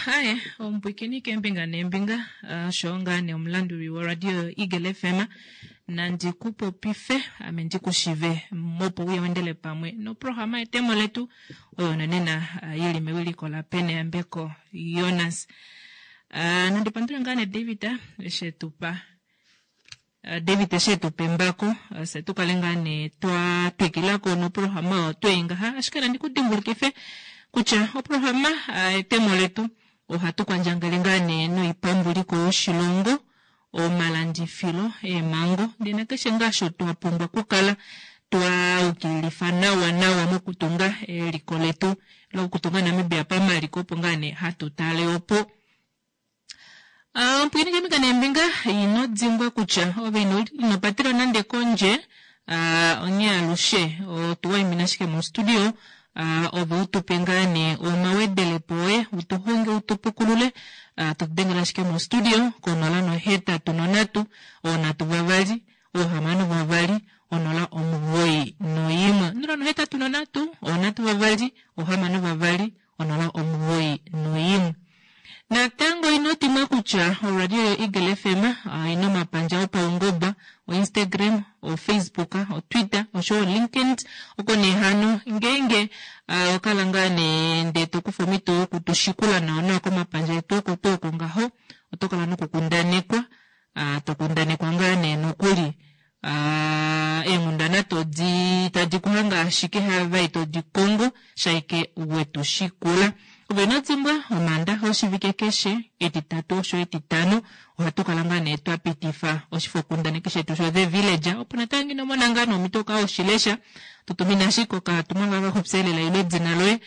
Aye, omupwikini keembinga neembinga, osho ngaa nee omulanduli woradio Eagle FM. Nandi ku popife, ame ndi ku shive mopo uye wendele pamwe noprograma yetemo letu oyo nonena yi li mewiliko laPeneyambeko Jonas. Nandi pandule ngaa nee David eshi e tu pa David eshi e tu pa embako, fye tu kale ngaa nee twa twikila ko noprograma oyo twei ngaha. Ashike nandi ku dimbulukife kutya oprograma etemo letu ohatu kwandjangele ngaa nee noipambuliko yoshilongo, omalandifilo, eemhango ndee nakeshe ngaa osho twa pumbwa okukala twa ukililifa nawa nawa mokutunga eliko letu lokutunga Namibia pamaliko opo ngaa nee hatu tale opo. Ompwiini keembinga neembinga, ino dimbwa kutya ove ino, ino patelwa nande kondje, onghee alushe otu waimina ashike mostudio, ove u tu pe ngaa nee omawedelepo oye, u tu honge, u tu pukulule, to tu dengele ashike mostudio konola nohetatu nonhatu, oonhatu vavali, oohamano vavali, onola 91. Onola nohetatu nonhatu, oonhatu vavali, oohamano vavali, 091. Natango ino dimwa kutya oradio yoEagle FM oina omapandja opaungoba, oInstagram, oFacebook, oTwitter oshowo oLinkedIn. Oko nee hano ngeenge owa kala ngaa nee ndee to kufa omhito yoku tu shikula nawa nawa komapandja etu oko tuu oko ngaho, oto kala nokukundanekwa, to kundanekwa ngaa nee nokuli Eenghundana todi tadi ku hange ashike hava todi kongo shaike wetu shikula. Ove ino dimbwa, Omaandaxa oshivike keshe, Etitatu osho Etitano, ohatu kala ngaa nee twa pitifa oshifokundaneki shetu sho The Villager, opo natango ino mona ngaa nee omhito uka oshilesha, tu tumina ashike okatumwalaka kaxupya elela ile edina loye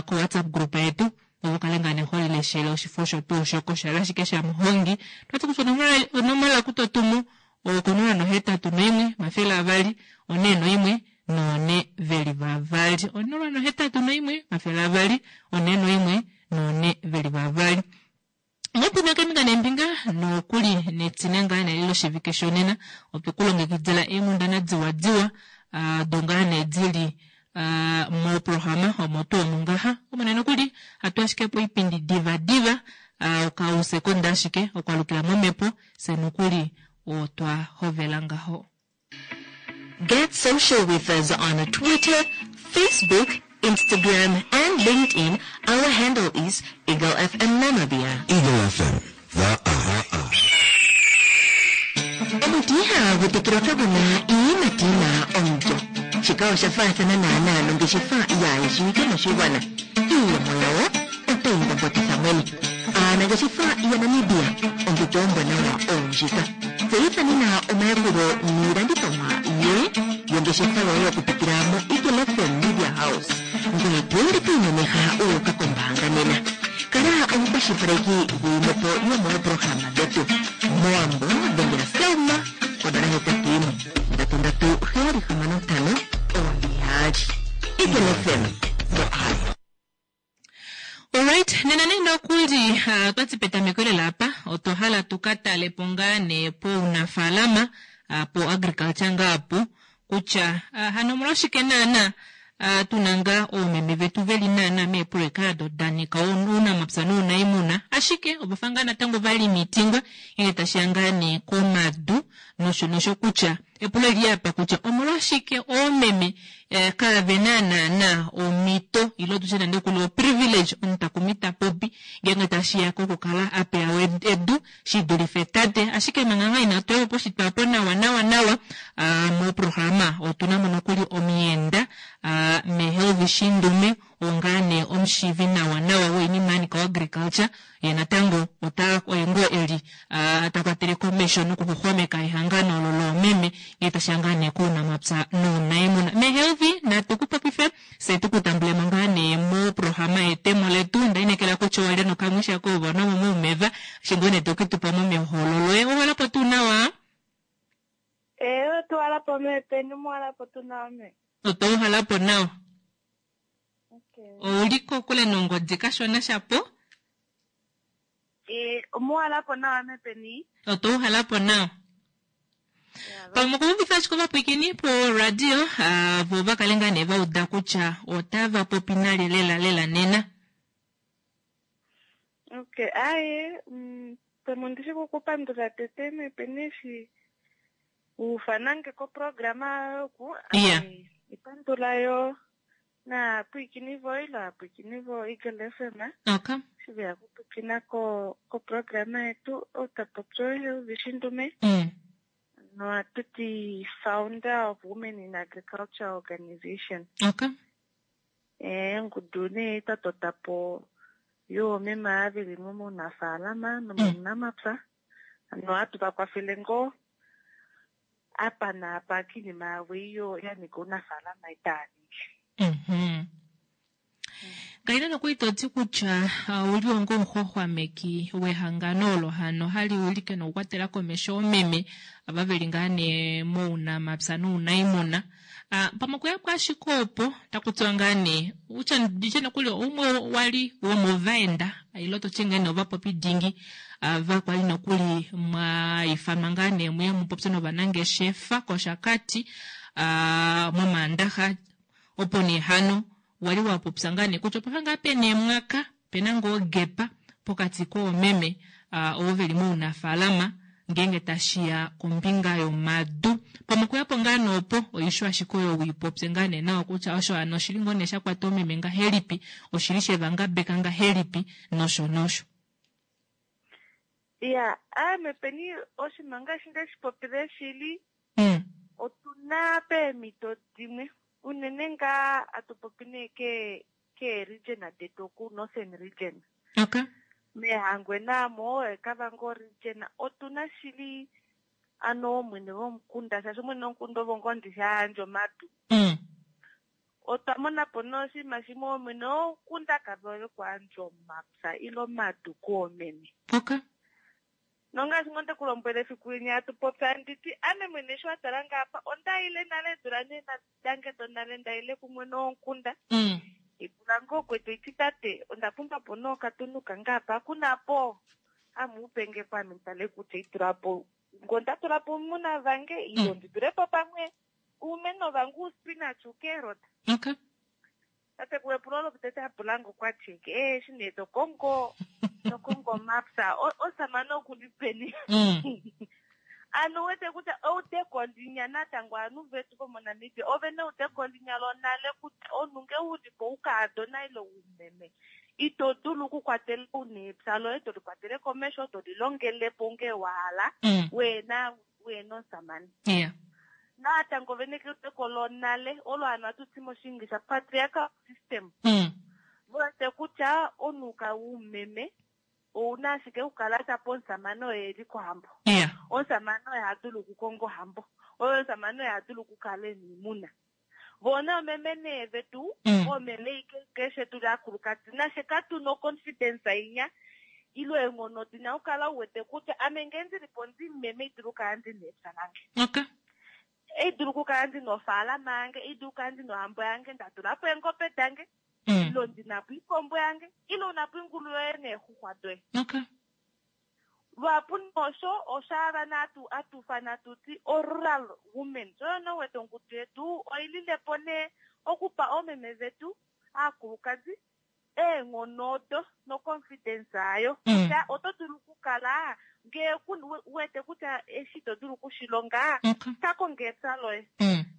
ko WhatsApp group yetu, ove ukale ngaa nee ho lileshele oshifo osho tuu osho koshala ashike shamuhongi. Otwati kutya onomola ku to tumu okonola nohetatu noimwe omafele avali onee noimwe noone veli vavali onola nohetatu noimwe omafele avali onee noimwe noone veli vavali Ngopuna keembinga neembinga nokuli netine ngaa nee loshivike shonena otwe ku longekidila eenghundana diwa diwa do ngaa nee dili moprograma omo tuu omu ngaha omone nokuli hatu ashike poipindi diva diva okausekonda ashike okwalukila momhepo Fye nokuli otwa hovela ngaho. Get social with us on Twitter, Facebook, Instagram and LinkedIn. Our handle is Eagle FM Namibia. Eagle FM, the eye. Omuti ihagu tekelwa kagu na iiyimati yi na omulyo. Shika osha faathana naanaa nongeshefa yaayeshiwike moshigwana. Iiyemo yawo otayi mbombotitha mwene. Aanangeshefa yaNamibia, ompito ombwanawa oondjika. Tseyitha nena omayakulo niilandithomwa yoye yongeshefa yoye okupitila moEagle FM Media House, ngoye to ende to imemeha wu uka kombaanga nena. Kala omukwashilipaleki gwiimwepo yomoopolohalama dhetu. MOwambo dhengela Selma ko 081 3376 5 2. Eagle FM, the eye. Alright, nena nee nokuli otwati petameko lela apa otwa hala tu ka tale po ngaa nee pounafaalama po agriculture ngaa po kutya hano omolwashike naana tuna ngaa oomeme vetu veli naana meeproyeka ado da nyika ounamapya nounaimuna ashike ovafa ngaa natango va limitingwa ngenge tashiya ngaa nee komadu nosho nosho kutya epulo eli apa kutya omolwashike oomeme eh, kaave na naana omhito ile tushe nande kuli oprivilege omutakumi ta popi ngeenge tashiya kokukala a pewa edu shi dulife tate. Ashike manga ngaa inatu ya po poshitwa po nawa nawa nawa moprograma otuna mo nokuli omuyenda meHelvi Shindume oo ngaa nee omushiivi nawa nawa woinima ya nyika oagriculture ye natango ota oye ngoo eli ta kwatele komesho nokuxuxwameka ehangano olo loomeme ngee tashiya ngaa nee kounamapya nounaimuna. Mehelvi natu ku popife fye tu ku tambulemo ngaa nee moprograma yetemo letu. Onda inekela kutya owalya nokamwisha koova nomo moumeva eshi ngoo nee toke tu pa mo meholo loye. Owalapo tuu nawa? Ee, otuwalapo mee peni muwalapo tu nawa mee. Otwa uhalapo nawa. Ouli kokule nongodi kashona shapo. Eh, omuwalapo nawa mepeni. Otwa uhalapo nawa. Pamwe okuuvifa ashike ovapwiikini po radio vo va kale ngaa nee va uda kutya otava popi nalye lela lela nena. Okay, aye, pamwe ondi shi kukupandula tete mepeni eshi wuufanange koprograma yoku. Yeah. Ipandula yo naapwiikini voye ile aapwiikini vo Eagle FM. Okay. Eshi veya kupwiikina ko koprograma yetu outapopi oye Helvi Shindume. Nohatu ti founder of Women in Agriculture Organization. Okay. Ongudu nee twa tota po yoomeme ava veli mounafaalama nomounamapya. Hano ohatu va kwafele ngoo apa naapa kiinima yavo iyo ya nyika ounafaalama itaa ningi. Kaina nokuli to ti kutya ouli onga omuxwaxwameki wehangano olo hano hali wilike nokukwatela komesho oomeme ava veli ngaa nee mounamapya nounaimuna. Pamwe okuya po ashike opo taku tiwa ngaa nee utya nditye nokuli oumwe wali womovaenda ile to ti ngaa nee ovapopi dingi ava kwali nokuli mwa ifanwa ngaa nee muye mupopye novanangeshefa kOshakati mOmaandaxa opo nee hano wali wa popya ngaa nee kutya opafa ngaa pena emwaka pena ngoo ogepa pokati koomeme ovo veli mounafaalama ngeenge tashiya kombinga yomadu. Pamwe okuyapo ngaa nee opo oisho ashike oyo wiipopye ngaa nee nawa kutya osho hano oshili ngoo nee shakwata oomeme ngahelipi, oshili shevangabeka ngahelipi nosho nosho. Ya, aame peni oshinima ngaashi nde shi popile shili, otuna peemhito dimwe unene ngaa atu popi nee ke ke region detu oku Northern region. Okay. Mehangwena mo Kavango region otuna shili ano omwene womukunda shaashi omwene womukunda ovo ngoo ndi yandja omadu. Otwa mona po nee oshinima shimwe omwene womukunda kavele okuyandja omapya ile omadu koomeme. Okay. Nongaashi ngoo nde ku lombwela efiku linya hatu popya nditi ame mwene eshi wa tala ngaapa onda ile nale eedula nee dange donale ndaile kumwene womukunda. Ipula ngoo kwetu iti tate onda pumbwa po nee okatunu kange apa kuna po amuupenge po ame nditale kutya itula po ngo nda tula po oumuna vange ile ndi tule po pamwe oumeno vange uuspinach uucarrot. Okay. Tate kuepulo olo tete apula ngo kwa ti eshi nee tokongo tokongo mapya osamane okuli peni. Ano wete kutya eudeko linya natango ovanhu vetu vomoNamibia ove na eudeko linya lonale kutya omunhu nge uli po ukaadona ile umeme ito dulu okukwatela una epya loye to likwatele komesho to lilongele po nge wa hala wena wena omusamane. Yeah. Natango vene keudeko lonale olo hano hatu ti moshiingilisha patriarchal system. Wete kutya omunhu ka umeme ouna ashike okukala tapo omusamane oye eli kohambo. Yeah. Omusamane oye ha dulu okukonga ohambo. Oye omusamane oye ha dulu okukala ena oimuna. Vona omeme nee vetu, omeme keshe tuli akulukadi nashe katuna oconfidence inya ilo eenghono dina okukala u wete kutya ame ngee ndili po ndi meme idulu okukala ndina epya lange. Okay. Idulu okukala ndina ofaalama yange, idulu okukala ndina ohambo yange, nda tula po eengobe dange, ilo ndina po iikombo yange, ilo una po ingulu yoye neexuxwa doye. Okay. Luhapu nosho oshaava natu atufana tuti o rural women. So no wete ongudu yetu oilile po nee okupa oomeme vetu aakulukadi eenghono odo no confidence ayo. Kutya oto dulu okukala ngee wete kutya eshi to dulu okushilonga, ka konge epya loye.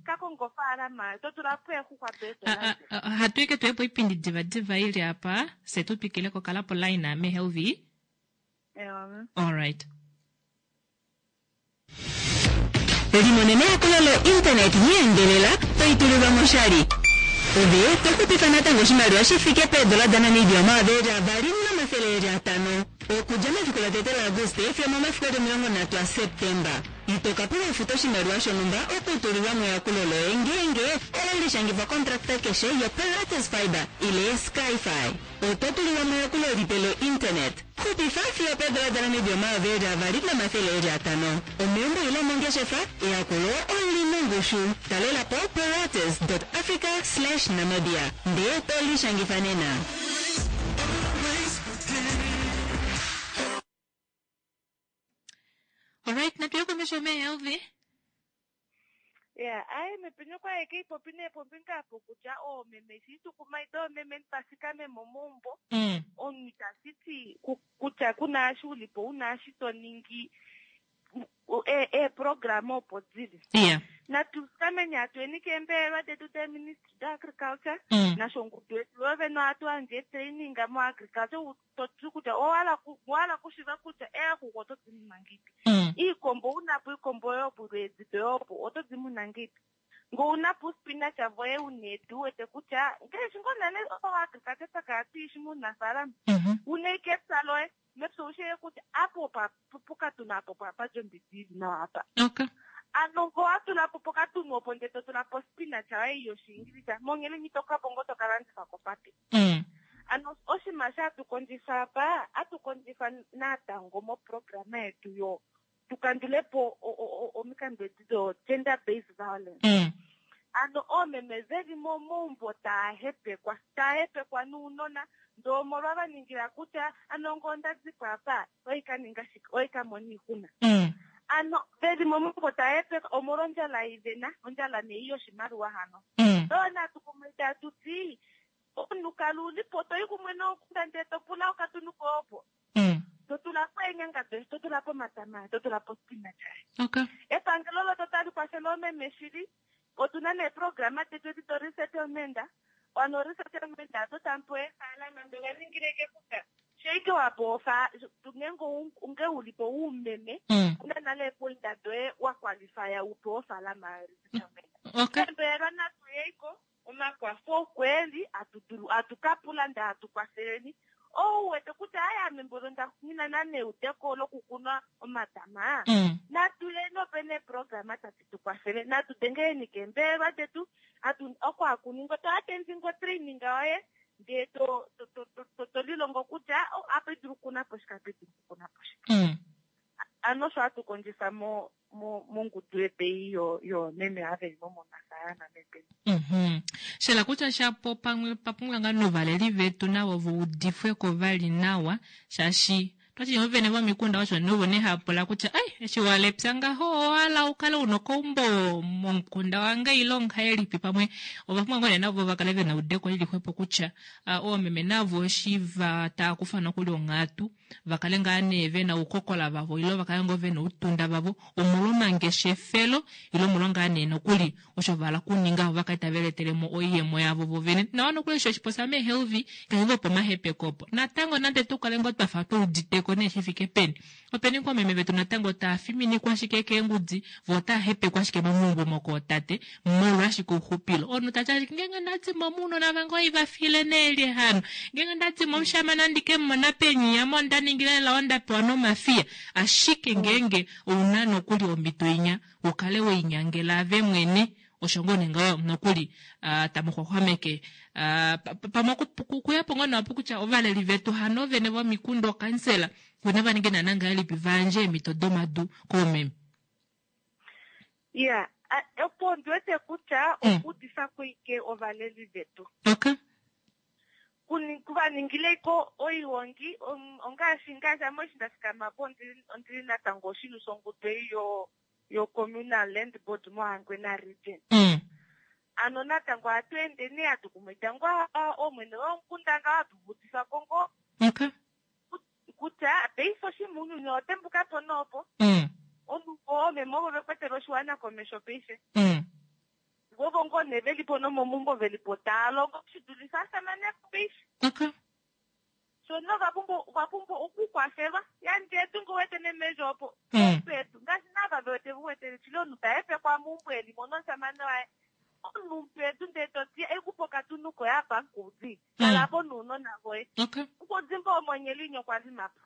Ka konge ofaalama, to tula po eexuxwa doye to landifa. Hatu ike tuye po oipindi diva diva ili apa, fye tu twikile ko kala po line ame Helvi. Ewa. All right. Limonene eyakulo lo-internet yeendelela toitulilwa moshali. Ove to xupifa natango oshimaliwa shi fike peedola daNamibia 2500 okudja mefiku latete laAguste fiyo omomafiku eli 30 aSeptemba. Ito ka pula ufuta oshimaliwa shonhumba okutulilwa meyakulo loye ngeenge owe lishangifa kontrakta keshe yoPilates Fibre ile Skyfi. Oto tulilwa meyakulo lipe lo-internet. Xupifa fiyo peedola daNamibia 2500. Omeumbo ile omongeshefa, eyakulo oli nongushu. Talela po pilates.africa/namibia ndee to lishangifa nena. Alright, natuye komesho mehelvi. Ya, aye mepinyo kwa eke ipopi nee pombinga apo kutya oomeme shi tukumaida oomeme nipasikame momaumbo omunhu itashi ti kutya kuna eshi ulipo una eshi to ningi eeprograma opo dili. Natu fikameni atueni keembelelwa detu deeministry daagriculture nasho ongudu yetu yo vene ohatu yandje eetraining moagriculture to ti kutya owa hala okushiva kutya eexuxwa oto di muna ngeipi. Iikombo una po iikombo yoye opo eedi doye opo oto di muna ngeipi. Ngee ouna po uspinach voye una edu uwete kutya ngaashi ngoo nale oagriculture twa kala tuishi mounafaalama. Una ashike epya loye mepya oushi ashike kutya apa opa pokatunu apa opo hapa di ombidi ili nawa apa. Ano ngee owa tula po pokatunu opo ndee to tula po spinach yoye yoshiingilisa monghela ito ka po ngoo to ka landifa kopate. Ano oshinima sho hatu kondjifa apa, hatu kondjifa natango moprograma yetu yo tu kandule po omikandu edi do gender based violence. Ano oomeme veli momaumbo taa hepekwa, taa hepekwa nounona, ndee omolwa va ningila kutya ano ngee onda dipo apa oi ka ninga shike, oi ka mona oixuna. Ano veli momaumbo taa hepekwa omolwa ondjala ei vena, ondjala nee yoshimaliwa hano. Oyo natu kumaida hatu ti omunhu kala uli po to i kumwe nomukunda ndee to pula okatunu koye opo. To tula po eenyanga doye, to tula po omatama, to tula po spinach. Epangelo loto tali kwafele oomeme shili. Otu na neeprograma detu edi do resettlement. Ano resettlement ado tamu pewa eefaalama ndee ova ningile ike kutya sheike wa pewa ofa, ngeenge onge uli po uumeme, una nale eepointa doye wa qualifya u pewe ofaalama yo resettlement. Eembelelwa natu yeiko omakwafo okweli atu dulu atu ka pula ndee atu kwafeleni. Ou wete kutya aye ame mboli onda ngina na neudeko lokukuna omatama. Natu yeni opena eeprograma tadi tu kwafele. Natu dengeleni keembelelwa detu. Atu oko haku ningwa to attending otraining yoye ndee to to to to to lilongo kutya apa idulu okukuna po shike apa idulu okukuna po shike. Ano osho hatu kondjifa mo mongudu yetu yoomeme ava veli mo mounafaalama meepeni. Shela kutya shapo pamwe pa pumbwa ngaa novaleli vetu navo va udifwe ko vali nawa shaashi twati ovene vomikunda osho novo nee hava pula kutya ai eshi walepya ngaho owahala ukale una okaumbo momukunda wange ile ongahelipi pamwe ova pumbwa ngoo nee navo va kale vena eudeko lili xwepo kutya oomeme navo eshi va tava kufa nokuli onghatu va kale ngaa nee ve na oukokola vavo ile va kale ngoo ve na outunda vavo omolwomangeshefelo ile omolwa ngaa nee nokuli osho va hala okuninga vo va kale tave lietele mo oiyemo yavo vo vene. Nawa nokuli osho oshiposa meehelvi keshe ngoo pomahepeko opo. Natango nande tu kale ngoo twafa tu uditeko nee shi fike peni, openi ngoo meme vetu natango taa fiminikwa ashike keengudi vo otaa hepekwa ashike momaumbo omo kootate molwa ashike ouxupilo. Omunhu tati ashike ngeenge nda dimo mounona vange oiva file nee lye hano, ngeenge nda dimo omushamane andi ke mumona peni ame onda ningila lela onda pewa nomafiya. Ashike ngeenge ouna nokuli omhito inya u kale weinyangela ave mwene osho ngoo nee ngaho nokuli tamu xwaxwameke pamwe okuya po ngoo nawa kutya ovaleli vetu hano vene vomikunda okansela vona va ninge naana ngahelipi va yandje eemhito domadu koomeme. Ya, opo ondi wete kutya okuudifa koike ovaleli vetu. Kuva ningileko oihongi ongaashi ngaashi ame eshi nda fikama po ondili natango oshilyo shongudu ei yo Communal Land Board moHangwena Region. Ano natango ohatu ende nee hatu kumaida ngoo oomwene womukunda ngaho hatu va udifa ko ngoo kutya paife oshinima ounyuni owa tembuka po noopo. Omunhu oomeme ovo vekwetele oshiwana komesho paife. Vovo ngoo nee veli po nomomaumbo veli po taa longo shi dulife ashamane paife. So no va pumbwa okukwafelwa. Yandje edu ngoo wete nemendjo opo. Pedu ngaashi nava ve wete ve wete shili omunhu ta hepekwa meumbo eli mo nomushamane waye. Omunhu pedu ndee to ti ekupa okatunu koye apa nkudi. Kala po nounona voye. Nkudi mboo omonyeli inyo kwa limapo.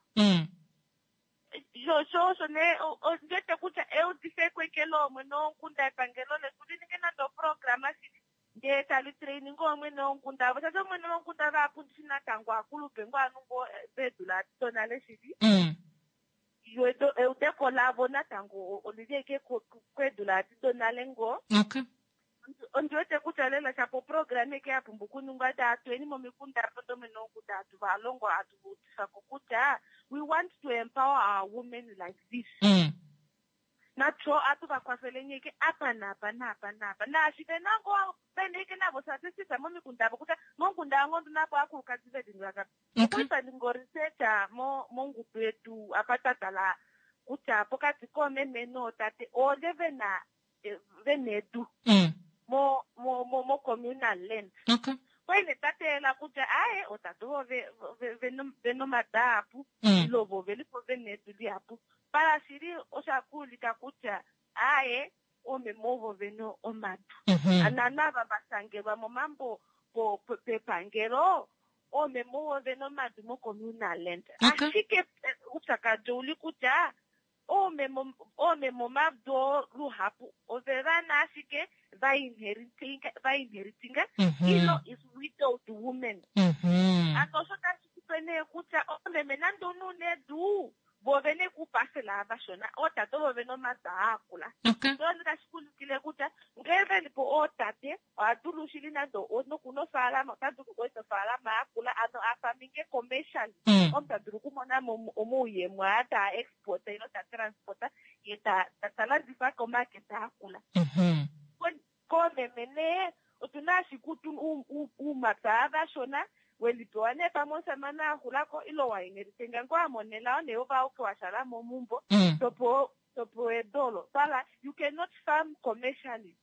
Sho osho nee ondi wete kutya eudife ekwekelo omwene womukunda epangelo letu li ninge nande oprograma shili ndee tali training omwene womukunda avo shaashi omwene womukunda vahapu ndishi natango akulupe ngoo anu ngoo veedula donale shili. Yo eudeko lavo natango olili eke kweedula donale ngoo. Ondi wete kutya lela shapo oprograma eke ya pumbwa okuningwa ndee atuweni momikunda apo domwene womukunda hatu va longo hatu va udifa ko kutya we want to empower our women like this. Natyo ohatu va kwafele nyeke apa naapa naapa naapa. Naashi ve na ngoo vene ike navo statistics momikunda avo kutya momukunda wange ondi na po aakulukadi ve li ngapi. Okwali twa ninga o-research mongudu yetu apa twa tala kutya pokati koomeme nootate oolye ve na ve na edu mo mo mo mo communal land. Kwali nee twa teelela kutya aaye ootate ovo ve na omadu ahapu ile ovo ve li po ve na edu lihapu. Pala shili osha ka ulika kutya aaye oomeme ovo ve na omadu. Ano ava va shangelwa momambo pepangelo oomeme ovo ve na omadu mocommunal land. Ashike oupyakadi ouli kutya oomeme omadu oo luhapu ove va na ashike va inheritinga ilo is widowed women. Ano osho tashi kupe nee kutya oomeme nande omunhu una edu vo vene kuupasela vashona ootate ovo vena omadu aakula. So tashi kuulikile kutya ngee ve li po ootate oha dulu shili nande nokuna ofaalama ota dulu okueta ofaalama yakula ano a farminge commercially omuntu ta dulu okumona mo omauyemo aa taa export ile ta transport ye ta landifa komarket akula. Koomeme nee otuna ashike uumapya vashona welipewa nee pamwe omusamane a xulako ile wa inheritinga ngoo a mona elao nee ove auke wa shala momumbo topewa edu olo. Twala you cannot farm commercially.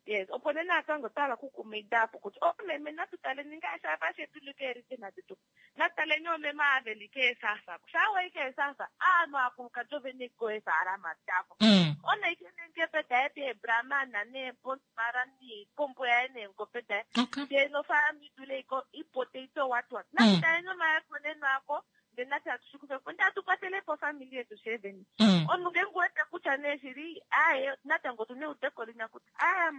Yes, opo nee natango twa hala okukumaida apo kutya oomeme natu taleni ngaashi ava shetu li keerijina detu. Natu taleni oomeme ava ve li keesafa. Shaa wa i keesafa, aanhu aakulukadi ove na ko eefaalama davo. Ona ike neengepe daye deebramana neebonsmara niikombo yaye neengobe daye. Ndee nofaalama i dule ipotato what what. Natu taleni omayakoneno ako ndee nafye hatu shi kufe po ndee hatu kwatele po ofamili yetu sheeveni. Omunhu ngeenge uwete kutya nee shili aaye natango otu na eudeko linya kutya aaye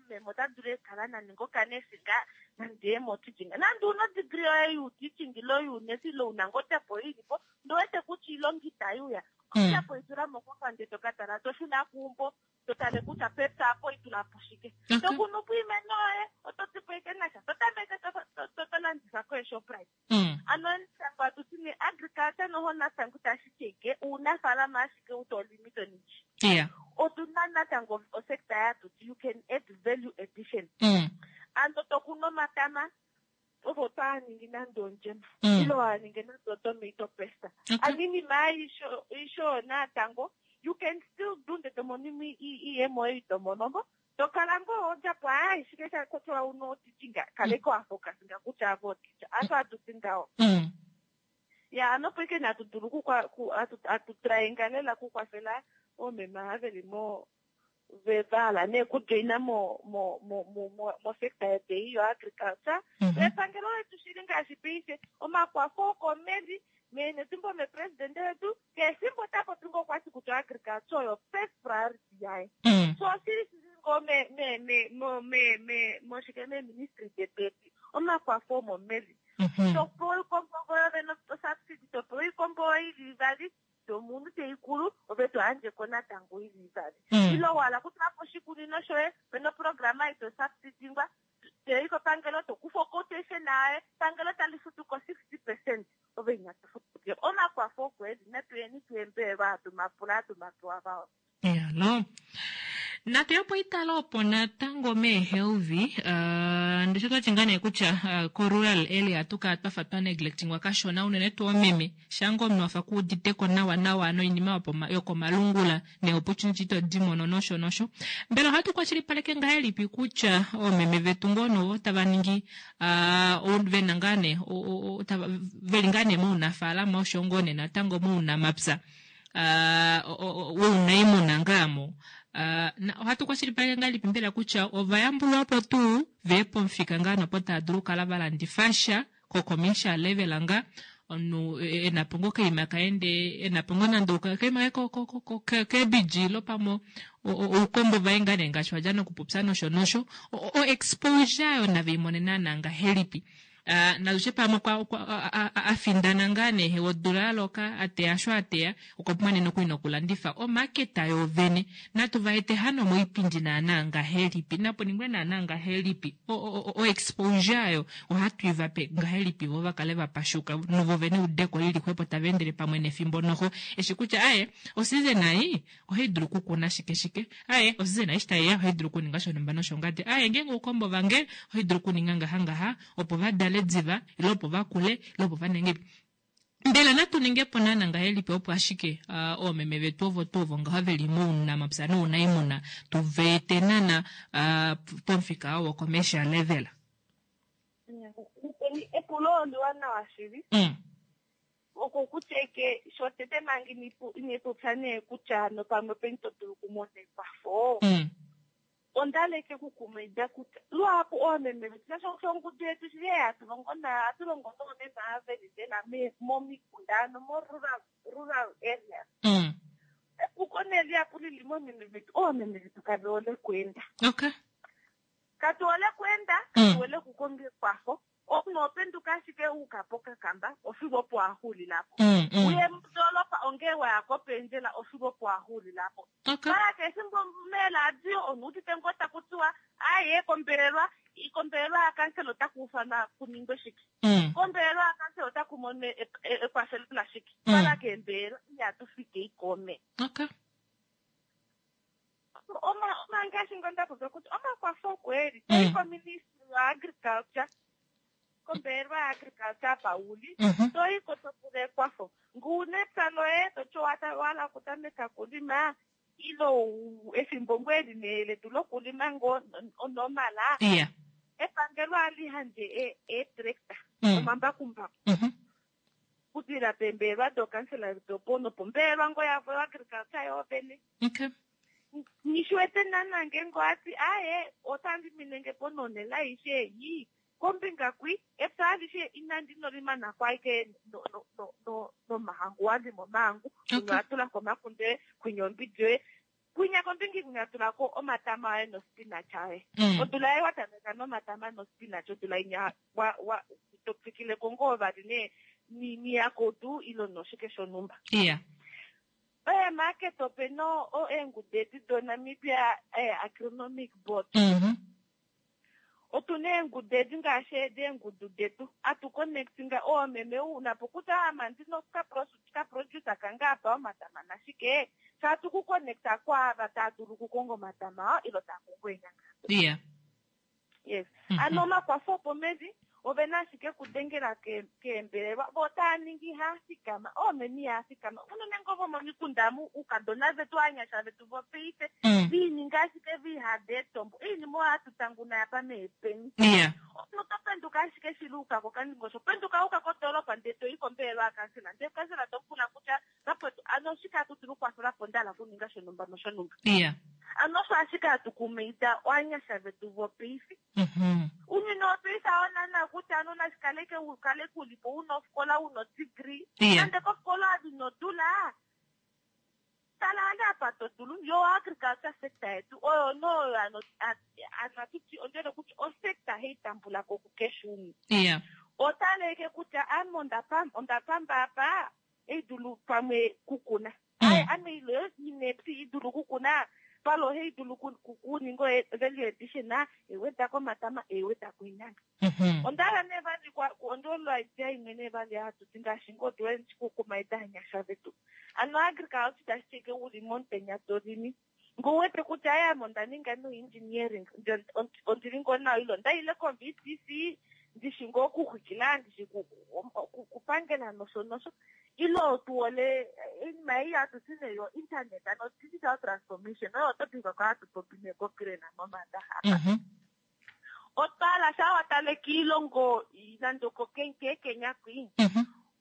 meme ota dulu okukala naninga okanesi ngaa nande ye moteaching. Nande una odegree yoye youteaching ile younesi ile una ngoo odjapo ili po ndee uwete kutya oilonga itai uya, odjapo itula mo kofandje to ka tala to shuna keumbo to tale kutya pepya apo itula po shike. To kunu po iimeno yoye oto ti po ike nasha to tameke to landifa koeShoprite. Ano natango atu ti nee agriculture noho natango itashi ti ike uunafaalama ashike utolimi toningi. Otu na natango osector yatu ti you can add value addition. Ano to kunu omatama ove oto ningi nande ondjema ile wa ningi nande otomato paste. Ano iinima aishe natango you can still do ndele to mono iiyemo yoye ito mono mo. To kala ngoo odjapo aaye shike sha kotowa una oteaching kaleka wa focusinga kutya ave oteacher. Asho hatu ti ngaho. Ya ano opo ike natu dulu atu tryinga lela okukwafela oomeme ava ve li mo va hala nee okujoina mo mo mo mo mosector yetu ei yo agriculture. Epangelo letu shili ngaashi paife omakwafo okomedi meenetumbo mepresidente wetu kehe efimbo ota popi ngoo okwati kutya agriculture oyo first priority yaye. So oshili shili ngoo me me me mo me me moshike meeministry detu edi omakwafo omomevi. To pewa oikombo yoye no subsidy, to pewa oikombo ili ivali tomunhu teikulu ove to yandjeko natango ili ivali. Ile wahala okutula po oshikunino shoye pena oprograma ito subsidingwa toyi kopangelo to kufa oquotation yaye epangelo tali futu ko 60% ove inatu futu. Omakwafo oko eli natu yeni tuembelwa hatu mapula hatu mapewa vao. Alo. Natu ye po itala opo natango meehelvi ndisho twati ngaa nee kutya ko rural area ohatu kala twafa twa neglectingwa kashona unene tuu omeme shange omunhu wafa kuuditeko nawa nawa noinima yokomalungula nee opportunity ito di mono nosho nosho. Mbela ohatu kwashilipaleke ngahelipi kutya oomeme vetu ngoo novo tava ningi vena ngaa nee veli ngaa nee mounafaalama osho ngoo nee natango mounamapya wounaimuna ngaamo ohatu kwashilipaleke ngahelipi mbela kutya ova yambulwa po tuu ve pomufika ngaa nopo tava dulu okukala va landifa sha ko-commercial level nga omunhu e na po ngoo okaima kaende e na po ngoo nande okaima kaye keebiji ilo pamwe oukombo vaye ngaa nee ngaashi wadja nokupopya nosho nosho o-exposure ayo nave i mone naana ngahelipi. Uh, nalutye pamwe okwa, a, a, a findana ngaa nee odula ya loka a teya sho a teya okwa pumbwa nee nokuli nokulandifa omaketa yoovene natu va ete hano moipindi naanaa ngahelipi napu ningwe naanaa ngahelipi o-exposure ayo ohatu i va pe ngahelipi vo va kale va pashuka novo vene eudeko lili xwepo tava endele pamwe nefimbo noho eshi kutya aye oseason ei ohai dulu okukuna shike shike aye oseason eshi tai ya ohai dulu okuninga shonhumba noshongadi aye ngeenge oukombo vange ohai dulu okuninga ngaha ngaha opo va dale diva ile opo va kule ile opo va ninge mbela natu ninge po naana ngahelipi opo ashike uh, oomeme vetu ovo tuu ovo ngaho ve li mounamapya nounaimuna tu va ete naana uh, pomufika oo wocommercial level? Epulo oliwanawa shili. Oko kutya eke shotete manga ine popya nee kutya hano pamwe openi to dulu okumona ekwafo. Onda leke okukumaida kutya luhapu oomeme vetu shaashi osho ongudu yetu shili ei hatu longo nayo ohatu longo noomeme ava veli lela momikunda ano mo rural, rural areas. Epuko nee lihapu lili moomeme vetu, oomeme vetu kave hole okuenda. Okay. Katu hole okuenda, katu hole okukonga ekwafo. Omunhu oho penduka ashike wa uka pokakamba ofigo opo wa xuulila po. Uye modoolopa ongee wa ya kopendjela ofigo opo wa xuulila po. Okay. Mara keshe efimbo meeradio omunhu udite ngoo taku tiwa aye kombelelwa, kombelelwa yakansela otaku ufanwa ku ningwe shike. Kombelelwa yakansela otaku monwe ekwafelo lashike. Mara keembelelwa ihatu fike ikome. Okay. Oma, oma ngaashi ngo nda popya kutya omakwafo oko e li. Toyi koministry yo agriculture, kombelewa ya agriculture apa u li, toyi ko to pula ekwafo. Nge u na epya loye, to ti owa hala okutameka okulima, ile efimbo ngoo eli nee letu lokulima ngoo onormal, epangelo ohali yandje eetractor, omambakumbaku. Okudilila peembelelwa dookansela dopo nopombelelwa ngoo yavo yoagriculture yoovene. Okay. Nghi wete naana ngeenge owa ti aaye otandi minenge po nonhele aishe ei kombinga kwi epya alishe inandi nolimana ko ashike nomahangu wa lima omahangu kwinya owa tula ko omakunde kwinya ombidi yoye kwinya kombinga ikwinya tula ko omatama aye nospinach aye odula ei wa tameka nomatama nospinach odula inya wa wa to twikile ko ngoo vali ne niyakodu ilo noshike shonhumba. Yeah. Eemarket ope na eengudu edi doNamibia Agronomic Board. Otu na eengudu edi ngaashi edi eengudu detu. Atu connectinga oomeme u na po kutya ama ndi na ka producer kange apa omatama nashike. Fye atu ku connecta kwaava taa dulu okukonga omatama oo ilo taa kongo eenyanga. Yeah. Yes. Ano omakwafo opomevi ove na ashike okudengela keembelelwa vo otava ningi ihaafikama oomeme ihaafikama unene ngoo vomomikunda amu oukadona vetu ovanyasha vetu vopaife viininga ashike viihada eetombo oinima oyo hatu tanguna apa meepeni omunhu oto penduka ashike shili uka kokandingosho penduka uka kodoolopa ndee toyi kombelelwa yakansela ndee kansela to pula kutya Vakwetu, ano oshike hatu dulu okukwafela po nda hala okuninga shonhumba noshonhumba? Ano osho ashike hatu kumaida ovanyasha vetu vopaife. Ounyuni wopaife hao naana kutya ano nashi kaleke u kale ku li po u na ofikola u na odegree. Nande kofikola ove ino dula, tala hali apa to dulu. Yo oagriculture sector yetu oyo nee oyo ano hatu ti ondjele kutya osector hai tambula ko kukeshe umwe. Otaleke kutya ame onda pamba apa, ei dulu pamwe kukuna. Aye, ame ilo inepyi i dulu kukuna, palo ohai dulu kuninga value addition, eiweda komatama, eiweda koinyanga. Onda hala nee vali ondolwa idea imwe nee vali hatu ti ngaashi ngoo tu kukumaida anyasha vetu. Ano agriculture tashi ti ike uli momutenya to limi. Ngee u wete kutya aye ame onda ninga no engineering, ondili ngoo nawa ile onda ile ko VTC, ndishi ngoo okuxwikila, ndishi okupangela nosho nosho. Ile otu hole oinima ei hatu ti nee yo internet, ano digital transformation, oyo topic oko hatu popi nee koCRAN moMandaxa apa. Otwa hala shaa wa tale kiilongo nande oko keeKenya kwii,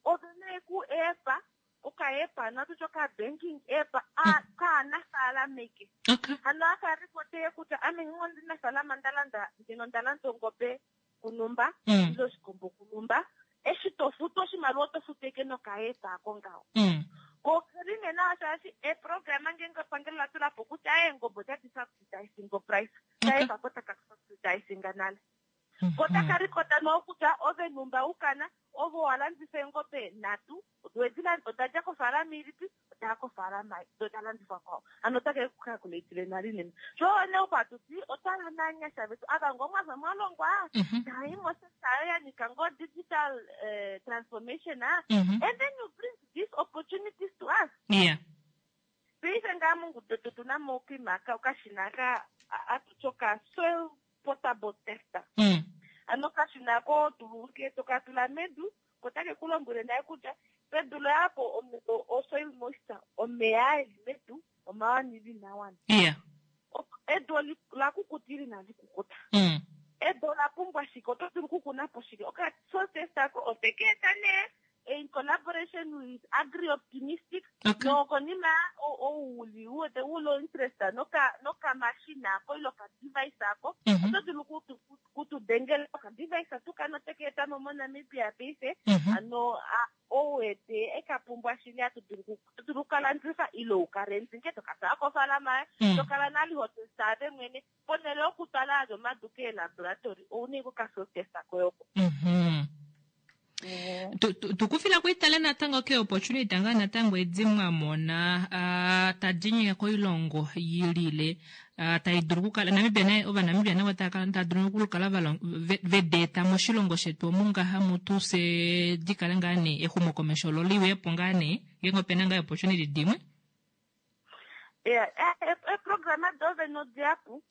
ove na eku app oka app ano atu ti oka banking app a kaanafaalama eke. Okay. Hano aka reporte kutya ame ngenge ondinafaalama nda landa ngeno nda landa ongobe kunumba ile oshikombo kunumba, eshi to futu oshimaliwa oto futu eke noka app ako ngaho. Ko okeli nee nawa shaashi eeprograma ngeenge epangelo la tula po kutya eengobe otadi subsidizing price, ka app ako taka subsidizing nale. Ko otaka rikota noo kutya ove numba ukana ove owa landifa eengobe nhatu, oda dja kofaalama ilipi, oda ya kofaalama do da landifwa kwao. Hano otake ku calculatile nale inene. Sho nee opo hatu ti otwa hala naanyasha vetu ava ngoo mwafa mwa longwa, taayi mosector oyo ya nyika ngoo digital transformation, and then you bring these opportunities to us. Paife ngaa mongudu yetu otu na mo okima okashina aka hatu ti oka soil portable tester. Ano okashina ako to toka tula medu, ko otake ku lombwele naye kutya pedu loye apo o soil moisture, omeya aa eli medu omawana ile inaa wana. Edu ola kukuta ile inali kukuta. Edu ola pumbwa shike, oto dulu okukuna po shike. Oka soil tester ako oteke eta nee in collaboration with Agri Optimistic. Nokonima ou uli u wete u lo interest noka nokamashina ako ile oka device ako, oto dulu kutu dengela oka device tuka noteke eta mo moNamibia paife. Ano ou wete eka pumbwa shili atu dulu okukalandifa ile ukarente nge toka twala kofaalama yoye, to kala nale ho testa ave mwene ponhele yokutwala ajo omadu keelaboratory ouna ike okasoil tester koye oko. Tukufila kuitale natango ke opportunity nga natango edi mwa mona tadi nyika koilongo yilile tai dulu okukala Namibia naye Ovanamibia navo tava dulu okukala vedeeta moshilongo shetu omu ngaha mutu fye dikale ngaa nee exumokomesho olo liwepo ngaa nee ngeenge opena ngaa opportunity dimwe. Eeprograma doovene odihapu.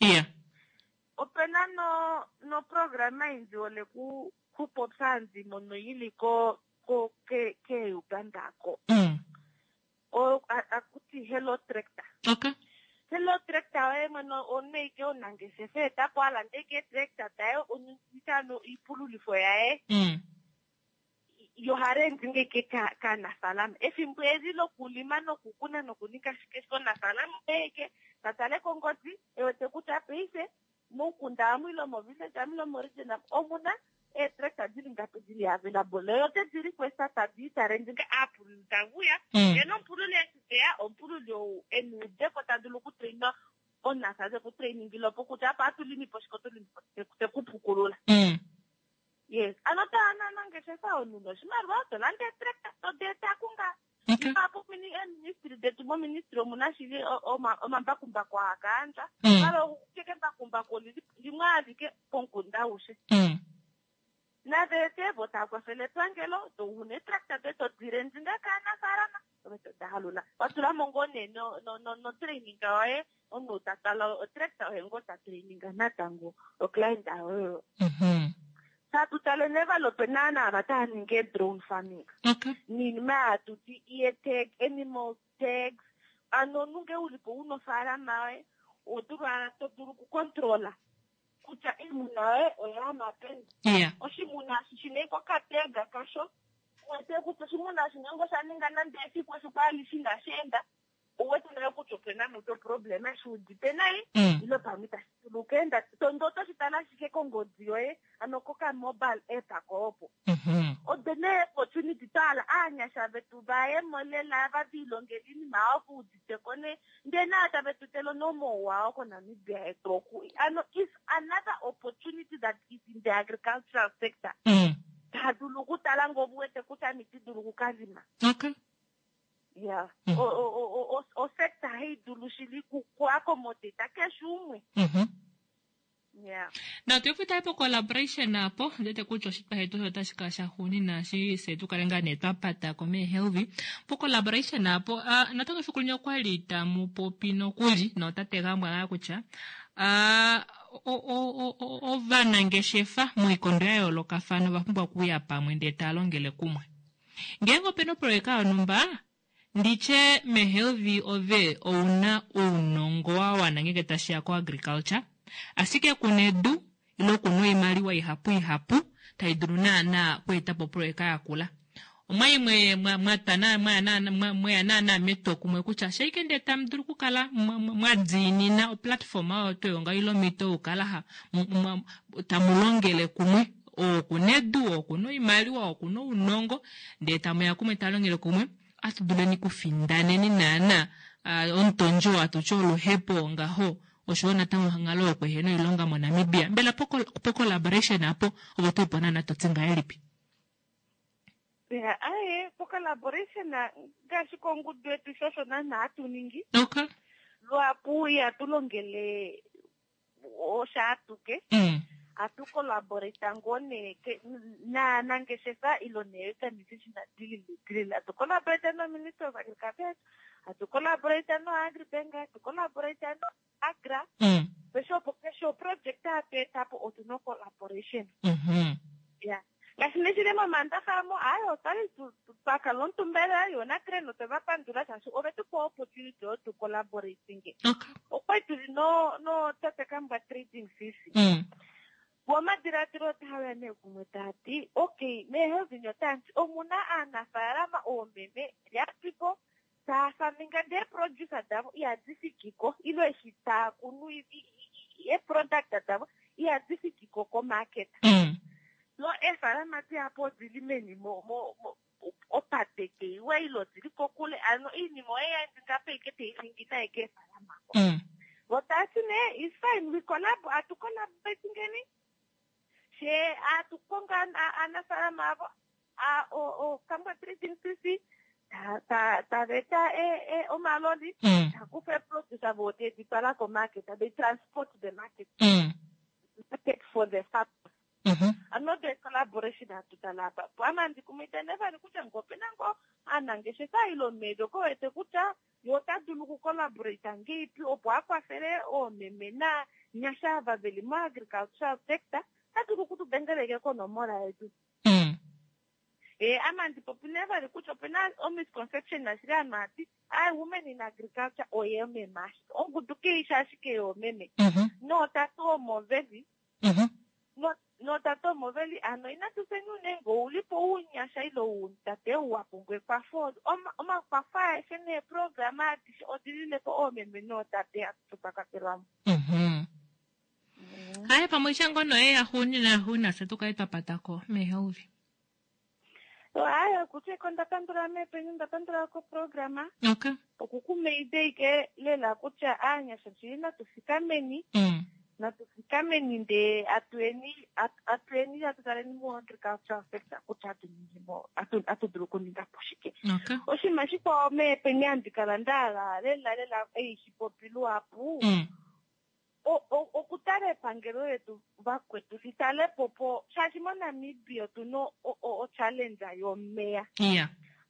Opena noprograma indi ole kupopya andi mono ili ko ke Uganda ko. Akuti Hello Tractor. Hello Tractor oye mwene omunhu omunangeshefa etapo alande ike tractor daye onitano iipululifo yaye. Yoharendi ngeke kaanafaalama. Efimbo eli lokulima nokukuna nokuninga shike shike omunafaalama eke tatale kongodi ewete kutya paife momukunda amu ile movillage amu ile moregion amu omuna eetractor dili ngapi dili available. Yo otedi request tadi tarendi nge aapululi tavuya. Ye nomupululi eshi teya omupululi ou ena eudeko ta dulu okutraina omunafaalama teku opo kutya apa atulimi po shike otulimi po tekupukulula. Yes, ano taananangeshefa omunhu noshimaliwa to landa eetractor to deeta kunga. Ihapu eeministry detu moministry omuna shili omambakumbaku haakaandja. Palo keke embakumbaku limwe alike pomukunda aushe. Naveete vo tava kwafele epangelo to una eetractor doye to direndi nga kaanafaalama ove to daalula. Watula mo ngoo nee notraining yoye omunhu ta twala otractor oye ngoo ta traininga natango oclient oyo. Tatu tale nevalo opena naava tava ningi drone farming. Niinima hatu ti ear tag, animal tags. Ano omunhu ngee ulipo una ofaalama yoye to dulu okukontrola kutya iimuna yoye oyaama peni. Oshimuna eshi shina ike okatega kasho uwete kutya oshimuna eshi ngeenge osha ninga nande efiku efiku alishe inashi enda uwete nayo kutya opena mutu oproblema eshi udite nai ile pamwe itashi dulu okuenda. Tondo otoshi tala ashike kongodi yoye ano koka mobile app ako opo. Ode nee opportunity twahala aanyasha vetu vayemo lela vaviilongele iinima yawo vauditeko nee ndee nayo tave tu tele nomauwa koNamibia yetu oku. Ano is another opportunity that is in the agricultural sector. Tadulu okutala ngoo uwete kutya ame iti dulu okukalima. Osector haidulu shili ku accommodate keshe umwe. Natu po collaboration apo ndete kutya oshitwa shetu osho otashi kala shaxuunina shi fye tukale ngaa nee twapata ko meehelvi po collaboration apo. Natango efiku limwe okwali tamu popi nokuli notate Gambwa ngaa kutya ovanangeshefa moikondo ya yoolokafana ova pumbwa okuuya pamwe ndee tava longele kumwe. Ngeenge opena oproyeka yonhumba nditye mehelvi ove ouna ounongo wa wana ngeenge tashiya ko agriculture ashike kuna edu ile kuna oimaliwa ihapu ihapu tai dulu naana okweetapo oproyeka yakula. Omwa mweya naana metwokumwe kutya shaike ndee tamu dulu okukala mwadiinina oplatform oyo tuu ile omhito yokukala tamu longele kumwe okuna edu, okuna oimaliwa, okuna ounongo ndee tamuya kumwe talongele kumwe atuduleni kufindaneni naana omutondjo atutye oluhepo ngaho. oshowo natango onghalo yokuhena oilonga moNamibia. Mbela po-collaboration apo ove oto ipo naana to ti ngahelipi? Ya, aye, po-collaboration ngaashi kongudu yetu sho osho naana hatu ningi. Okay. Luhapu ihatu longele oshaatuke. Hatu collaborate ngoo nee naanangeshefa ilo nee-organization dilili dilili. Hatu collaborate no-Ministry of Agriculture, hatu collaborate no-Agribank, hatu collaborate no-Agra. Keshe opo keshe oproject hatu eta po otu na collaboration. Ya. Ngaashi neshili momandaxa mo, aye otwali twa kala omutumba lela yo naGren otwe va pandula shaashi ove tu pa opportunity yo tu collaborating. Okwali tuli no no Tate Kambwa Trading CC. Vo omadiladilo otaa uya nee kumwe taa ti, okay, meeHelvin otaanti omuna aanafaalama oomeme lyapipo taa faminga ndee producer davo ihadi fikiko ilo eshi taa kunu eproduct davo ihadi fikiko komarket. Lo eefalama dihapu odili meni mo opate keiwa ilo odili kokule, ano oinima oye ya ngapo ike teiningi naye keefalama ko. Vo taati nee is fine, we collab, atu collaborate ngeni she atu konga aanafalama avo Kambwa Trading CC tava eta omaloli ta kufa eproduce avo tedi twala komarket, they transport the market market for the farmers. Ano the collaboration hatu tala apa po ama ndikumaida nevali kutya ngee opena ngoo aanangeshefa ilo meedi oko wete kutya ye ota dulu okucollaborate ngeipi opo a kwafele oomeme naanyasha ava veli moagricultural sector, ota dulu okutudengeleke konomola yetu. Ama ndipopi nevali kutya opena omisconception ashike ovanhu hati ai women in agriculture oyeememe ashike ongudu keishi ashike yoomeme. Nootate omo veli. Nootate omo veli ano inatu feni unene ngee oulipo ounyasha ile outate ou wa pumbwa ekwafo. Omakwafo aeshe neeprograma adishe odililepo oomeme nootate atutu twa kwatelwamo. Haye pamwe shango noye yaxuuninwa yaxuuninwa fye tukale twa patako meehauvi. Haye kutya eko nda pandula meepenyu nda pandula koprograma. Okay. Okukumaida ike lela kutya aanyasha shili natu fikameni. Natu fikameni ndee atueni atueni atu taleni mo agricultural sector kutya atu ningi mo atu dulu okuninga po shike. Okay. Oshinima shikwao meepenyu handi kala nda hala lela lela ei shipopi luhapu. Okutala epangelo letu vakwetu litale po po shaashi moNamibia otuna ochallenge yomeya.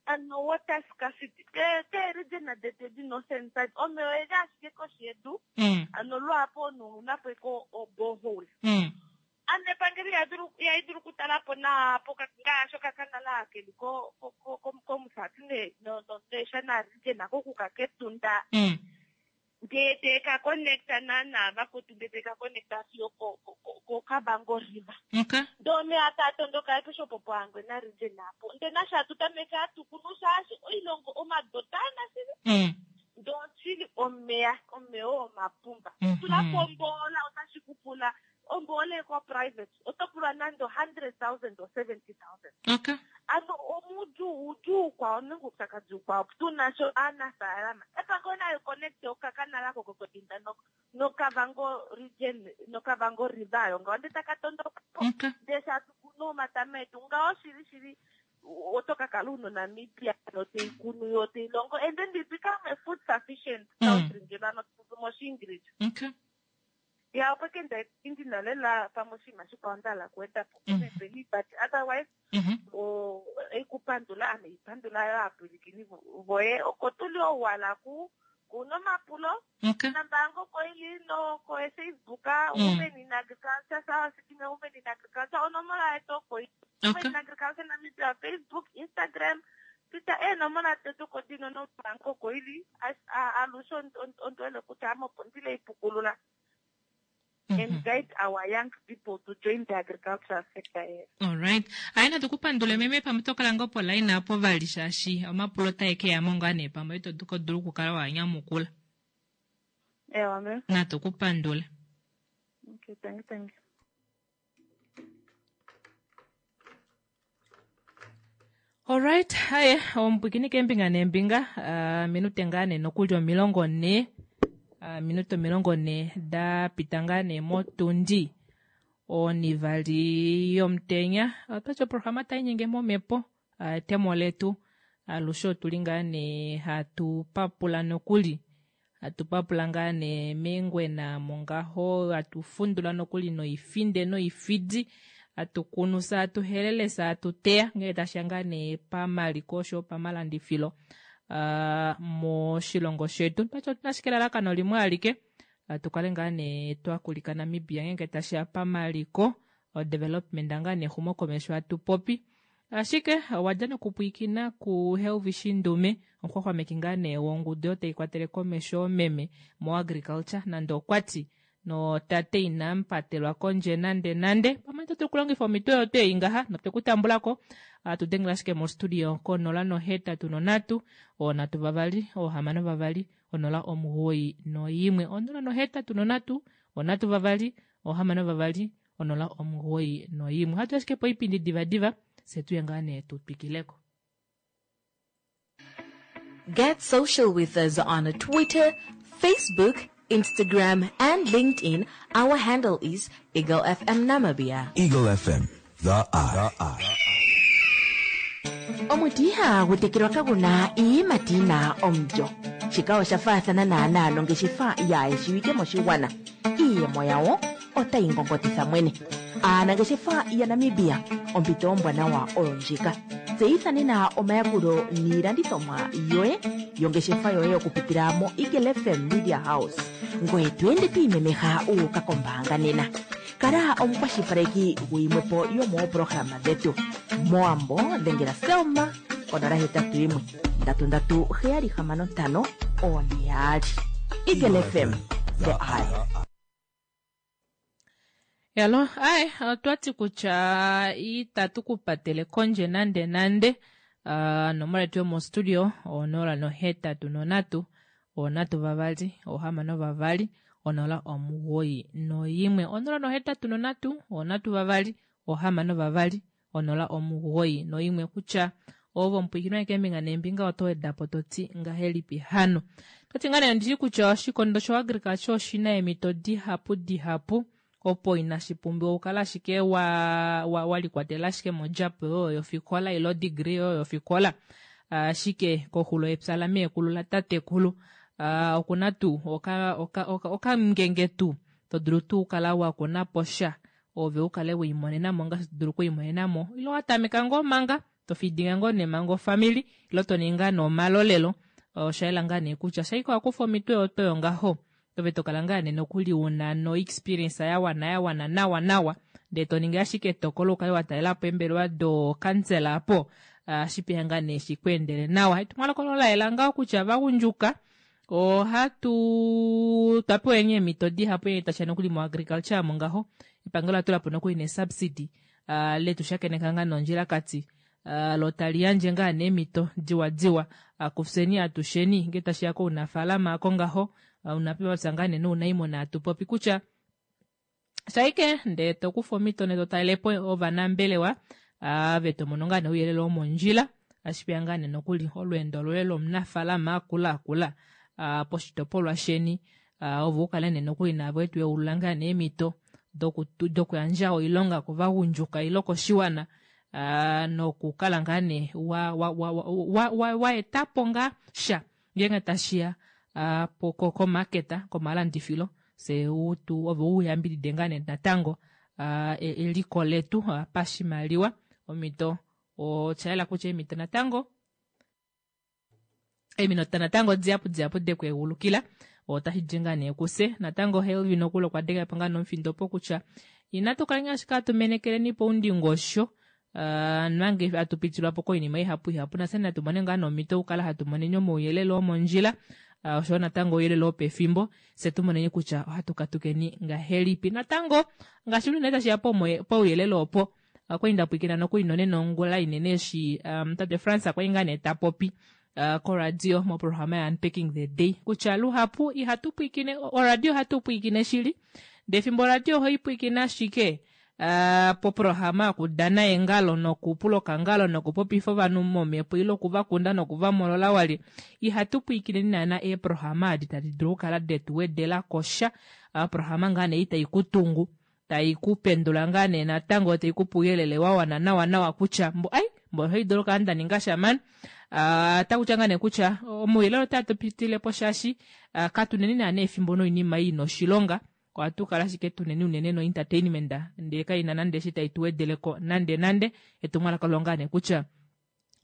Ano water scarcity keeregion detu edi northern side omeya oyeli ashike koshi yedu. Ano luhapu omunhu ouna po ike oborehole. Ano epangelo ihali dulu okutala po nawa ngaashi okakanala keli kOmusati nEshana region kokuka kEtunda. Ndee te ka connecta naana vakwetu ndee te ka connecta fiyo koKavango River. Okay. Ndee omeya taa tondoka apeshe opo poHangwena region apo. Ndee nasho hatu tameke hatu kunu shaashi oilongo omadota ana shili. Ndee oshili omeya, omeya oo omapumba. Tula po omboola otashi ku pula omboola eko private oto pulwa nande 100,000 or 70,000. Okay. Ano omudjuu udjuu kwao nenge oupyakadi ukwao tuna sho aanafaalama epango nali connect okakanala kokokodinda noKavango region noKavango River ayo ngaho ndee taka tondoka po. Okay. Ndee sha tu kunu omatama etu ngaho shili shili oto ka kala una Namibia noteikunu yo teilongo and then we become a food sufficient country ngeno ano tutu moshiingilisa. Okay. Ya opo ke nda ndina lela pamwe oshinima shikwao nda hala okuweda po peni but otherwise eikupandula ame ipandula yo aapwilikini voye oko tuli owala ku kuna omapulo. Okay. Nambango oko ili no ko Facebook Women in Agriculture Sawa Sikime Women in Agriculture onomola yetu oko ili. Women in Agriculture Namibia Facebook, Instagram, Twitter eenomola detu oko dino nombango oko ili alushe ondiwele kutya ame opo ndile ipukulula. And guide our young people to join the agricultural sector here. All right. Aye natukupandule meme pamwe to kala ngoo poline apo vali shaashi omapulo otae ke ya mo ngaa nee pamwe ito dulu okukala wa nyamukula. Ewa me. Natukupandule. Okay, thank you, thank you. Alright, haye omupwikini keembinga neembinga, minute ngaa nee nokuli 40. Minute 40 da pita ngaa nee motundi onivali yomutenya. Otwati oprograma tainyenge momhepo, etemo letu alushe otuli ngaa nee hatu papula nokuli, hatu papula ngaa nee meengwena mongaho, hatu fundula nokuli noifinde noifidi, hatu kunu fye hatu helele fye hatu teya ngee tashiya ngaa nee pamaliko oshoyo pamalandifilo moshilongo shetu. Twati otuna ashike elalakano limwe alike, tukale ngaa nee twakulika Namibia ngeenge tashiya pamaliko, odevelopment ngaa nee exumokomesho hatu popi. Ashike owadja nokupwiikina ku Helvi Shindume, omuxwaxwameki ngaa nee wongudu oyo tai kwatele komesho oomeme moagriculture, nande okwati notate inamupatelwa kondje nande nande. Pamwe oto dulu okulongifa omhito oyo tuu ei ngaha notwe ku tambulako. Ohatu dengele ashike mostudio ko 083 326 62 091 083 326 62 091. Ohatu ashike poipindi divadiva fye tuye ngaa nee tu twikileko. Get social with us on Twitter, Facebook, Instagram, and LinkedIn. Our handle is Eagle FM Namibia. Eagle FM, the eye. Omuti ihagu tekelwa kagu na iiyimati yi na omulyo. Shika osha faathana naanaa nongeshefa yaayeshiwike moshigwana. Iiyemo yawo otayi ngongotitha mwene. Aanangeshefa yaNamibia, ompito ombwanawa oyo ndjika. Tseyitha nena omayakulo niilandithomwa yoye yongeshefa yoye okupitila moEagle FM Media House. Ngoye to ende to imemeha wu uka kombaanga nena. Kala omukwashilipaleki guyimwe po yomoopolohalama dhetu. Mowambo dhengela Selma konola hetatu yimwe ndatu ndatu heyali hamano ntano one yaali. Eagle FM, the eye. Yalo, ae, otwati kutya itatu ku patele kondje nande nande. Onomola yetu yomostudio 083 3 6 2 091 083 3 6 2 091 kutya ovo omupwiikini wange keembinga neembinga oto wedapo toti ngahelipi hano. Toti ngaa nee ondishi kutya oshikondo sho agriculture oshina eemhito dihapu dihapu opo inashi pumbiwa okukala ashike wa, wa, wa likwatelela ashike modjapo yoyo yofikola ile odegree yoyo yofikola. Ashike koxulo yepya lameekulu latatekulu okuna tuu okamungenge tuu to dulu tuu okukala wa kuna po sha ove u kale we limonena mo ngaashi to dulu okulimonena mo, ile wa tameka ngoo manga to fidinga ngoo nee manga ofamili ile to ningi ngaa nee omalolelo. Osha yela ngaa nee kutya shaike wa kufa omitwe oyo ngaho ove to kala ngaa nee nokuli una no experience ya wana ya wana nawa nawa ndee to ningi ashike etokolo ukale wa talela po eembelewa dokansela apo shipeya ngaa nee shikweendele nawa. Etumwalaka olo la yela ngaho kutya vagundjuka ohatu twapewa eemhito dihapu tashiya nokuli moagriculture mo ngaho epangelo ola tula po nokuli nesubsidy letu shakeneka ngaa nondjilakati lo tali yandje ngaa neemhito diwa diwa kufyeni atusheni ngee tashiya kounafaalama ako ngaho unapepapya ngaa nee nounaimuna atu popi kutya shaike ndee to kufa omhito ndee to talelepo ovanambelewa ave to mono ngaa nee ouyelele womondjila ashipeya ngaa nee nokuli olweendo loye lomunafaalama akula akula poshitopolwa sheni ove ukale nee nokuli navo etu yeulula ngaa nee eemhito dokuyandja oilonga kovagundjuka ile koshiwana nokukala ngaa nee wa etapo ngaa sha ngeenge tashiya komaketa komalandifilo fye ove uyambidide ngaa nee natango eliko letu pashimaliwa. Omhito oshayela kutya eemhito natango eeminota natango dihapu dihapu dekweegulukila otashi di ngaa nee kufye. Natango Helvin nokuli okwa denga po ngaa nomufindo opo kutya inatu kaleni ashike hatu menekeleni poundingosho nange hatu pitilwa po koinima ihapu ihapu nafye natu mone ngaa nomhito okukala hatu moneni omauyelele omondjila oshoyo natango ouyelele wopefimbo fye tu moneni kutya ohatu katukeni ngahelipi. Natango ngaashi unene tashiya pouyelele opo okwali nda pwiikina nokuli nonena ongula inene eshi tate Frans okwali ngaa nee ta popi koradio moprograma ya Unpacking the Day kutya luhapu ihatu pwiikine oradio ohatu pwiikine shili ndee efimbo oradio ohoi pwiikine ashike. Poprograma yokudana eengalo nokupula okangalo nokupopifa ovanhu momhepo ile okuvakunda nokuvamolola walye. Ihatu pwiikineni naana eeprograma edi tadi dulu okukala detu wedela ko sha. Oprograma ngaa nee ei tai ku tungu, tai ku pendula ngaa nee natango tai ku pe ouyelele wa wana nawa nawa kutya mbo ai mbo ohai dulu okukala nda ninga sha mani. Otaku tya ngaa nee kutya omauyelele otaa tu pitile po shaashi katuneni naana efimbo noinima ei ina oshilonga. Ohatu kala ashike tuneni unene no entertainment ndee kaina nande eshi tai tu wedeleko nande nande. Etumwalaka olo ngaa nee kutya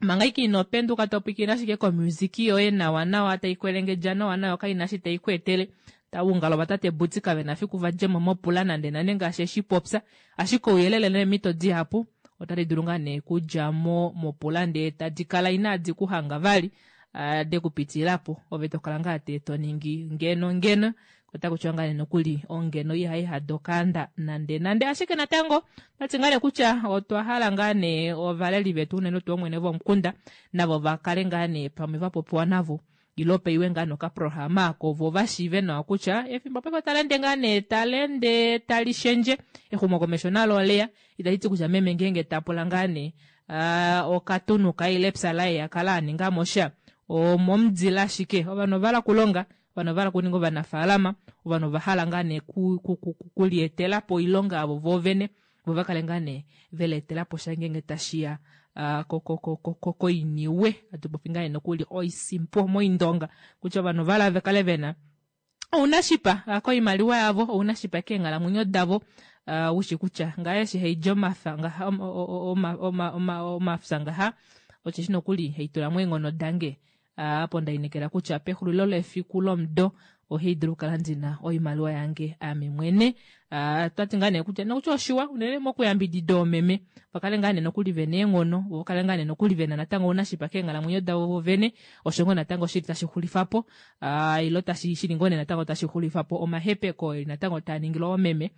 manga ike ino penduka to pwilikine ashike komusiki yoye nawa nawa tai kwelengedja nawa nawa kaina eshi tai ku etele. Oungalo vatate Boots kave na fiku va djemo mopula nande nande ngaashi eshi popya. Ashike ouyelele neemhito dihapu otadi dulu ngaa nee kudja mo mopula ndee tadi kala inadi ku hanga vali de ku pitilila po. Ove to kala ngaa tee to ningi ngeno ngeno. Otaku tiwa ngaa nee nokuli ongeno ihai hada okaanda nande nande. Ashike natango otati ngaa nee kutya otwa hala ngaa nee ovaleli vetu unene tuu oomwene vomukunda navo va kale ngaa nee pamwe va popiwa navo ile paiwe ngaa nokaprograma ako vo va shiive nawa kutya efimbo paife otali ende ngaa nee tali ende tali shendje, exumokomesho nalo oleya. Itali ti kutya meme ngeenge ta pula ngaa nee okatunu kaye ile epya laye a kala a ninga mo sha omomudila ashike. Ovanhu ova hala okulonga, ovanhu ova hala okuninga ovanafaalama, ovanhu ova hala ngaa nee kulietela po oilonga yavo voovene, vo va kale ngaa nee ve lietela po sha ngeenge tashi ya koiniwe. Hatu popi ngaa nee nokuli oisimpo moindonga kutya ovanhu ova hala va kale ve na ounashipa koimaliwa yavo, ounashipa keenghalamwenyo davo. Ushi kutya ngaye eshi haidi omafya ngaha, omafya ngaha, osheshi nokuli haitula mo eenghono dange. Apo nda inekela kutya pexulilo lefiku lomudo ohai dulu okukala ndina oimaliwa yange ame mwene. Twati ngaa nee kutya nokutya oshiwa unene mokuyambidida oomeme va kale ngaa nee nokuli vena eenghono, vo kale ngaa nee nokuli vena natango ounashipa keenghalamwenyo davo vovene. Osho ngoo natango shili tashi xulifa po, ilo tashi shili ngoo nee natango tashi xulifa po omahepeko eli natango taa ningilwa oomeme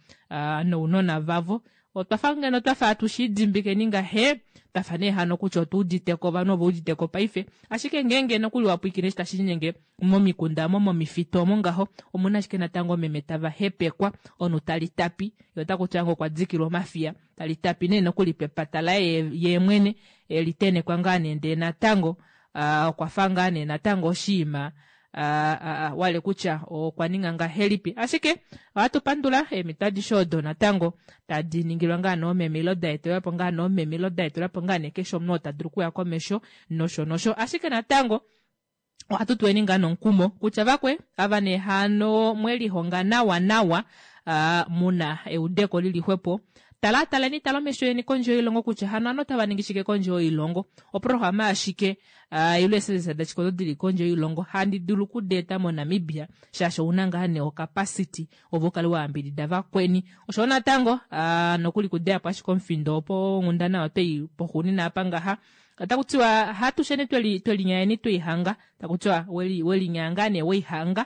nounona vavo. Otwa fa ngeno twa fa hatu shi idimbikeni ngahe, twa fa nee hano kutya otu udite ko, ovanhu ove udite ko paife. Ashike ngeenge nokuli wa pwilikine eshi tashi linyenge momikunda omo, momifitu omo ngaho, omu na ashike natango oomeme tava hepekwa, omunhu tali tapi, ye ota kutya ngoo okwa dikilwa omafiya, tali tapi nee nokuli pepata laye ye mwene, e li tenekwa ngaa nee ndee natango okwa fa ngaa nee natango oshiima wale kutya okwa ninga ngahelipi. Ashike ohatu pandula eemhito adishe odo natango tadi ningilwa ngaa noomeme ilo da etelwa po ngaa noomeme ilo da etelwa po ngaa nee keshe omunhu oo ta dulu okuya komesho nosho nosho. Ashike natango ohatu tuweni ngaa nomukumo kutya vakwe ava nee hano mwe lihonga nawa nawa, muna eudeko lili xwepo, tala taleni tala omesho yeni kondje yoilongo kutya hano ano otava ningi shike kondje yoilongo, oprograma yashike ile eeservice dashike odo dili kondje yoilongo handi dulu okudeeta moNamibia, shaashi ouna ngaa nee ocapacity ove ukale wa yambidida vakweni. Osho natango nokuli kudeya po ashike omufindo opo onghundana otwei poxuunina apa ngaha otaku tiwa hatusheni twelinyayeni tweihanga, taku tiwa welinyaya ngaa nee weihanga,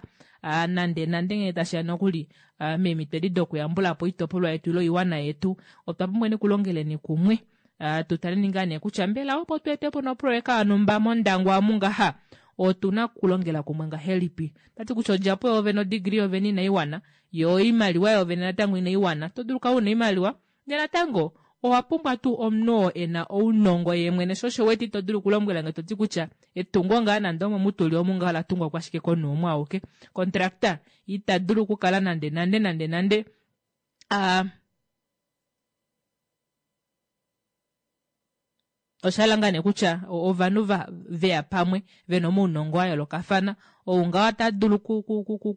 nande nande ngee tashiya nokuli meemhito edi dokuyambula po oitopolwa yetu ile oiwana yetu, otwa pumbwa okulongeleni kumwe. Tu taleni ngaa nee kutya mbela opo tu ete po noproyeka yonhumba mOndangwa omu ngaha, otu na okulongela kumwe ngahelipi? Tati kutya odjapo yoovene, odegree yoovene inai wana, yo oimaliwa yoovene natango inai wana. Oto dulu okukala una oimaliwa, ndele natango owa pumbwa tuu omunhu oo e na ounongo ye mwene. Sho osho wete ito dulu okulombwela nge to ti kutya etungo ngaa nande omo mutuli omu ngaho ola tungwa po ashike komunhu umwe auke. Contractor ita dulu okukala nande nande nande nande Osha hala ngaa nee kutya ovanhu va veya pamwe vena omaunongo a yoolokafana. Ou ngaho ota dulu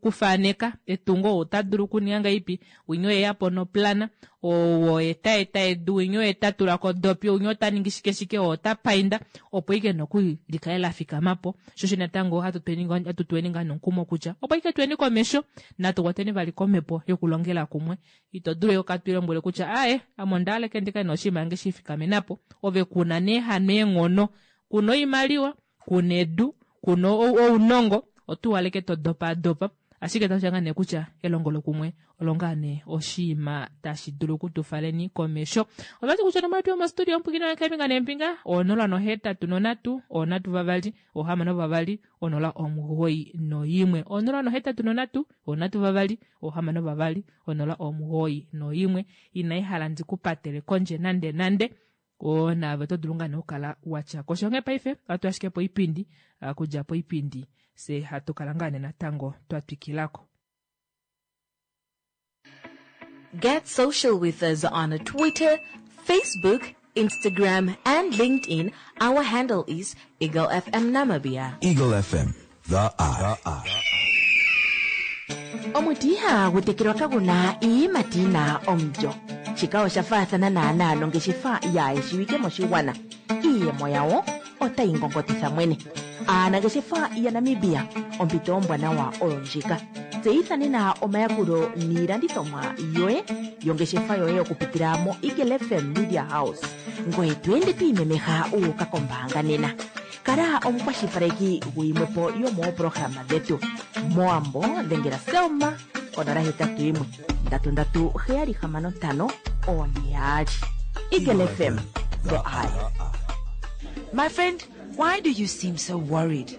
kufaneka etungo, ou ota dulu okuninga ngahelipi, winya oye ya po noplana, ou oye ta eta edu, winya oye ta tula ko odopi, winya ota ningi shike shike, ou ota painda, opo ike nokuli li kale la fikama po. Sho osho natango hatu tuweni ngaa nomukumo kutya opo ike tuweni komesho, natu kwateni vali komhepo yokulongela kumwe. Ito dulu yo katu ilombwele kutya aaye, ame onda hala eke ndi kale noshinima yange shi ifikamena po. Ove ku na nee hano eenghono, ku na oimaliwa, ku na edu, ku na ounongo, oto uhaleke to dopaadopa. Ashike tashi ngaa nee kutya elongolokumwe olo ngaa nee oshiima tashi dulu okutufaleni komesho. Otwati kutya onomola yetu yomostudio omupwikina wekeembinga neembinga onola nohetatu nonhatu onhatu vavali ohamano vavali onola omugoyi noimwe onola nohetatu nonhatu onhatu vavali ohamano vavali onola omugoyi noimwe. Inai hala ndi ku patele kondje nande nande. Oo naave oto dulu ngaa nee okukala wa tya ko sha. Onghee paife ohatu ashike poipindi, okudja poipindi fye hatu kala ngaa nee natango twa twikila ko. Get social with us on Twitter, Facebook, Instagram, and LinkedIn. Our handle is Eagle FM Namibia. Eagle FM, the eye. Omuti ihagu tekelwa kagu na iiyimati yi na omulyo. Shika osha faathana naanaa nongeshefa yaayeshiwike moshigwana. Iiyemo yawo otayi ngongotitha mwene. Aanangeshefa yaNamibia, ompito ombwanawa oyo ndjika. Tseyitha nena omayakulo niilandithomwa yoye yongeshefa yoye okupitila moEagle FM Media House. Ngoye to ende to imemeha wu uka kombaanga nena. Kala omukwashilipaleki guyimwe po yomooprograma dhetu. Mowambo dhengela Selma konola hetatu yimwe ndatu ndatu heyali hamano ntano one yaali. Eagle FM, the eye. My friend, why do you seem so worried?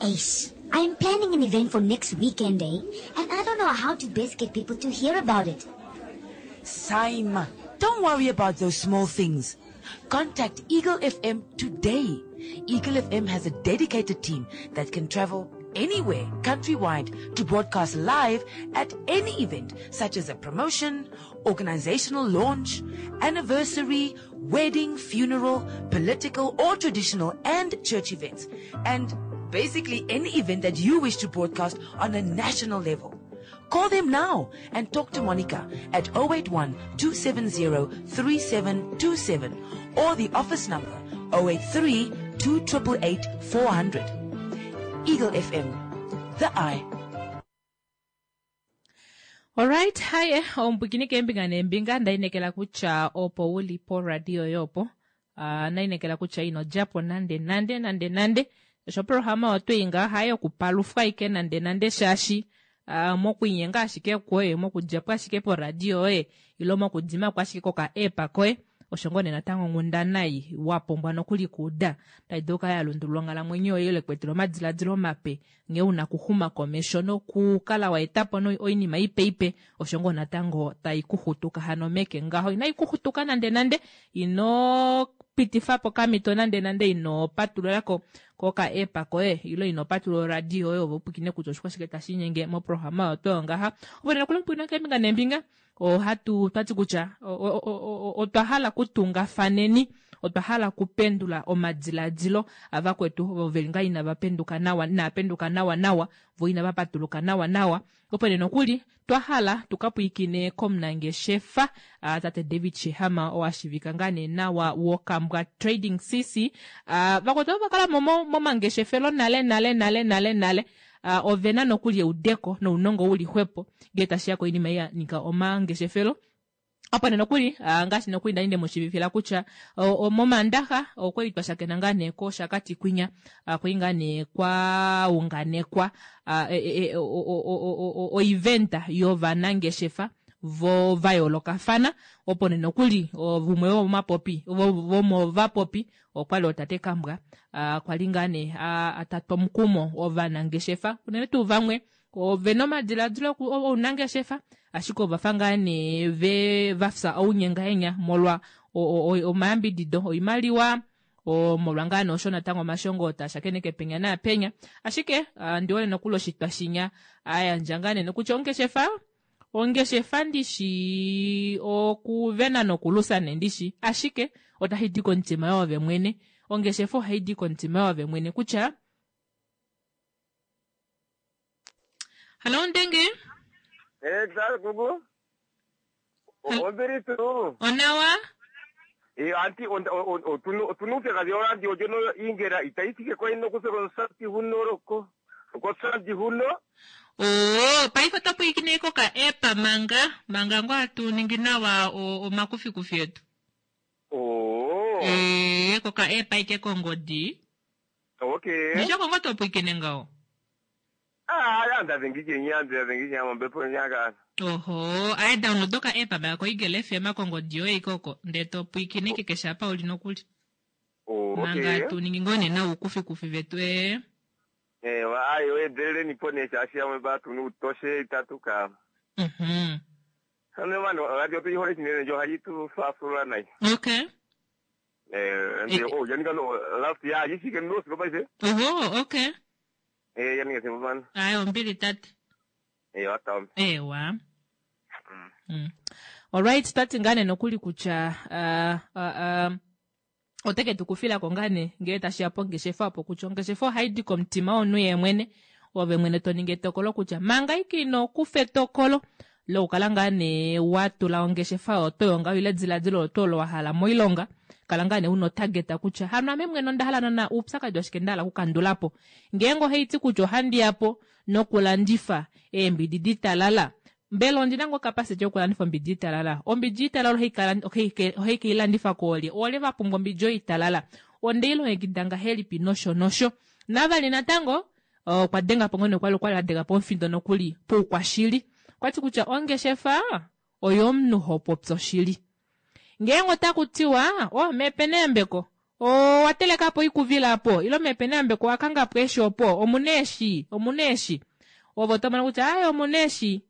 Ace, I'm planning an event for next weekend, eh? And I don't know how to best get people to hear about it. Saima, don't worry about those small things. Contact Eagle FM today. Eagle FM has a dedicated team that can travel anywhere countrywide to broadcast live at any event, such as a promotion, organizational launch, anniversary, wedding, funeral, political or traditional and church events, and basically any event that you wish to broadcast on a national level. Call them now and talk to Monica at 081-270-3727 or the office number 083-2888-400. Eagle FM, the eye. Alright, haye omupwikini keembinga neembinga ndainekela kutya opo wuli poradio yopo. Uh, nainekela kutya ino djapo nande nande nande nande. Osho programa otwei ngaa haye okupalufwa ike nande nande shaashi uh, mokwiinyenga ashike kwoye mokudjapo ashike poradio yoye ilo mokudima ko ashike koka app koye osho ngoo nee natango onghundana ei wa pumbwa nokuli kuuda tai dulu okukala ya lundulula onghalamwenyo yoye ile kuetela omadiladilo mape nghee una okuxuma komesho nokukala wa etapo oinima ipe ipe osho ngoo natango tai kuxutuka hano meke ngaho inai kuxutuka nande nande ino pitifapo okamhito nande nande ino patulula ko koka app koye ilo ino patulula oradio yoye ove upwikine kutya oshikwashike tashi inyenge moprograma oyo oyo ngaha opo nena kula mupwikina keembinga neembinga ohatu twati kutya otwa hala kutungafaneni otwa hala kupendula omadiladilo avakwetu ovo veli ngaa inava penduka nawa inava penduka nawa nawa vo inava patuluka nawa nawa opo nee nokuli twa hala tuka pwiikine komunangeshefa tate David Sheehama oo ashivika ngaa nee nawa wokambwa Trading CC vakwetu ovo vakala momangeshefelo nale nale nale nale nale ovena nokuli eudeko nounongo uli xwepo ngee tashiya koinima ei ya nyika omangeshefelo opo nee nokuli ngaashi nokuli ndali ndemushivifila kutya momandaxa okwali twa shakena ngaa nee koshakati kwinya kwali ngaa nee kwaunganekwa oiventa yovanangeshefa vo vayoolokafana opo nee nokuli vumwe vomomapopi vomovapopi okwali otate Kambwa kwali ngaa nee atatwa omukumo ovanangeshefa unene tuu vamwe ovena omadiladilo ounangeshefa ashike ovafa ngaa nee ve vafya ounyengahenya molwa omayambidido oimaliwa molwa ngaa nee osho natango omashongo tashakeneke penya naapenya ashike ndiwone nokuli oshitwa shinya ayandja ngaa nee nokutya ongeshefa ongeshefa ndishi okuvena nokulusa nee ndishi ashike otashi di komutima yoove mwene ongeshefa ohai di komutima yoove mwene kutya Hallo Ndenge. Eh, kuku. Ombili tuu. Onawa. Eh, anti otunu uupyakadhi oradio ndjono ingela itayi thike ko ino kuthe konsati huno roko konsati huno. Oo, paife oto pwiikine koka app manga manga ngoo hatu ningi nawa omakufikufi etu. Oo. Eh, koka app ike kongodi. Okay. Nisho kongo to pwiikine ngaho. Ah, anda dhengike nyande dhengike mombepo nyaka. Oho, aye download oka app aba ko Eagle FM kongodi yoye ikoko ndee to pwiikine keshe apa uli nokuli. Oh, Manga okay. tu ningi ngoo nee nawa uukufikufi vetu ee. Eh, wa ayo endeleleni po ne shaashi yamwe batu utoshe itatu ka. Ano mano radio tu ihole chinene njo hayi tu fasula nai. Okay. Eh, ndio oh yanika no last year yishike no siko paise. Oho, okay. Eh, yanika simbo man. Aye ombili tate. Eh, wata. Ewa. Alright, tati ngaa nee nokuli kutya uh, uh, uh, oteke tu kufila ko ngaa nee ngele tashi ya pongeshefa opo kutya ongeshefa ohayi di komutima womunhu ye mwene ove mwene to ningi etokolo kutya manga ike ino kufa etokolo lokukala ngaa nee wa tula ongeshefa oyo yongaho ile ediladilo olo olo wa hala moilonga kala ngaa nee una otageta kutya hano ame mwene onda hala naana oupyakadi washike nda hala okukandula po ngeenge ohaiti kutya ohandi ya po nokulandifa eembidi ditalala mbela ondina ngoo capacity yokulandifa ombidi italala ombidi italala ohai keilandifa koolye oolye va pumbwa ombidi oyo italala ondeilongekida ngahelipi nosho nosho navali natango okwa denga po ngoo kwali kwali adenga po omufindo nokuli poukwashili okwati kutya ongeshefa oyomunhu ho popya oshili ngeenge otaku tiwa oh mepe neyambeko owa telekapo oikuvila apo ile mepe neyambeko owa kangapo eeshi opo omuna eeshi omuna eeshi ove otomono kutya aaye omuna eeshi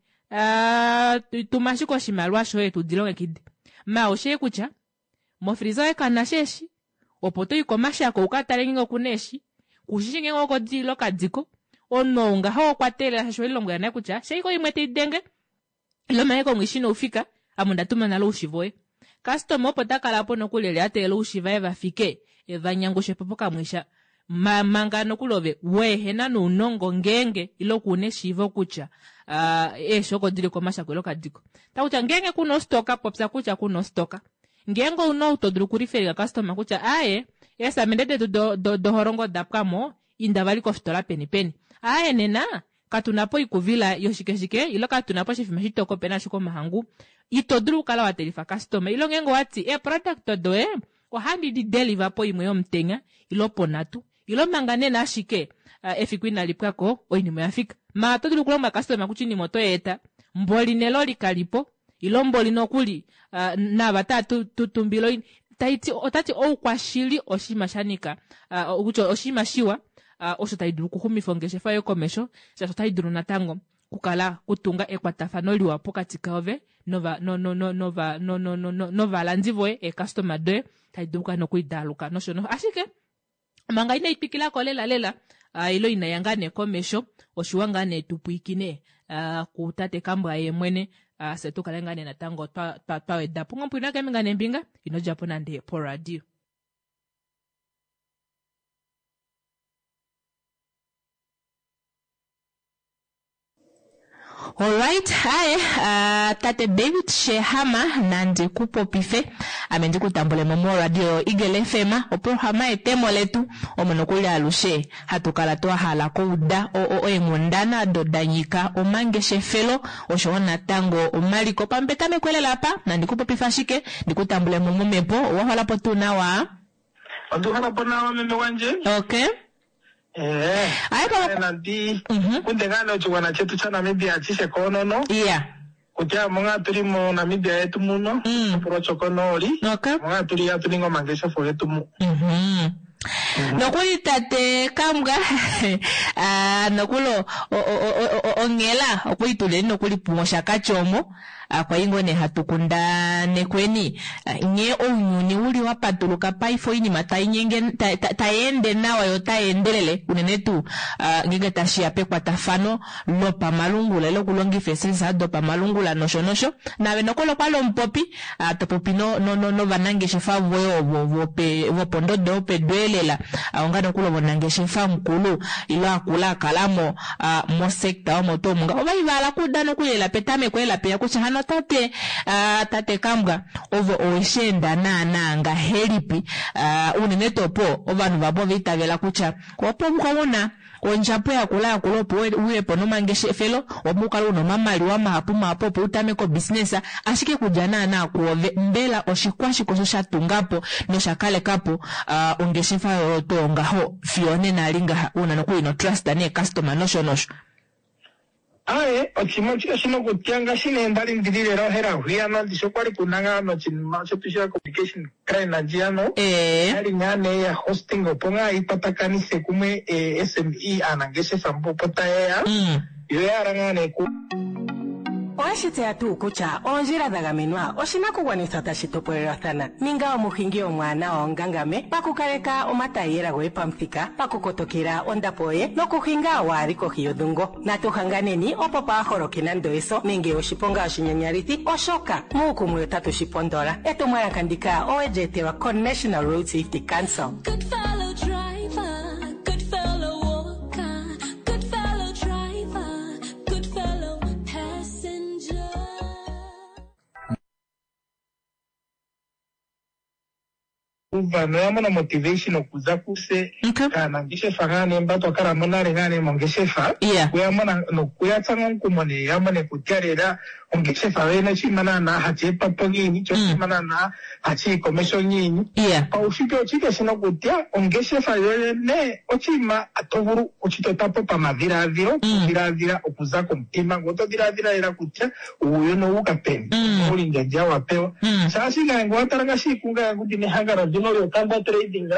tuma ashike oshimaliwa shoye tudilongekide maa oushii kutya mofriza yoye kamunasha eeshi opo toyi komashako ukatale ngeenge okuna eeshi kushishi ngeenge oko dili ile okadiko omunhu ou ngaho okwa teelela shaashi owelilombwela nale kutya shaike oimwe taidenge ile manga ashike omwishi inoufika ame onda tuma nale oushi voye customer opo takala po nokuli eli ateelela oushi vaye vafike evanyangushepo pokamwisha manga nokuli ove weehena nounongo ngeenge ile kuuna eshiivo kutya eeshi oko dili komashako ile okadiko takutya ngeenge kuna ostoka popya kutya kuna ostoka ngeenge ouna ou to dulu okulifelika customer kutya aaye eesamende detu dohorongo oda pwamo inda vali kofitola peni peni aaye nena katuna po oikuvila yoshike shike ile katuna po oshifima shitoko opena ashike omahangu ito dulu okukala wa telifa customer ile ngeenge owati eeproduct doye ohandi di deliver poimwe yomutenya ile ponhatu ile manga nena ashike efiku inali pwako oinima oyafika maa oto dulu okulombwela customer kutya oinima oto yeeta mboli neloli kalipo ile mboli nokuli nava taa tutumbile taiti otati oukwashili oshinima shanika kutya oshinima shiwa osho tai dulu okuxumifa ongeshefa yoye komesho shaashi otai dulu natango kukala kutunga ekwatafano liwa pokati kaove nova no no no nova no no no novalandi voye eecustomer doye tai dulu kukala nokuidaaluka nosho nosho ashike manga inai twikilako lela lela ile inaiya ngaa nee komesho oshiwa ngaa nee tupwiikine kutate Kambwa ye mwene fye tukale ngaa nee natango twa wedapo ngomupwina keembinga neembinga ino djapo nande poradio. Alright, aye, uh, tate David Shehama nandi ku popife ame ndi ku tambule mo moradio Eagle FM oprograma yetemo letu omo nokuli alushe hatu kala twa hala kouda eenghundana odo da nyika omangeshefelo oshowo natango omaliko pampetameko elela apa nandi ku popife ashike ndi ku tambule mo momhepo owa holapo tuu nawa? Otu holapo nawa meme gwandje. Okay. Eh. Aye papa. Nandi kunde ngaa nee oshigwana chetu shaNamibia ashishe koonono. Yeah. Kutya omo ngaa tuli moNamibia yetu muno, oshitopolwa shokonooli. Okay. Omo ngaa tuli hatu ningi omangeshefo getu mu. Nokuli tate Kambwa ah, nokuli o- o- o- o- onghela okwali tuleni nokuli mOshakati omo Kwali ngoo nee hatu kundanekweni nghee ounyuni uli wa patuluka paife oinima tai nyenge tai ende nawa yo otai endelele unene tuu ngeenge tashi ya pekwatafano lopamalungula ile okulongifa eesensa dopamalungula nosho nosho. Naave nokuli okwali omupopi to popi novanangeshefa voye ovo vopondodo yopedu elela onga nokuli omunangeshefa mukulu ile akula a kala mo mosector omo tuu omu ngaho. Ova li va hala okuuda nokuli lela petameko lela peya kutya hano tate tate Kambwa ove owe shi enda naanaa ngahelipi unene tuu opo ovanhu vamwe ova itavela kutya opo u na ondjapo yakula yakula opo uye po nomangeshefelo, opo u kale u na omamaliwa mahapu mahapu opo u tameke obusiness, ashike kudja naanaa kwoove mbela oshikwashike osho sha tunga po nosha kaleka po ongeshefa yoye oyo tuu ngaho fiyo onena eli ngaha u na nokuli notrust neecustomer nosho nosho? Aye, oshinima oshike shina okutya ngaashi nee ndali ndili lela ohela hwiyano ndishi okwali kuna ngaa noshinima shetu sha communication crime ndjiyano yali ngaa nee ya hosting opo ngaa yi kwatakanithe kumwe SME aanangeshefa mbo opo tayeya yo ya hala ngaa nee ku Oweshi tseya tuu kutya oondjila dha gamenwa oshinakugwanithwa tashi topolelwathana? Ninga omuhingi omwaanawa ongangame pakukaleka omataiyela goye pamuthika, pakukotokela ondapo yoye nokuhinga waa li kohi yodhungo. Natu hanganeni opo paa holoke nando eso nenge oshiponga oshinyanyalithi oshoka muukumwe otatu shi pondola. Etumwalaka ndika owe li etelwa koNational Road Safety Council. Good fellow driver, good fellow walker, good fellow driver, good fellow passenger. Uva noya mona motivation okuza kuse kaanangeshefa ngaa nee mba twa kala mo nale ngaa nee mongeshefa okuya mona nokuya tsa omukumo nee ya mone kutya lela ongeshefa yoyene oshinima naanaa hashi etwa po ngiini sho oshinima naanaa hashi yi komeho ngiini. Paushitwe oshike shino kutya ongeshefa yoyene oshinima to vulu okushitota po pamadhilaadhilo, okudhilaadhila okuza komutima ngoye oto dhilaadhila lela kutya uuyuni owu uka peni, oulindjandja wa pewa. Shaashi ngaye ngele owa tala ngaashi kungaye ngu ndina ehangano ndino lyoKambwa Trading,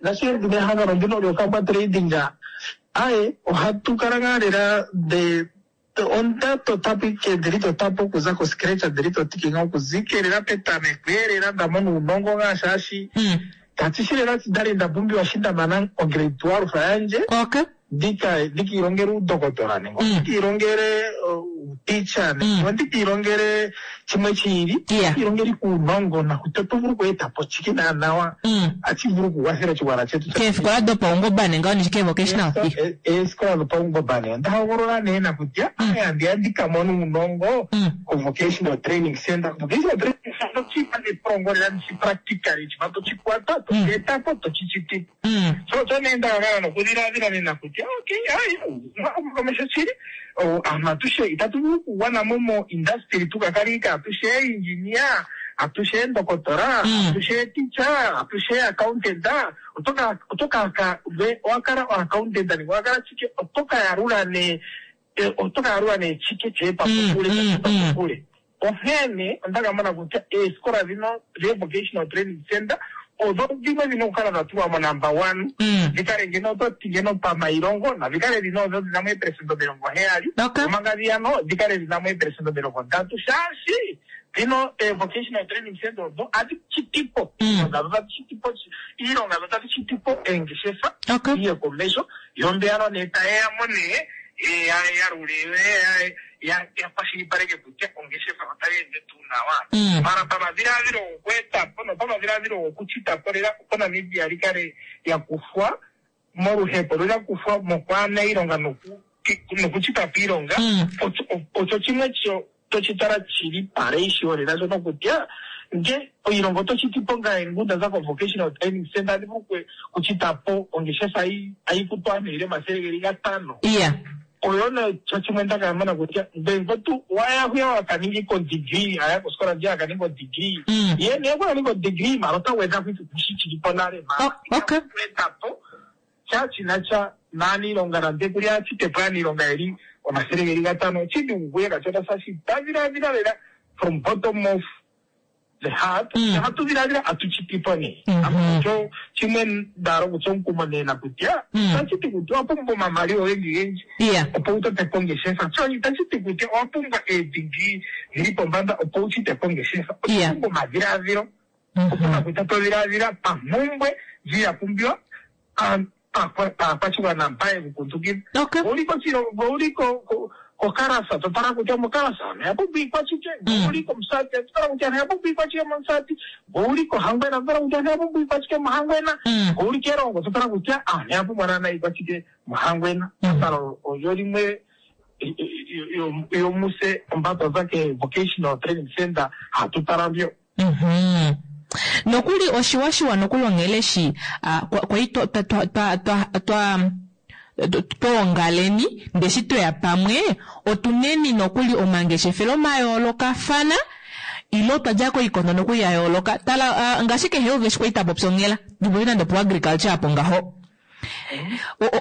ngaashi ndina ehangano ndino lyoKambwa Trading, aye ohatu kala ngaa lela the onda totapo ike ndeli totapo okuza ko scratch ndeli totike ngaa okuza ike lela petameko eelela nda mona uunongo ngaa shaashi tati shi lela ndali nda pumbiwa shi nda mana o grade 12 yandje ndika ndikiilongele uudokotola nenge ndikiilongele uuticha nenge ndikiilongele chimwe chiili ndikiilongele uunongo nakuti oto vulu okweetapo chike naanawa achi vulu okukwathela oshigwana chetu Keefikola dopaungomba nenge oo nishike vocational? Eesikola dhopaungomba nee onda hogolola nee nakutya andiya ndika mone uunongo ko vocational training center. Vocational training center ochipa nepulongo lela ndishi practically chipa tochikwata tochietapo tochichitipo. So osho nee nda kakala nokudhiladhila nena kutya okay hayi komeho shili aantu atushe itatu vulu okugwana mo mo industry tu ka kale ike atushe engineer atushe endokotola atushe teacher atushe accountant oto ka oto ka ka owa kala o accountant nenge owa kala chike oto ka yalula nee oto ka yalula nee chike cheetwa kokule cheetwa kokule. Onkene onda ka mona kutya eesikola dhino dhe vocational training center odho dhimwe dhina okukala dha tulwa mo number one dhi kale ngeno oto ti ngeno pamailongo nadhi kale dhina odho dhina mo eepelesenda 70 omanga dhiyano dhi kale dhina mo eepelesenda 30 shaashi dhino ee vocational training center odho adhi chitipo iilonga dho tadhi chitipo iilonga dho tadhi chitipo eengeshefa iye komeho yo mbeyano nee tayeya mo nee ya yalule yo ya ya kwashilipaleke kutya ongeshefa otayi ende tuu nawa. Mara pamadhiladhilo gokweeta po nopamadhiladhilo gokuchita po lela opo Namibia li kale lya kuthwa moluhepo lyo lya kuthwa mokwaana iilonga noku nokuchita po iilonga osho chimwe tochi tala chili paratio lela shono kutya nge iilonga oto chiti po ngaye ngu nda za ko vocational training center andi vulu okuchita po ongeshefa ayi futu aantu yeli 500. Oyo nee chimwe nda ka mona kutya ngele tu waya hwiya waka ninga iko degree aya kosikola ndjiya aka ninga odegree ye nee okwa ninga odegree mara ota gwedha ko shi chili po nale mara etapo sha shina sha naaniilonga nande kuli achitepo aaniilonga yeli 500 oshidhigu kuye kashona shashi ta dhiladhila lela from bottom of the heart ohatu dhiladhila atuchitipo nee osho chimwe ndalo kutya omukumo nee nakutya itashiti kutya owa pumbwa omamali ogendji gendji opo wu totepo ongeshefa so itashiti kutya owa pumbwa eedegree dhili pombanda opo wu chitepo ongeshefa owa pumbwa omadhiladhilo opo nakutya to dhiladhila pampumbwe ndji ya pumbiwa paakwashigwana mpa yeku kundukidha. Ouli koshilongo, ouli kokarasa, to tala kutya mokarasa ano oya pumbwa iikwashike, ouli komusati, to tala kutya oya pumbwa iikwashike momusati, ouli kohangwena, to tala kutya oya pumbwa iikwashike mohangwena, ouli kerongo, to tala kutya aantu oya pumbwa naana iikwashike mohangwena. Tala olyo limwe yomuse omba twaza ke vocational training center hatu tala mbyo. Nokuli oshiwashiwa nokuli onghele shi kwali twa twa twa twa twoongaleni ndee eshi tweya pamwe otuneni nokuli omangeshefelo mayoolokafana ile otwa dja koikondo nokuli ya yooloka tala ngaashi kehe uve eshi kwali tapopi onghela ndipopi nande opo agriculture apo ngaho.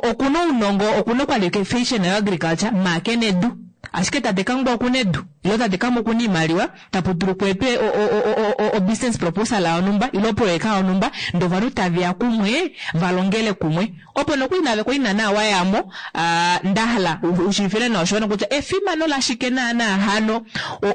Okuna ounongo, okuna oqualification yo agriculture, maa kena edu. Ashike tate Kangwa okuna edu, ile tate Kamwi okuna iimaliwa, tapu dulu kweetwe o business proposal yonhumba ile oproyeka yonhumba ndee ovanhu taveya kumwe valongele kumwe. Opo nokuli naave kwali naana wayamo, ndahala ushiivifile nawa oshiwana kutya efimano lashike naana hano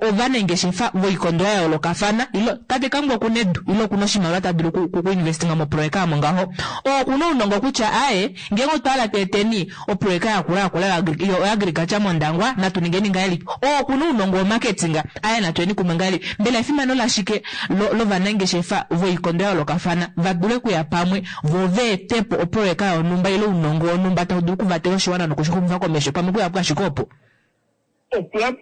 ovanengeshefa voikondo yayoolokafana ile tate Kangwa okuna edu ile okuna oshimaliwa ta dulu ku investinga moproyeka omo ngaho. Oo okuna ounongo kutya aaye ngeenge otwa hala tweeteni oproyeka yakula yakula yoagriculture mOndangwa natu ningeni ngahelipi. Oo okuna ounongo womarketing aaye natu yeni kumwe ngahelipi. Mbela efimano lashike lovanangeshefa voikondo yayoolokafana va dule okuya pamwe vo va ete po oproyeka yonhumba ile ounongo wonhumba tau dulu okuvatela oshiwana nokushixumifa komesho pamwe okuya po ashike opo?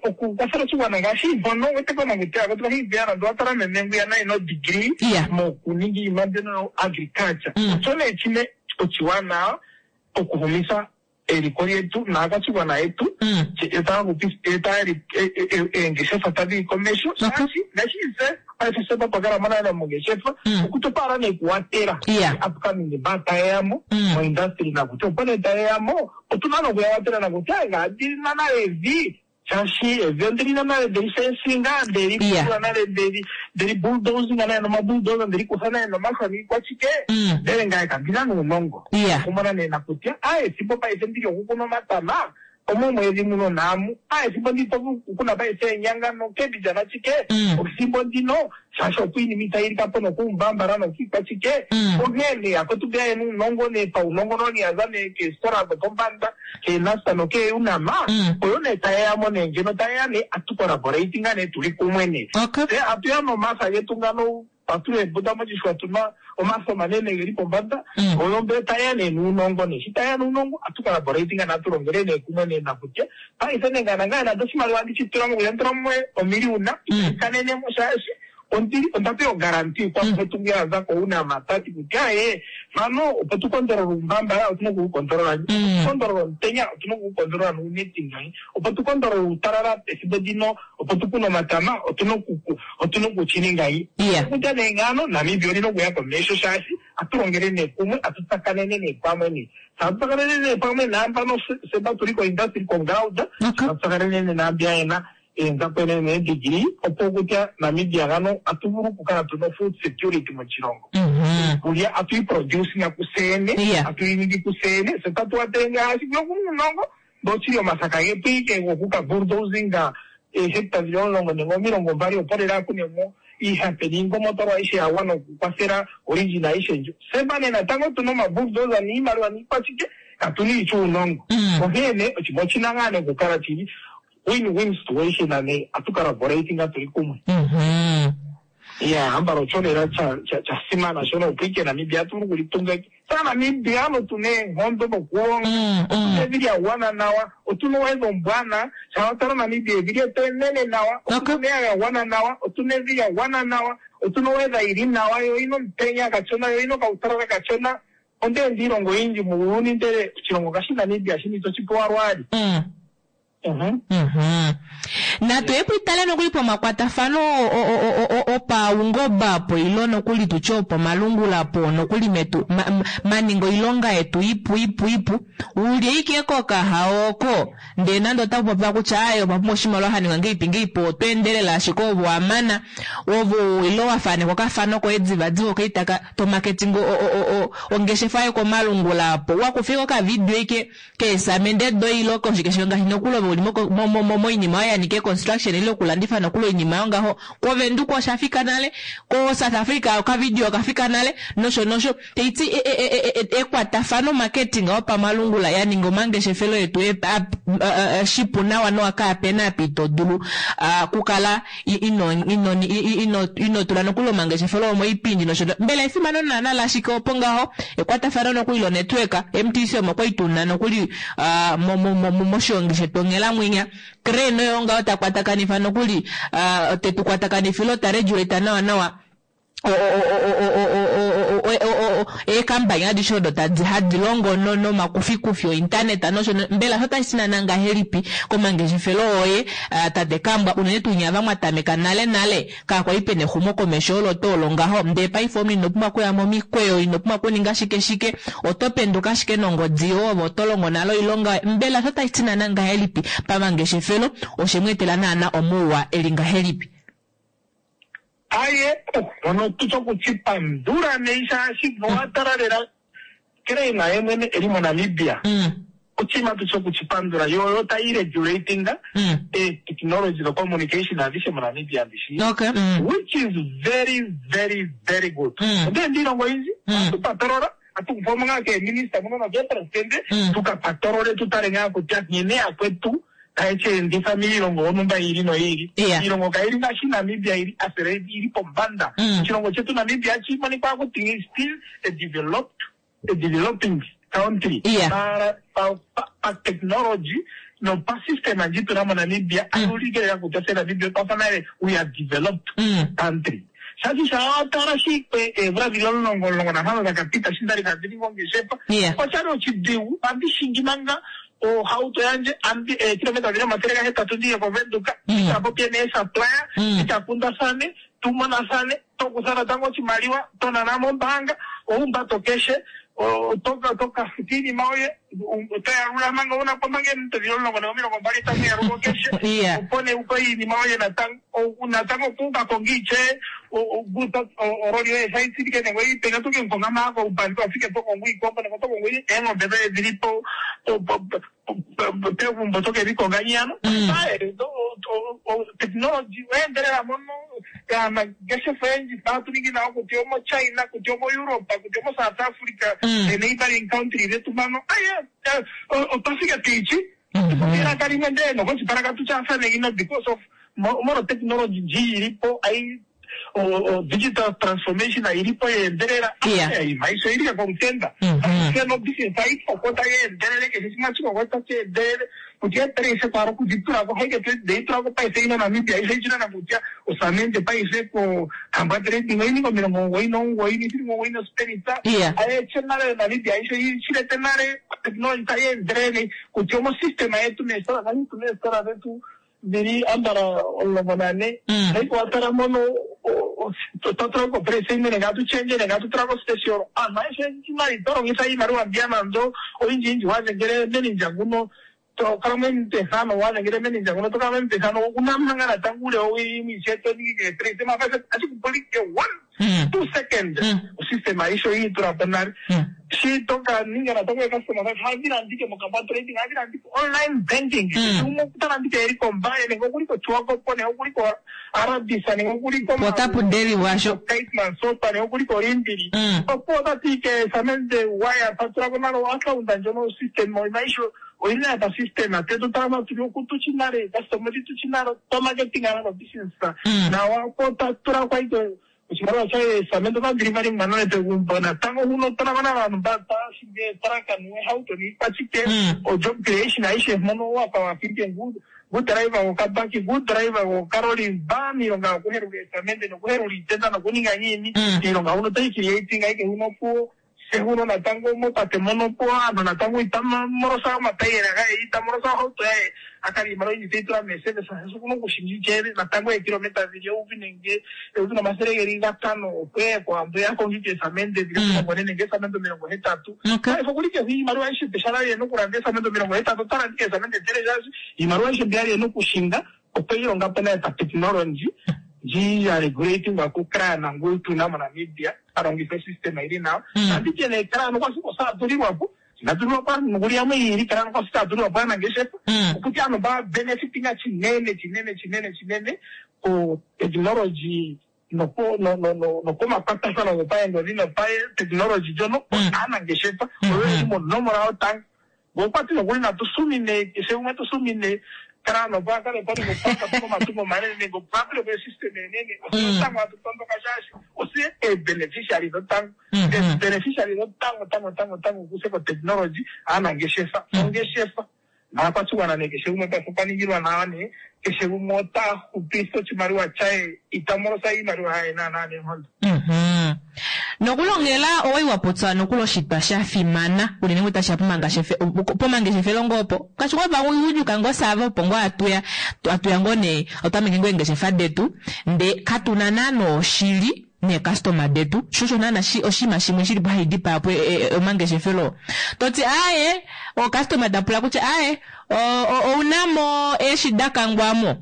Okukwafela oshiwana ngaashi mpono wete komanguti ako tuka hiviana ndo watala meme ngwiya naye no degree mokuninga iinima mbyono yo agriculture osho nee chine oshiwanawa okuhumisa eliko lyetu naakwashigwana yetu eengeshefa tadhi yi komesho shaashi ngashi se paife se twakala mo nale mongeshefa okutopaala nee kuwatela upcoming ba tayeyamo moindustry nakutya opo nee tayeyamo otuna nokuya watela nakutya ngaadilina nale evi shaashi evi ondilina nale ndeli fensinga ndeli kula nale ndeli ndeli bulldozinga nale nomabulldozer ndeli kutha nale nomafo niikwashike ndele ngaye kandina nuunongo okumona nee nakutya a ethimbo paife ndili okukuna omatama omomwedhi muno naamu a ethimbo ndi to vulu okukuna paife eenyanga nokembidja nashike ethimbo ndino shaashi opo iinima itayi lika po nokuumbambala nokiikwashike onghee nee akwetu mbeya yena uunongo nee paunongononi yaza nee keesikola dhopombanda keenasta nokeeUNAM oyo nee tayeyamo nee ngeno tayeya nee atu collaborating nee tuli kumwe nee tse atuya nomasa getu ngano atula eembuda moshixwa tuna omasa omanene geli pombada oyo mbe tayeya nee nuunongo nee shi tayeya nuunongo atu collaborating nee atu longele nee kumwe nee nakutya paife nee ngana ngaye nande oshimaliwa andi shi tula mo kutya nditulamo omiliyuna itayi shaashi ondili onda pewa ogaranti kwamukwetu ngwiya aza koUNAM tati kutya ee mpano opo tu kondolole uumbambala otuna oku kondolola opo tu kondolole omutenya otuna oku kondolola nuuneti ngayi opo tu kondolole uutalala pethimbo ndino opo tu kune omatama otuna oku otuna okuchini ngayi kutya nee ngano Namibia olina okuya komesho shaashi atu longele nee kumwe atu tsakanene nee pamwe nee atu tsakanene nee pamwe naambano seba tuli koindustry koground atu tsakanene nee naambiya yena eenzapo needegree opo kutya Namibia ngano atu vulu okukala tuna food security moshilongo. Iikulya atu yi producinga kuseyene, atu yi ningi kuseyene, se tatu watele ngaashi kuyo kumunongo ndochili omasaka getu ike gokuka bulldozinga eehecta dhili 10 nenge 20 opo lela akunemo iihape niingomotolwa aishe ya gwana okukwathela origin aishe ndjo. Seba nee natango tuna omabulldozer niimaliwa niikwashike katuna iitya uunongo. Onkene nee oshinima oshina ngaa nee okukala shili win-win situation ne atu collaborating tuli kumwe. Ya ambala osho lela cha simana shono opo ike Namibia atu vulu okulitunga sa Namibia ano tuna eenkondo dhokulonga otuna evi lya gwana nawa otuna owedha ombwana sha watala Namibia evi lyetu enene nawa otuna omeya ga gwana nawa otuna evi lya gwana nawa otuna owedha yili nawa yo oyina omutenya kashona yo oyina okautalala kashona ondeenda iilongo oyindji muuyuni ndele oshilongo ngashi Namibia shini toshi pewa lwaali. Natu ye pwiitale nokuli pomakwatafano opaungomba po ilo nokuli tutye opomalungula po nokuli metu maninga oilonga yetu ipu ipu ipu ulye ike kokaha oko ndee nande ota popiwa kutya aye opa pumbwa oshimaliwa haninga ngeipi ngeipi oto endelele ashike ovo wamana ovo ilo wafanekwa okafano koye divadiva okaitaka tomaketinga ongeshefa yokomalungula apo wakufika okavidio ike keesamende doilo koshike ngaashi nokuli ove uli moinima oyo ya nika construction ile okulandifa nokuli oinima yongaho koVenduka osha fika nale ko South Africa okavidio okafika nale nosho nosho taiti ekwatafano marketing opamalungula ya ninga omangeshefelo yetu shipu nawa nowa kaapena apa ito dulu kukala ino tula nokuli omangeshefelo omoipindi nosho mbela efimano naana lashike opo ngaho ekwatafano nokuli lonetwork MTC omo kwali tuna nokuli moshiongi shetu onghelamwinya Crane oyo ngaho ta kwatakanifa nokuli tetu kwatakanifila ota regulate nawa nawa. Eekambani adishe odo tadi hadi longo nomakufikufi ointernet nosho mbela osho otashi ti naana ngahelipi komangeshefelo oye tate Kambwa unene tuu nye ava mwa tameka nale nale kakwali pena exumokomesho olo tuu olo ngaho ndee paife omunhu ino pumbwa okuya momikweyo ino pumbwa okuninga shike shike oto penduka ashike nongodi yoye ove oto longo nale oilonga mbela osho otashi ti naana ngahelipi pamangeshefelo oshe mu etela naana omauwa eli ngahelipi? Aye, hono tutya okuchipandula nei shaashi nowatala lela Klein ye mwene eli moNamibia oshinima tutya okuchipandula yo oyo tayi regulating ee technology no communication adhishe moNamibia ndishi which is very very very good. Ondeenda iilongo oyindji ohatu patolola atu kufa mo ngaa keeminista muno nokeepresidente tuka patolole tu tale ngaa kutya nkene yakwetu taye shi enditha miilongo yontumba yi ili noyi ili. Iilongo kayi li ngaashi Namibia yi li accelerate, yi li pombanda. Oshilongo shetu Namibia ohashi monika kutya is still a developed, a developing country. Maara pa, pa, pa technology nopa system ndji tu na moNamibia, ayi ulike lela kutya tse Namibia otwa fa nale we are developed country. Shaashi shaa wa tala shi eemvula dhili omulongo, 15 dha ka pita shi nda li handi ningi ongeshefa, oshali oshidhigu. Ohandi shingi manga ohauto yandje andi eekilometa dhili 800 ndiye koVenduka, ndi ka popye neesupplier, ndi ka kundathane, tu monathane, to kutha natango oshimaliwa to nana mombaanga, ohumbato keshe, to ka futa iinima yoye, oto yalula manga wuna po manga eeminute dhili omulongo nenge 20 tamu yalulwa keshe, opo nee upe iinima yoye natango. Natango opo uka konge itye ololi yoye sha itsilike nenge oyi peni oto ke mu konga maa koupandi wa fike to kongo iikombo nenge oto kongo eengombe doye dhili po pegumbo oto ke dhi konga nyano. Technology oya endelela mono aanangeshefa oyendji tatu ningi nayo kutya omo China kutya omo Europe kutya omo South Africa the neighboring country dhetu mpano otwa fike piityi Elaka limwe ndee nokoshipala katu tyaafane ino because of molwa technology ndji yili po ayi digital transformation ayili po yeendelela iinima aishe oyili komutenda aishe no business ayi koko tayi endelele keshe shimwe ashi koko tashi endelele kutya eepresa twala okudhi tulako haike deyi tulako paife ino Namibia aishe ichina kutya osamende paife ko Kambwa Trading oyininga 99 nesilinga omugoyi nosipelita ayeche nale Namibia aishe ichilete nale technology tayi endelele kutya omosystem yetu meesitola ngaashi tuna eesitola dhetu dhili ambala 14 haiko watala mono otwa tulako opresenda nenge atu change nenge atu tulako special aantu ayehe iimaliwa ito longitha iimaliwa mbiya nando oyindji yindji wadhengele menindja nguno to kala momutethano wadhengele menindja nguno to kala momutethano una manga natango uule wowili imwe ishewe to ningi kehe presenda ashi kupulike one 2 second osystem aishe oyi itula po nale shi to ka ninga natango ecustomer service ohadhi landike mokamba trading ohadhi landike online banking umwe ota landike eli koMbaye nenge okuli koChiwakopo nenge okuli ko Arabisa nenge okuli ko Otapu deliwa sho. Keetmanshoop nenge okuli koLiindili opo ota ti ke samende wire ta tulako nale oaccount ndjono system aishe oyili nale pa system te tu tala matuli okutuchi nale customer tuchi nale to marketing nale business nawa opo ta tula kwa ito oshimaliwa shaye samende ota delivery nale pegumbo natango huno tala nale aantu mba tashingi eetraka neehauto niikwashike o job creation aishe mpono wapa wafike ngu driver gokabaki ngu driver gokaloli mba miilonga yokuhelula eesamende nokuhelula iitenda nokuninga ngiini iilonga huno otayi creating aike huno opuwo se huno natango mopate mono opuwo aantu natango itamolosa omatayiyela gaye itamolosa ohauto yaye akala iimaliwa oyindji teyi tula meeservice shaashi okuna okushinga ityeele natango eekilometa dhili eyovi nenge 1500 opo eye kOwambo ye akonge ike eesamende dhili 40 nenge eesamende 80 paife okuli kehe iimaliwa aishe pehala yena okulanda eesamende 80 ota landa ike eesamende 100 shaashi iimaliwa aishe mbi ali ena okushinga okweyi longa po naye patechnology ndji ya regulatingwa kuCRAN ngu tuna moNamibia alongitha osystem ili nawa nanditye nee CRAN okwasi osatulilwapo inatulilwapo aantu nokuli yamwe yiili CRAN okwasi tatulilwapo aanangeshefa okuti aantu ba benefitinga chinene chinene chinene chinene ko technology nokomakwatathano gopaengodhi nopatekinolohi ndjono aanangeshefa oyo yeli monomola yotango. Ngokwati nokuli natu sumine keshe gumwe tu sumine CRAN opo a kale pali gopanga po komatungo omanene nenge opo a tule po esystem enene ose yotango hatu tondoka shaashi ose eebeneficiary dhotango eebeneficiary dhotango tango tango tango kuse kotekinolohi aanangeshefa ongeshefa naakwashigwana nee keshe gumwe paife okwa ningilwa nawa nee keshe gumwe ota hupitha oshimaliwa shaye ita molosa iimaliwa yaye naanaa neenkondo. Nokulongela owai wa popya nokuli oshitwa sha fimana unene ngoo tashiya pomangeshefelo ngoo opo. Ngaashi ngoo ovagundjuka ngoo saava opo ngoo atuya, atuya ngoo nee otameke ngoo eengeshefa detu ndee katuna naana oshili neecustomer detu. Sho osho naana oshinima shimwe shilipo hashi dipaya po omangeshefelo oo. Toti aaye, ocustomer ta pula kutya aaye ounamo eeshi da kangwamo?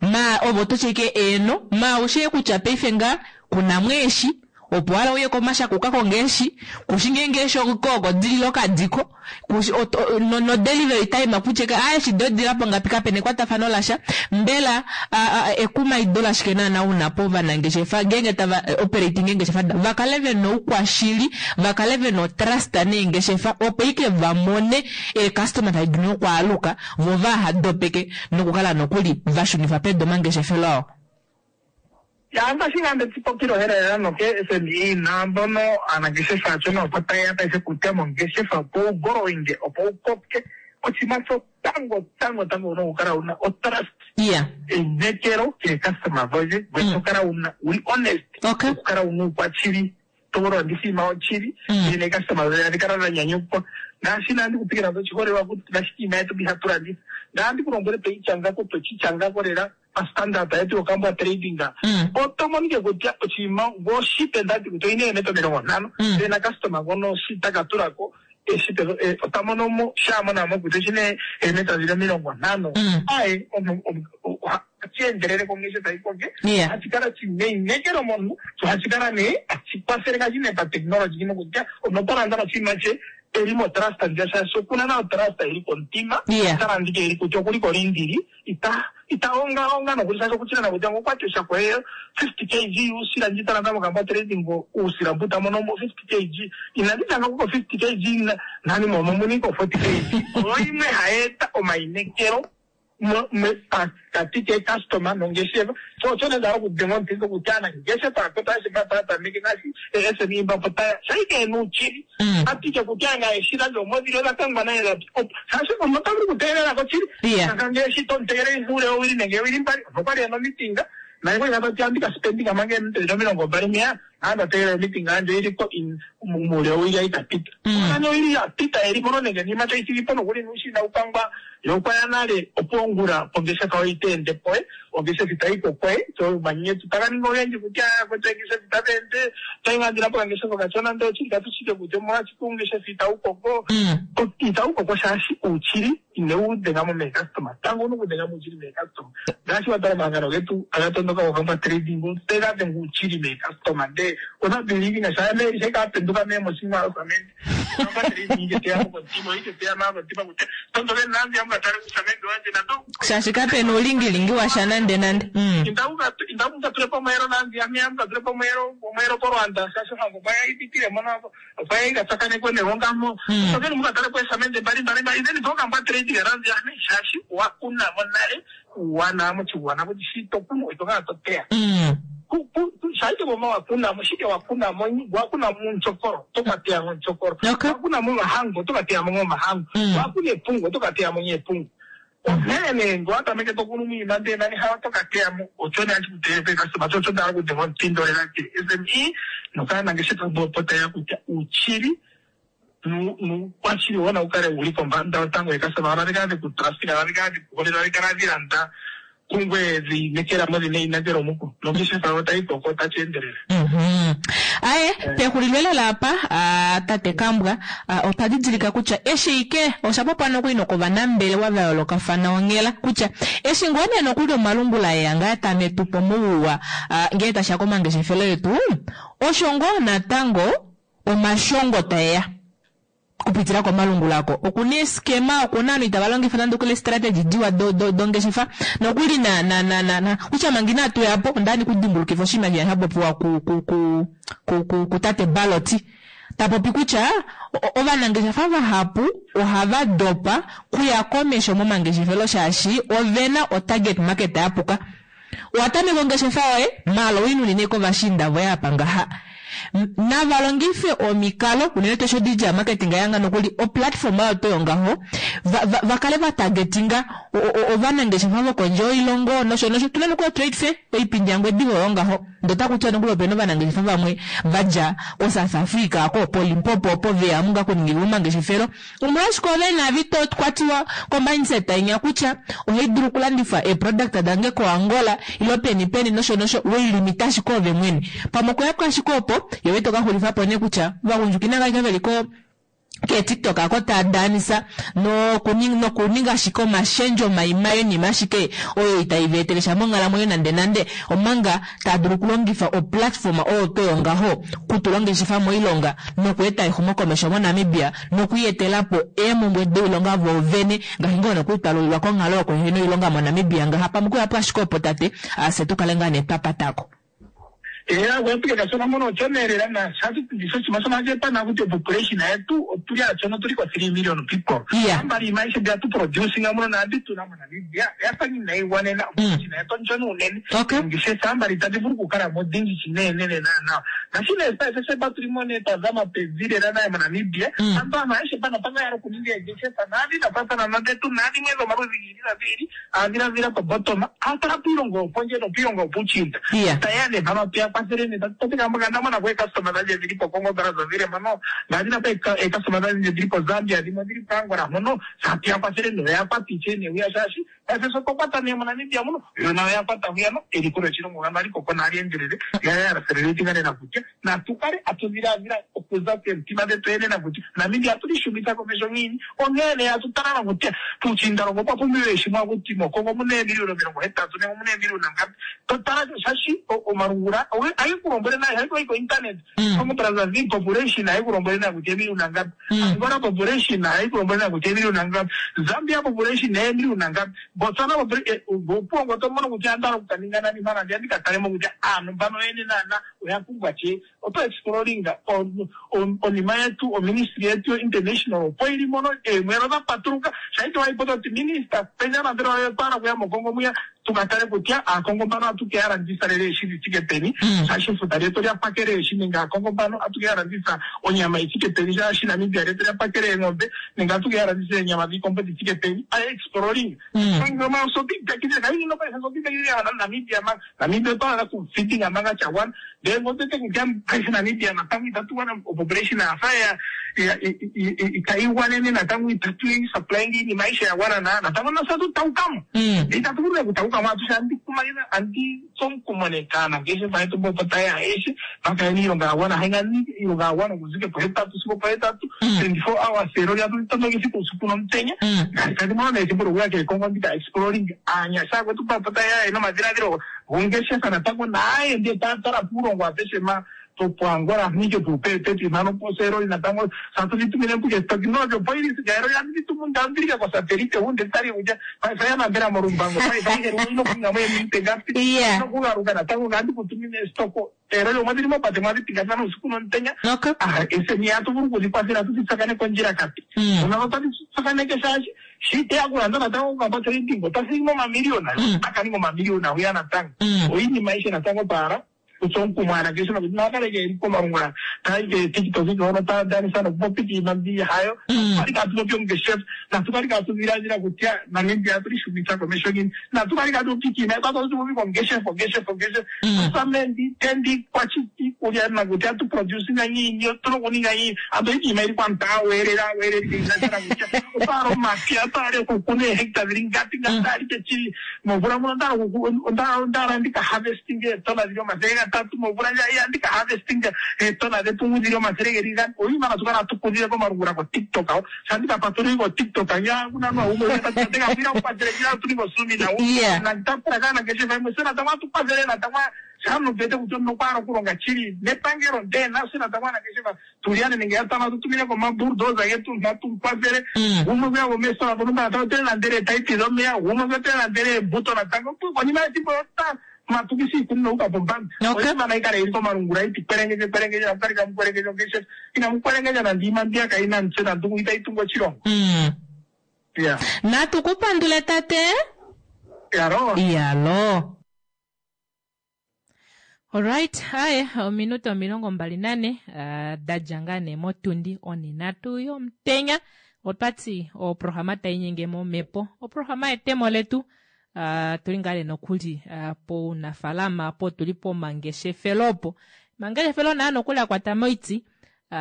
Ma ove oto ti ashike eeno, ma ou shii kutya paife nga kunamo eeshi, opo wala uye komashaka uka konge eeshi, kushi ngeenge eeshi oko dilile okadiko, kushi no, no delivery time kutya ke aa eeshi doye odili po ngapi kapena ekwatafano lasha. Mbela ekumaido lashike naana una povanangeshefa ngeenge tava operating eengeshefa davo va kale vena oukwashili, va kale vena otrust neengeshefa opo ike va mone eecustomer tadi dulu nokwaaluka vo vaha dopeke nokukala nokuli va shunifa pedu omangeshefelo ao. Ya ngaashi ngaa nde tshipopile ohela lela noke SME naambono aanangeshefa aachona opo taye ya paife kutya mongeshefa opo wu growinge opo wu koke oshinima shotango tango tango wuna okukala wuna otrust Yeah. einekelo keecustomer dhoye ngoye to kala wuna wuli honest Okay. okukala wuna uukwashili to landitha iinima yoshili ndele neecustomer dhoye tadhi kala dha nyanyukwa ngaashi nandi ku pikila oshiholelwa kutya ngaashi iinima yetu mbi hatu landitha nandi ku lombwele tweyi shanga ko tweshi shanga ko lela pastandard yetu yokambwa trading oto mono kutya oshinima ngoo oshipe ndati kutya oyina eemeta 50 ndele na customer ngono shi taka tulako eshipe ota mono mo sha mona mo kutya oshina eemeta dhili 50 aye ohashi endelele kongeshefa yi koke ohashi kala shina einekelo momuntu sho ohashi kala nee hashi kwathele ngaashi nee patechnology nokutya omuntu ota landa noshinima she eli motrust ndja shaashi okuna na otrust ili komutima ota landa ike eli kutya okuli kolindili ita ita ongaonga nokuli shaashi okuchina nakutya ngokwati oshako ye 50 kg uusila ndji ta landa mokamba trading uusila mbu ta mono mo 50 kg inandi tanga kuko 50 kg nani momo muni ko 40 kg oyo imwe hayi eta omainekelo pakati keecustomer nongeshefa so osho nee nda hala okudenga omuthindo kutya aanangeshefa akwetu aeshe mba taya tameke ngaashi ee-SME mba opo taya shaike yena uuchili atike kutya nga eshila lyoomwedhi odha kangwa naye dhapi opo shaashi omuntu ota vulu okutegelela ko shili kanga eshi to mutegelele uule wowili nenge eewili mbali opo kwali ena omitinga naye kwali tati andi ka spendinga manga eeminute dhili 20 mpeya ando tegelela omitinga yandje ili ko in muule wowili ayi ka pita nani owili ya pita eli mono nenge niima tayi thigi po nokuli nuushina ukangwa yo okwa ya nale opo ongula ongeshefa oyo ita ende poye ongeshefa itayi kokoye so omanyenyeto taga ningi ogendji kutya kutya ongeshefa itadhi ende otayi ngandila po okangeshefa okashona ndele oshili katu shike kutya omolwashike uungeshefa itawu koko itawu koko shaashi uuchili inewu dhenga mo meecustomer tango owuna okudhenga mo uuchili meecustomer ngaashi wa tala omahangano getu aga tondoka gokamba trading otega dhenga uuchili meecustomer ndee ota believe sha me she ka penduka me moshinima osamende kamba trading ike teya mo kontima ike teya ma kontima kutya tondoke nandi amukatale kusamende wanje nando Shaashi kape na uulingilingi washa nande nande. Inda mukatule pomweelo nandi ame amukatule pomweelo pomweelo polwanda shaashi ohango okwa ipitile mono okwa ikatsakanekwe negongamo tokeni mukatale po esamende mbali mbali mbali then pokambwa trading nandi ame shaashi wa kunamo nale uuwanawa moshigwana kutya shi to kunu ito kala to teya shaike boma wa kunamo shike wa kunamo wa kunamo munchokoro toka teya munchokoro wa kunamo mahango toka teya mo mahango wa kuna epungu toka teya mo epungu onkene nee ngele owa tameke to kunu miinima ndele nani hayo toka teya mo osho nee hashi ku teyele peekastoma sho osho nda hala okudhenga omuthindo lela ke-SME nokaanangeshefa mboka opo taye ya kutya uuchili nuukwashili wo nawu kale wuli kombanda yotango yeekastoma tadhi kala dheku trustinga tadhi kala dheku hole tadhi kala dhi landa kungweye dhi inekela mo dhina einekelo muko nongeshefa yo tayi koko tashi endelele. Aye, pexulilo lela apa, tate Kambwa, otwa didilika kutya eshi ike osha popwa nokuli nokovanambelewa va yoolokafana onghela kutya eshi ngoo nee nokuli omalungula eya ngaa tame tu po mouwa ngee tashiya komangeshefelo etu, osho ngoo natango omashongo taeya okupitila komalungula oko. Okuna eeskema, okuna ovanhu itava longifa nande okuli eestrategy diwa do, do, dongeshefa. Nokuli na, na, na, na, na, kutya manga inatu ya po, onda hala kudimbulukifa oshinima shiya sha popiwa ku, ku, ku, ku, ku, ku tate Balotti. Ta popi kutya ovanangeshefa vahapu ohava dopa kuya komesho momangeshefelo shaashi ovena otarget market ya puka. Owa tameka ongeshefa yoye, maala oinunine kovashiinda voye apa ngaha. Nava longife omikalo, unene tuu eshi o-digital marketing ya nga nokuli o-platform oyo tuu yongaho, va, va, va kale va targetinga ovanangeshefa vokondje yoilongo nosho nosho. Otuna nokuli o-trade fair, oipindi yaNgwediva oyo ngaho. Ndee otaku tiwa nokuli opena ovanangeshefa vamwe va dja koSouth Africa ko poLimpopo opo veya omu ngaa kuningilwa omangeshefelo. Omolwashike ove naavi to kwatiwa ko mindset inya kutya ohai dulu okulandifa eeproduct dange koAngola ilo peni peni nosho nosho wei limita ashike ove mwene. Pamwe okuya po ashike opo ye ito ka xulifa po nee kutya ovagundjuka inava kala veli ko keetiktok ako taa daanisa nokuninga ashike omashendjo maimai oinima ashike oyo itai va etele sha monghalamwenyo nande nande omanga taa dulu okulongifa oplatform oyo tuu oyo ngaho kutula ongeshefa moilonga nokueta exumokomesho moNamibia nokwietela po eemhumbwe doilonga voo vene ngaashi ngoo nokuli twa lulilwa konghalo yokuhena oilonga moNamibia ngaha pamwe okuya po ashike opo tate fye tu kale ngaa nee twa patako. Eya kwepike kashona mono ochoneelela na shaashi oshinima shono hashi etwa na kuti population yetu otuli achona otuli ko 3 million people. Yeah. Ambali iima aishe mbi hatu producing muno naambi tuna moNamibia oyafa nga inayi gwanena. Population yetu onshona unene. Okay. Oongeshefa ambali itadhi vulu okukala mo odhindji shinenenene naana. Ngashi nee paife she tuli mo nee twa zama pevi lela naye moNamibia. Aantu aantu aeshe mpano otava hala okuninga eengeshefa naadhi dha faathana nodhetu naadhimwe dhomaludhi gi ili nogi ili. Aadhiladhila po bottom a tala piilongo yopondje nopiilongo yopuushiinda. Yeah. Ta ya nee mpano tuya kwathele nee. Tati tate Kamboka onda mona ko eecustoma dhandje dhili po Congo Brazzaville mpono, ngaashi napa eecustoma dhandje dhili po Zambia, dhimwe odhili po Angola mpono. Sa tuya kwathele nee oya kwata ishewe nee hwiya shaashi paife sho twa kwata nee moNamibia muno, yo nayo oya kwata hwiya no eliko lyoshilongo ngano ohali koko nali endelele, yo ya acceleratinga lela kutya Natu kale hatu dhiladhila okuza komitima dhetu yene nakutya Namibia atu li shumitha komeho ngiini. Onkee nee atu tala nokutya puushiindalongo opwa pumbiwa eshina akuti mOkongo omu na eemiliyuna 80 nenge omu na eemiliyuna ngapi. To tala shaashi omalungula ohage ku lombwele nawa, ihali koyi ko-internet. Congo Brazzaville population ohayi ku lombwele nawa kutya eemiliyuna ngapi. Angola population ohayi ku lombwele nawa kutya eemiliyuna ngapi. Zambia population eemiliyuna ngapi. Botswana opuwo ngo to mono kutya onda hala okukaninga nani mpano andiya ndi ka tale mo kutya aantu mbano yene naana oya pumbwa tye. Oto exploringa onima yetu, oministry yetu yo international opo yi li mono eemwelo dha patuluka. Sha ito wayi po to ti minister penya nambelewa yoye otwa hala okuya moKongo mwiya tu ka tale kutya aaKongo mbano ohatu ke ya landitha lela eeshi dhi thike peni, shaashi efuta lyetu olya pakela eeshi nenge aaKongo mbano ohatu ke ya landitha onyama yi thike peni, shaashi Namibia lyetu olya pakela eengombe nenge ohatu ke ya landitha eenyama dhiikombo dhi thike peni. Exploring. Namibia otwa hala okufidinga manga sha gwana ndele ngele otwete kutya paife Namibia natango itatu gwana opopulation oya fa itayi gwanene natango itatu supplying iinima ayihe ya gwana na natango nafye atu taukamo ndele itatu vulu nee okutaukamo atushe andi kumagidha andi tsu omukumo nee kaanangeshefa yetu mboka taye ya ayehe va kale iilonga ya gwana hainga iilonga ya gwana okuza ike pohetatu sigo opohetatu 24 hours eloli atu li tondoka esiku uusiku nomutenya ngaashi tandi mono nee ethimbo lyokuya keekongo ndika exploring aanyasha akwetu mba taye ya yena omadhiladhilo gongeshefa natango naaye ndee taya tala puulongo apeshe ma poAngola nenge puupepepi mpano poseeloli natango tatu dhi tumine mpuke technology opo yili sika eloli atu dhi tumu ndandhilika kosatelite hunde tali kutya paife ya nambela molumbango paife ayihe ino kuninga mo eminute ngapi Yeah. nokugaluka natango ngandi kutumine estoko eloli omwa dhili mopate mwa dhi pingathana uusiku nomutenya Okay. Ah, eseni atu vulu okudhi kwathela tu dhi tsakaneke ondjilakati una otadhi tsakaneke shaashi shi teya okulanda natango okukamba trading ota thigi momamiliyona ota ka ninga omamiliyona hwiya natango oinima ayihe natango twa hala kutsa omukumo aanangeshefa kutya naya kale ye li komalungula taya yi keeTikTok hono taya danisa nokupopya iinima mbi hayo. Natu kale kaatu popi ongeshefa, natu kale kaatu dhiladhila kutya Namibia ohatu li shumitha komeho ngiini, natu kale kaatu popi iinima yetu atu popi ongeshefa, ongeshefa, ongeshefa. Osamende, tendi, kwachiti, iikulya nakutya ohatu producinga ngiini, otuna okuninga ngiini, ando iinima yi li kwanta aweelele, aweelele inasha nakutya otwa hala omapya, otwa hala okukuna eehecta dhili ngapi, ngapi, otwa hala ike chili. Momvula muno onda hala oku, onda, onda hala ndika harvesting eetona dhili 300 momvula ndja iya ndika harvesting eetona dhepungu dhili 400. Oinima natu kala hatu kudhile komalungula ko TikTok ho. Sha ndika patululi ko TikTok nya kuna nwa umwe uya tati tate Gavira ukwathele ndje atu ko Zoom na Yeah. na ndapula kana ngeshefa imwe se natango atu kwathele natango sha nubete kutya omunhu okwa hala okulonga chili nepangelo ndee nafye natango aanangeshefa Tuliane nenge yatano atu tumine ko omabulldozer getu natu kwathele gumwe gweya gwomeestola dhontumba natango te landele eepaipi dhomeya gumwe gwe te landele eembuto natango konima yethimbo ota matukisa iikunino yuuka pombanda Okay. oinima nayi kale yili komalungula iti kwelengendje kwelengendje naku kale kamu kwelengendja ongeshefa inamu kwelengendja nande iima mbiya kayi na omutse nande itayi tungu oshilongo Yeah. Natu ku pandule tate. Iyaloo. Iyaloo. Alright, aye, ominute 24 uh, da dja ngaa nee motundi onhinhatu yomutenya. Otwa ti oprograma tai nyenge momhepo, oprograma yetemo letu. Uh, tuli ngaa nee nokuli uh, pounafalama po tuli pomangeshefelo opo mangeshefelo naa nokuli a kwata moiti uh,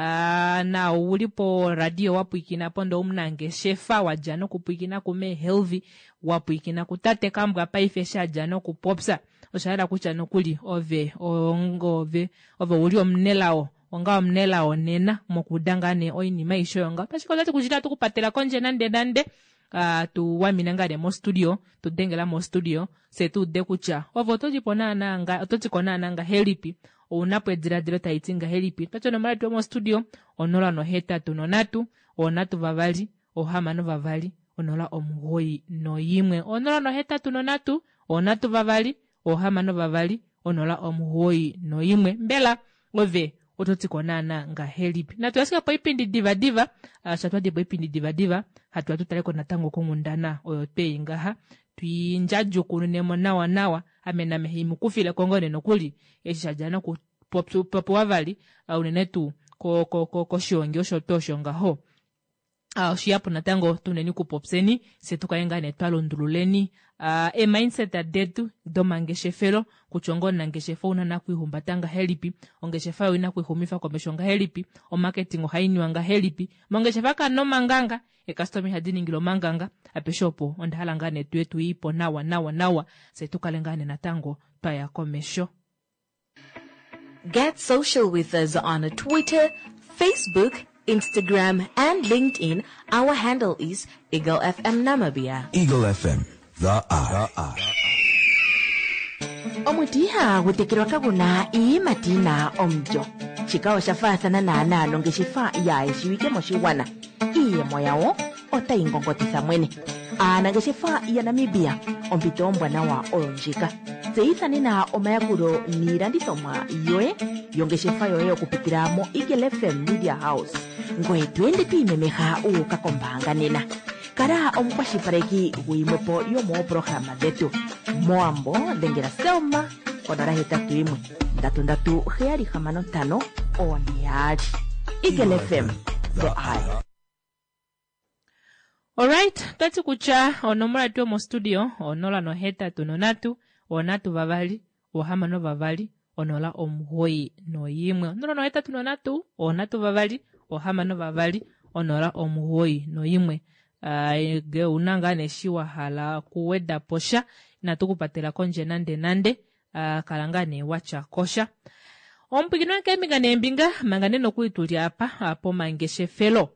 na ouli po radio wa pwiikina po ndee omunangeshefa wa dja nokupwiikina kume Helvi wa pwiikina kutate Kambwa paife eshi a dja nokupopya osha yela kutya nokuli ove ove ove ouli omunelao onga omunelao nena mokuuda ngaa nee oinima aishe oyo ngaho ashike otati kutya itatu ku patela kondje nande nande uh, tu wamina ngaa nee mostudio tu dengela mostudio fye tu ude kutya ove oto ti po naanaa nga oto ti ko naanaa ngahelipi ouna po ediladilo tali ti ngahelipi twati onomola yetu yomostudio 083 3 6 2 091 083 3 6 2 091 mbela ove oto ti ko naana ngahelipi natu ashike poipindi divadiva ah, sha twadi poipindi divadiva hatu ya tu tale ko natango konghundana oyo twei ngaha twiindjadjukununemo nawa nawa ame name haimukufile ko ngoo nee nokuli eshi sha dja noku popiwa vali ah, unene tuu koshiongi osho tuu osho ngaho Ah, oshiyapu natango tuneni kupopyeni se tu kale ngaa nee twa lundululeni ah, e-mindset detu domangeshefelo kutya onga omunangeshefa ouna na kwiihumbata ngahelipi ongeshefa yoye oina kwiixumifa komesho ngahelipi omarketing ohai niwa ngahelipi mongeshefa kamuna omanganga eekastoma ihadi ningile omanganga apeshe opo onda hala ngaa nee tuye tuyiipo nawa nawa nawa se tu kale ngaa nee natango twaya komesho. Get social with us on Twitter, Facebook, Instagram, and LinkedIn. Our handle is Eagle FM Namibia. Eagle FM, the eye. The eye. Omuti ihagu tekelwa kagu na iiyimati yi na omulyo. Shika osha faathana naanaa nongeshefa yaayeshiwike moshigwana. Iiyemo yawo otayi ngongotitha mwene. Aanangeshefa yaNamibia, ompito ombwanawa oyo ndjika. Tseyitha nena omayakulo niilandithomwa yoye yongeshefa yoye okupitila moEagle FM Media House. Ngoye to ende to imemeha wu uka kombaanga nena. Kala omukwashilipaleki guyimwe po yomooprograma dhetu. Mowambo dhengela Selma ko 081 337 65 42. Eagle FM, the eye. Alright, twati kutya onomola yetu yomostudio 083 3 6 2 091 083 3 6 2 091 ngee ouna ngaa nee eshi wa hala okuweda po sha inatu ku patela kondje nande nande kala ngaa nee watya kosha. Omupwiikini wange keembinga neembinga manga nee nokuli tuli apa pomangeshefelo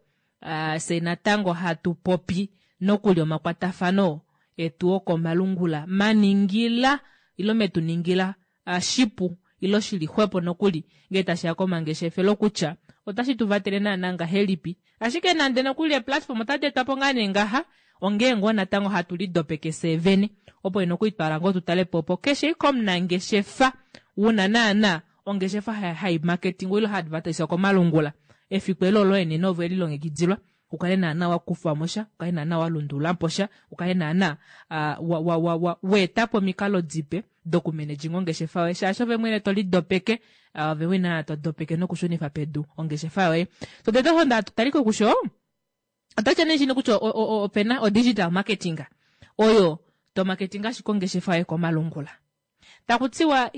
Fye natango hatu popi nokuli omakwatafano etu okomalungula maningila ilo metu ningila shipu ilo shili xwepo nokuli ngee tashi ya komangeshefelo kutya otashi tu vatele naana ngahelipi. Ashike nande nokuli eeplatform otadi etwa po ngaa nee ngaha ongee ngoo natango hatu lidopeke fyee vene opo nokuli twa hala ngoo tu tale po opo keshe ike omunangeshefa wuna naana ongeshefa hai marketingwa ilo hai advertiswa komalungula Efiku elo oloye nena ove welilongekidilwa u kale naana wa kufa mo sha, u kale naana wa lundulula po sha, u kale naana wa, wa, wa, wa, wa eta po omikalo dipe dokumanaging ongeshefa yoye, shaashi ove mwene to lidopeke, ove mwene naana to dopeke nokushunifa pedu ongeshefa yoye. So tete osho nda taliko kusho, otatya nee shino kutya opena o digital marketing oyo to marketing ashike ongeshefa yoye komalungula. Taku tiwa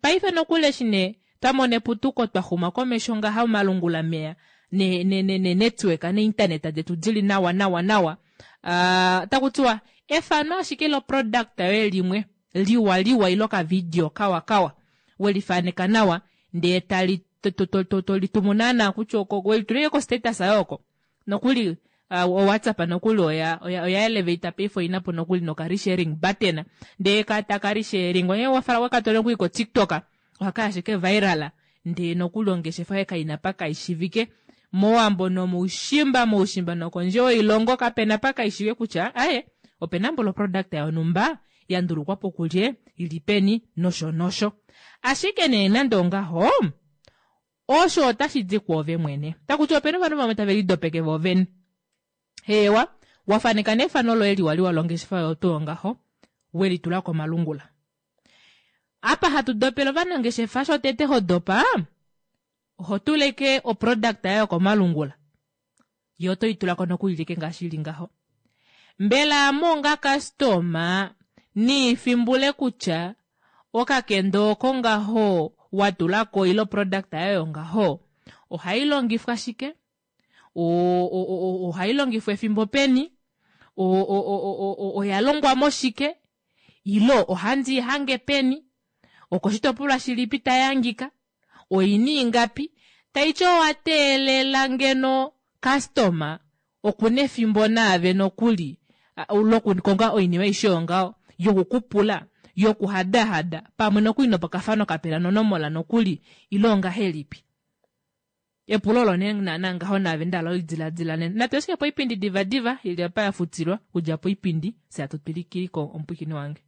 paife nokuli eshi nee twa mona eputuko twa xuma komesho ngaha omalungula meya ne ne ne ne network ne internet detu dili nawa nawa nawa uh, taku tiwa efano ashike lo product yoye limwe liwa liwa ilo ka video kawa kawa welifaneka nawa ndee tali to to to to litumu naana kutya oko welitulile ko status yoye oko Nokuli uh, o WhatsApp nokuli oya oya, oya elevate paife oina po nokuli noka resharing button ndee ka taka resharing onye wafala wekatole nokuli ko TikTok ohaka ashike viral ndee nokuli ongeshefa yoye kaina pa kaishivike mowambo nomoushimba moushimba nokondje yoilongo kapena pa kaishivike kutya aye opena mbolo product yonhumba ya ndulukwa po kulye ili peni nosho nosho ashike nee nande ongaho Osho otashi di kwoove mwene. Taku ti opena ovanhu vamwe tave lidopeke voovene. Heewa, wa faneka nee efano loye liwaliwa longeshefa yoye tuu ongaho, we li tula komalungula. Apa hatu dopele ovanangeshefa shotete ho dopa, oho tuleke oproduct yoye yokomalungula. Yo oto i tula ko nokuli like ngaashi ili ngaho. Mbela ame onga customer, Niifimbule kutya okakendo oko ngaho wa tula ko ile oproduct yoye yongaho ohai longifwa shike, ohai longifwa efimbo peni, oya longwa moshike ile ohandi i hange peni, okoshitopolwa shilipi tai hangika, oina ingapi, taiti owa teelela ngeno customer okuna efimbo naave nokuli lokukonga oinima aishe yongaho yokukupula, yokuhadahada pamwe nokuli nopokafano kapena nonomola nokuli ile ongahelipi. Epulo olo nee naana ngaho naave nda hala ulidiladila nena. Natu ashike poipindi divadiva ili apa ya futilwa kudja poipindi fye atu twilikili ko omupwiikini wange.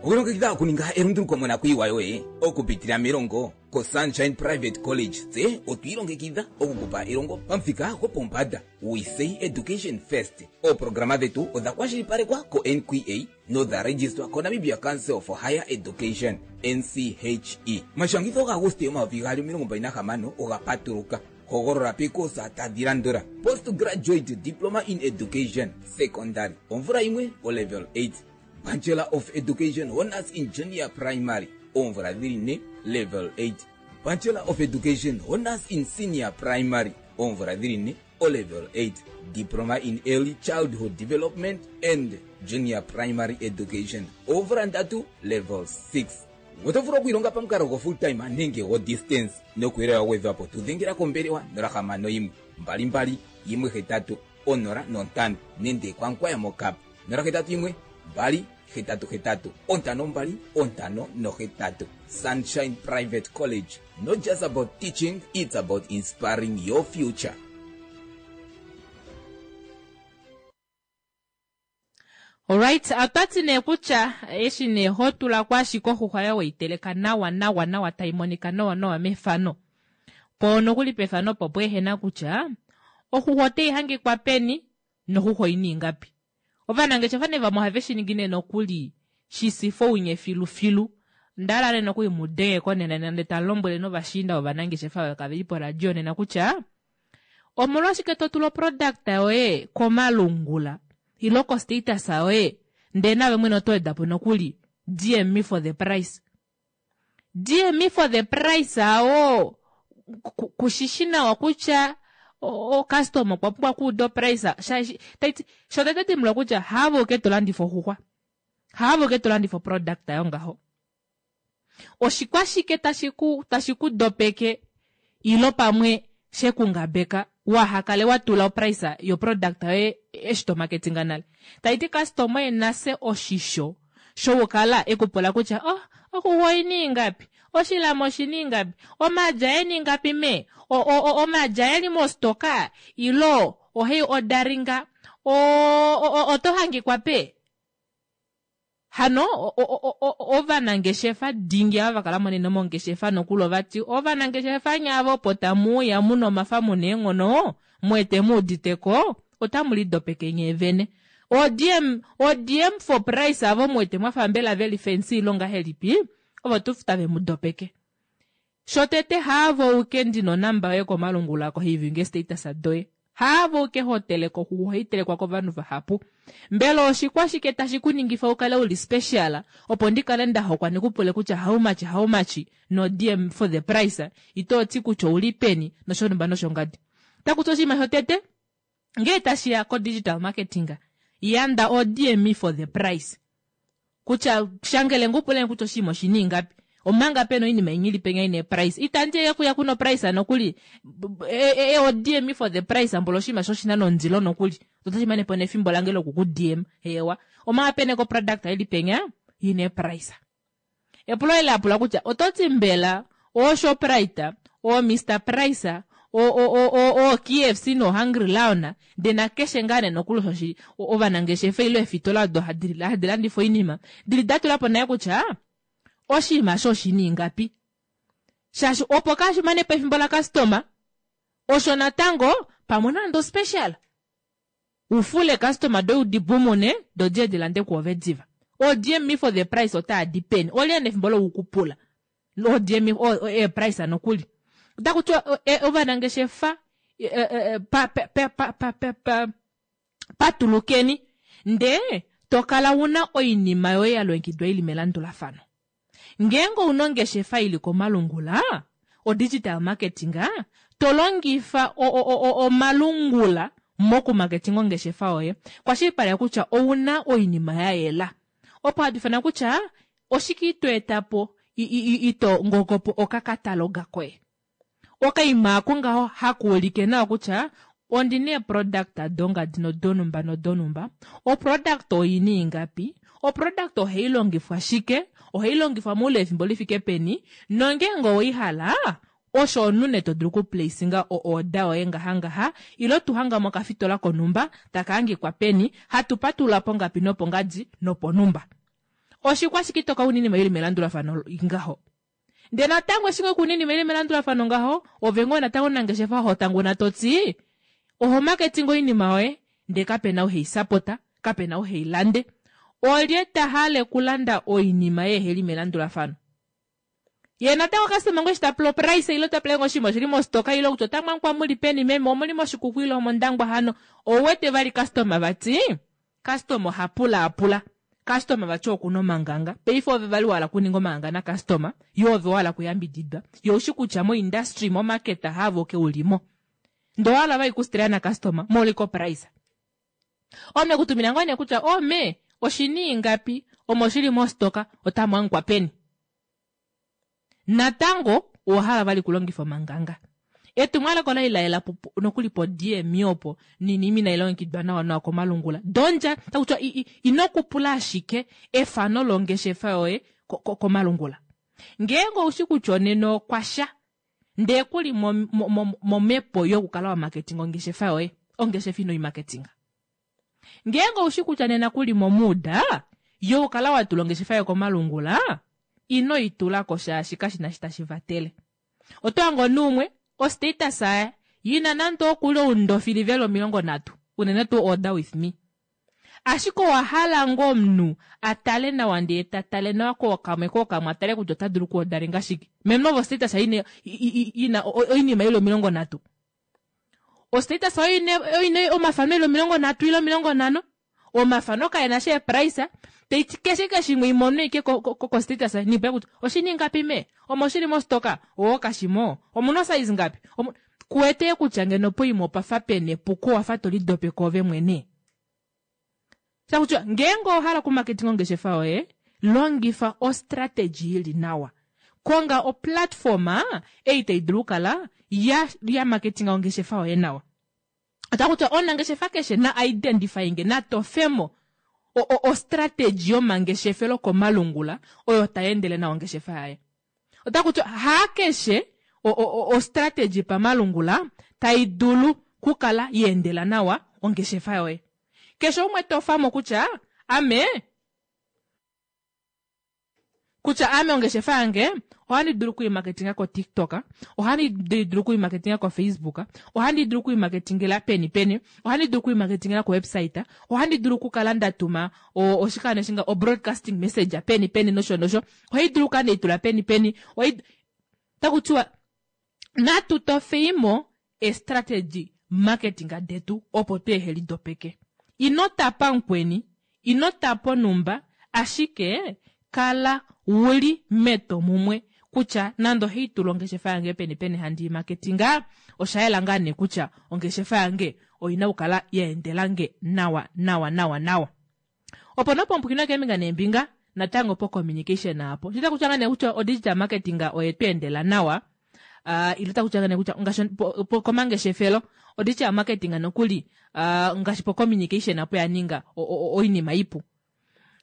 Okulongekidha okuninga elunduluko monakuyiwa yoye okupitila melongo koSunshine Private College tse otwi ilongekidha okukupa elongo pamuthika gwopombanda. We say education first. Ooprograma dhetu odha kwashilipalekwa koNQA nodha registwa koNamibia Council for Higher Education, NCHE. Omashangitho gaAguste 2026 oga patuluka. Hogolola peekoosa tadhi landula, Postgraduate Diploma in Education, Secondary, omvula yimwe, oLevel 8, Bachelor of Education Honours in Junior Primary, oomvula dhili ne, Level 8, Bachelor of Education Honours in Senior Primary, oomvula dhili ne, oLevel 8, Diploma in Early Childhood Development and Junior Primary Education, oomvula ndatu, Level 6. Oto vulu okwiilonga pamukalo go full time nenge go distance nokuuyelele wa gwedhwapo tu dhengela kombelewa 061 22 18 05 nende kwaNkwaya moKap 081 2 88 52 58 Sunshine Private College not just about teaching it's about inspiring your future. Alright, otwati nee kutya eshi nee ho tula ko ashike oxuxwa yoye weiteleka nawa nawa nawa tai monika nawa nawa mefano. Po nokuli pefano opo pweehena kutya oxuxwa otai hangikwa peni noxuxwa oina ingapi. Ovanangeshefa nee vamwe ohave shi ningi nee nokuli shi sifa ounye filufilu. Onda hala nee nokuli mu denge ko nena nande tamu lombwele novashiinda vovanangeshefa oyo kave li poradio nena kutya Omolwashike to tula oproduct yoye komalungula ilo ko status yoye ndee naave mwene oto wedapo nokuli DM me for the price. DM me for the price awo kushishi nawa kutya o customer okwa pumbwa okuuda oprice shaashi taiti shotete dimbuluka kutya haave uke to landifa oxuxwa haave uke to landifa oproduct yongaho. Oshikwashike tashi ku tashi ku dopeke ilo pamwe she ku ngabeka waha kale wa tula oprice yo product yoye eshi to marketinga nale? Tayi ti customer oye nase oshisho shokukala e ku pula kutya oh oxuxwa oyina ingapi? Oshilama oshina ingapi? Omalya ena ingapi mee? O o o omalya eli mostoka ilo ohai odaringa? O o oto hangikwa pe? Hano ovanangeshefa dingi ava va kala mo nena mongeshefa nokuli ova ti, Ovanangeshefa nye ava opo tamu uya mu na omafa mu na eenghono, mu wete mu udite ko, otamu lidopeke nyee vene. OoDM, OoDM for price ava mu wete mwa fa mbela ve li fancy ile ongahelipi, ovo tuu tave mu dopeke. Shotete haavo uke ndina onamba yoye komalungula kohivinge status doye. Haavo uke ho teleke oxuxwa ohai telekwa kovanhu vahapu. Mbela oshikwashike tashi ku ningifa u kale uli special opo ndi kale nda hokwa ndi ku pule kutya how much how much no DM for the price ito ti kutya ouli peni noshonhumba noshongadi. Taku ti oshinima shotete ngee tashi ya ko digital marketing yanda o DM for the price. Kutya shangele ngu pule kutya oshinima oshina ingapi omanga pena oinima inya ili penya ina price itandi ye kuya kuno price nokuli e, o DM for the price mbola oshinima sho shina nondilo nokuli otashi mane po nefimbo lange loku ku DM hewa omanga pena ko product ili penya ina price Epulo eli la pula kutya oto ti mbela ooShoprite, ooMr Price, ooKFC nooHungry Lion ndee nakeshe ngaa nee nokuli osho shi ovanangeshefa ile eefitola odo hadi landifa oinima dili da tula po naye kutya oshinima osho oshina ingapi shaashi opo kashi mane po efimbo lakastoma osho natango pamwe nande ospecial U fule customer doye udi pumune do diye di lande kwoove diva. Oo DM me for the price otaa di peni? Olye ena efimbo loku ku pula? Oo DM me oo ee price nokuli. Otaku tiwa ovanangeshefa pa pa pa pa pa pa pa. Patulukeni ndee to kala una oinima yoye ya longekidwa ili melandulafano. Ngeenge ouna ongeshefa ili komalungula, o digital marketing, to longifa omalungula moku marketing ongeshefa yoye, kwashilipaleka kutya ouna oinima ya yela. Opo hatu ifana kutya oshike ito eta po ito ngogopo okakataloga koye. Okaima ako ngaho hakuulike nawa kutya ondina eeproduct dongadi nodonumba nodonumba, oproduct oina ingapi, oproduct ohai longifwa shike, ohai longifwa moule wefimbo lifike peni, nongeenge oweihala osho omunhu nee to dulu okuplacinga o-order yoye ngaha ngaha, ile tu hanga mokafitola konhumba taka hangikwa peni, hatu patulula pongapi nopongadi noponhumba. Oshikwashike itoka una oinima ili melandulafano ngaho? Ndee natango eshi ngoo kuna oinima ili melandulafano ngaho, ove ngoo natango omunangeshefa ho tanguna to ti oho marketing oinima yoye ndee kapena ou hei sapota, kapena ou hei lande. Olye ta hale okulanda oinima yeeheli melandulafano? Ye natango customer ngoo eshi ta pula oprice ile ta pula ngoo oshinima oshili mostoka ile kutya ota mwankwa muli peni meme omuli mOshikuku ile omOndangwa hano, ou wete vali customer vati Customer oha pulaapula. Customer vati okuna omanganga. Paife ove vali wahala okuninga omanganga na customer, yo ove wahala okuyambididwa. Yo oushi kutya mo industry, mo market haavo ke ulimo. Ndee owahala vali kustrea na customer, moli ko price. Ome kutumina ngoo nee kutya oh me, oshina ingapi, omo shili mostoka, otamu hangikwa peni. Natango owa hala vali kulongifa omanganga. Etumwalaka ola li la yela nokuli po DM opo noinima inai longekidwa nawa nawa komalungula. Dondja, taku tiwa ino kupula ashike efano longeshefa yoye komalungula. Ngeenge oushi kutya onena okwa sha ndee ku li momhepo yokukala wa marketing ongeshefa yoye, ongeshefa ino i marketing. Ngeenge oushi kutya nena ku li momuuda yokukala wa tula ongeshefa yoye komalungula, ino i tula ko shaashi kashi na shi tashi vatele. Oto hange omunhu umwe ostatus yaye yina nande okuli oundofili veli 30, unene tuu order with me. Ashike owa hala ngoo omunhu a tale nawa ndee ta tale nawa kookamwe kookamwe a tale kutya ota dulu okuodalenga shike. Meme ove ostatus yaye ina oinima ili 30. Ostatus oyo ina omafano eli 30 ile 50. Omafano kae na sha eeprice, taiti keshe keshimwe imono ike ko status niipa kutya oshina ingapi mee, omo shili mostoka, oo kashimo, omuna osize ngapi, kuwete kutya ngeno poima opafa pena epuko wafa to lidopeke ove mwene. Shakutya ngeenge owa hala okumarketing ongeshefa yoye, longifa ostrategy ili nawa. Konga oplatform ei tai dulu okukala ya, ya marketinga ongeshefa yoye nawa. Ota kutya omunangeshefa keshe na identifyinge, na tofemo ostrategy yomangeshefelo komalungula oyo tai endele nawa ongeshefa yaye. Ota kutya haa keshe ostrategy pamalungula tai dulu kukala ya endela nawa ongeshefa yoye. Keshe umwe tofamo kutya ame kutya ame ongeshefa yange ohandi dulu okuimarketinga koTikTok, ohandi dulu okuimarketinga koFacebook, ohandi dulu okuimarketingela peni peni, ohandi dulu okuimarketingela kowebsite, ohandi dulu okukala nda tuma oshikando shinga o-broadcasting message peni peni nosho nosho, ohai dulu okukala ndeitula peni peni, taku tiwa natu tofeimo eestrategy marketing detu opo tu eheli dopeke. Ino tapa mukweni, ino tapa onumba, ashike kala wuli metomumwe kutya nande ohai tula ongeshefa yange peni peni handi i marketinga, osha yela ngaa nee kutya ongeshefa yange oina okukala ya endelange nawa nawa nawa nawa. Opo nopompwino keembinga neembinga, natango po communication apo. Shita kutya ngaa nee kutya o digital marketing oye tu endela nawa, ile taku tya kutya ngaashi komangeshefelo o digital marketing nokuli ngaashi po communication apo ya ninga oinima ipu.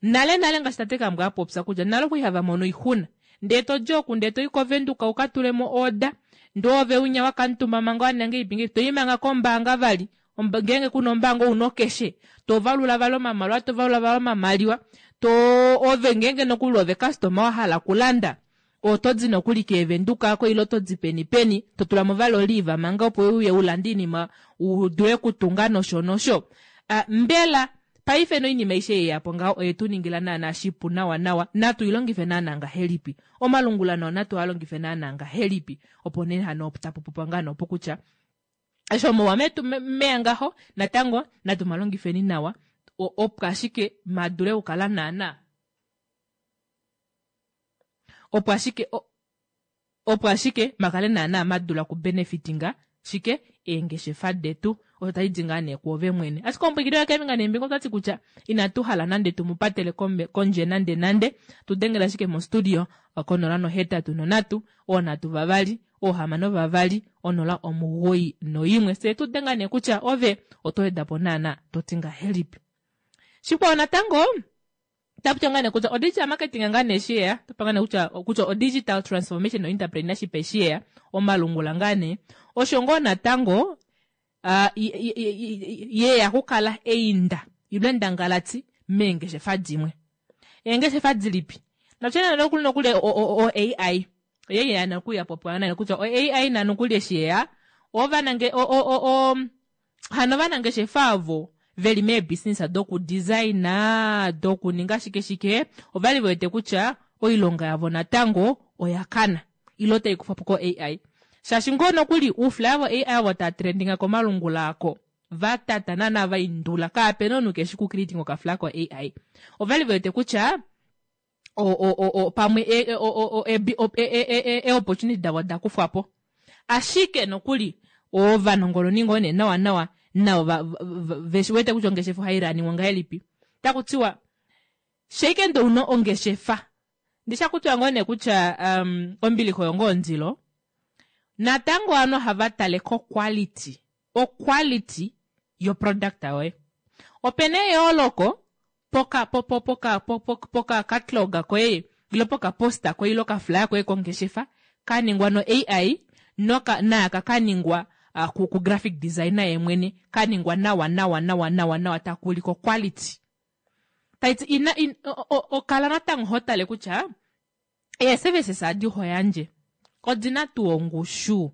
Nale nale ngaashi tate Kambwa a popya kutya nale okwali hava mono oixuna. Ndee to di oku ndee to i koVenduka uka tulemo order, ndee ove winya wa kamutumba manga wa ninga ngeipi to i manga kombaanga vali. Ngeenge kuna ombaanga ouna okeshe, to valula vali omamaliwa, to valula vali omamaliwa, to ove ngeenge nokuli ove customer wa hala okulanda, oto di nokuli keevenduka ako ile oto di peni peni, to tula mo vali oliva manga opo uye ulande oinima u dule okutunga nosho nosho. Mbela paife noinima aishe ei yapo ngaho oye tu ningila naana shipu nawa nawa, natu i longife naana ngahelipi? Omalungula nao natu a longife naana ngahelipi? Opo nee hano tapu popwa ngaa noopo kutya. Eshi omauwa metu meya ngaho natango natu malongifeni nawa opo ashike madule okukala naana opo ashike opo ashike makale naana madula okubenefitinga shike eengeshefa detu osho tashi di ngaa nee kwoove mwene ashike omupwikili wakevinga nembinga ota ti kutya inatu hala nande tu mu patele kondje nande nande tu dengela ashike mostudio konola nohetatu nonhatu oonhatu vavali oohamano vavali onola omugoyi noimwe fye tu denga nee kutya ove oto weda po naana to ti ngahelipi shikwao natango taputya ngaa nee kutya odigital marketing ngaa nee shi yeya topa ngaa nee kutya kutya odigital transformation no entrepreneurship eshi yeya omalungula ngaa nee osho ngoo natango uh, yeya kukala einda ilo endangalati meengeshefa dimwe eengeshefa dilipi natye nokuli nokuli o AI oye ya nokuya popiwa nayo kutya o AI na nokuli eshi yeya ovanange o o o o hano ovanangeshefa ovo veli meebusiness dokudesigna dokuninga shike shike ovali ve wete kutya oilonga yavo natango oya kana ile otai kufwa po ko AI shaashi ngoo nokuli uuflaya vo AI ovo taa trendinga komalungula ako va tata naana va indula kaapena omunhu keshi ku creating okaflaya ko AI ovali ve wete kutya o, o, o, o, pamwe e, o, o, o, e, o, e, e, e, e, opportunity davo da kufwa po ashike nokuli ovanongononi ngoo nee nawa nawa navo ve shi wete kutya ongeshefa ohai raniwa ngahelipi taku tiwa sheike ndo una ongeshefa ndisha kutiwa ngoo nee kutya um, ombilixa oyo ngoo ondilo natango ovanhu ohava tale ko quality o quality yo product yoye opena eyooloko poka po po poka po po poka catalogue koye ilo poka poster koye ilo ka flyer koye kongeshefa ka ningwa no AI noka naaka ka ningwa uh, ku, ku graphic designer ye mwene ka ningwa nawa nawa nawa nawa nawa taku ulike quality taiti ina in, o, o, o, kala natango ho tale kutya Eeservices adi ho yandje odi na tuu ongushu?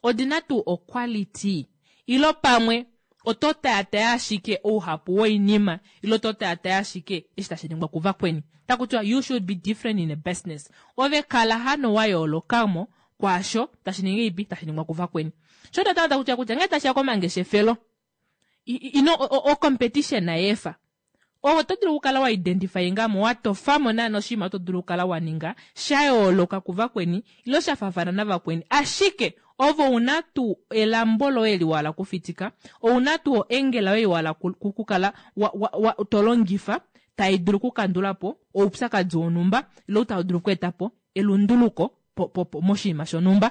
Odi na tuu oquality? Ilo pamwe oto taataya ashike ouhapu woinima ilo oto taataya ashike eshi tashi ningwa kuvakweni? Taku tiwa you should be different in a business. Ove kala hano wa yooloka mo kwaasho tashi ningi ipi tashi ningwa kuvakweni. Sho natango taku tiwa kutya ngee tashi ya komangeshefelo, ino o competition nayeefa. Ove oto dulu okukala wa identifyinga mo, wa tofa mo naana oshinima oto dulu okukala wa ninga sha yooloka kuvakweni ile sha faafana navakweni. Ashike ove ou na tuu elambo loye li wa hala okufitika? Ou na tuu oengela yoye wa hala okukala wa, wa, wa, to longifa tai dulu okukandula po oupyakadi wonhumba ile tau dulu okweeta po elunduluko po, po, po, moshinima shonhumba?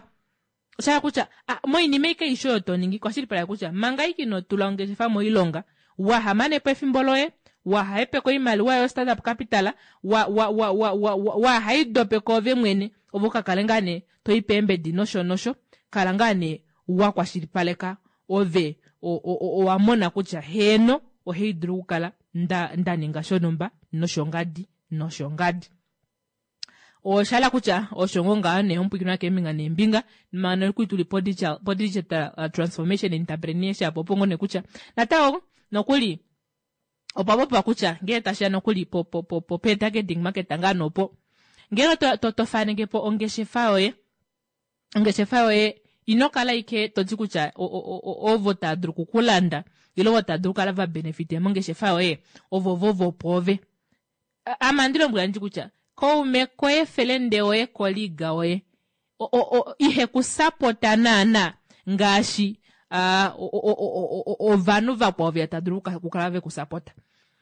Osha hala kutya moinima aike aishe oyo to ningi, kwashilipaleka kutya manga aike ino tula ongeshefa moilonga, waha mane po efimbo loye, waha hepeke oimaliwa yoye startup capital, wa, wa, wa, wa, wa, wa, waha idope koove mwene, ove uka kale ngaa nee to i peembedi nosho nosho, kala ngaa nee wa kwashilipaleka ove o, o, o, owa mona kutya heeno ohai dulu okukala nda, nda ninga shonhumba noshongadi noshongadi. Osha hala kutya osho ngoo ngaho nee omupwikinwa keembinga neembinga mano nokuli tuli po digital, po digital uh, transformation entrepreneurship opo ngoo nee kutya natango nokuli opwa popiwa kutya ngee tashi ya nokuli po po po po pe targeting market ngaa nopo ngele to, to, to faneke po ongeshefa yoye ongeshefa yoye ino kala ike to ti kutya ovo tava dulu okukulanda ile ovo tava dulu okukala va benefite mongeshefa yoye ovo vo vopoove Ame ohandi lombwela ndi kutya kaume koye felende woye colleague woye ihe ku sapota naana ngaashi ovanhu vakwao veya tava dulu okukala ve ku sapota.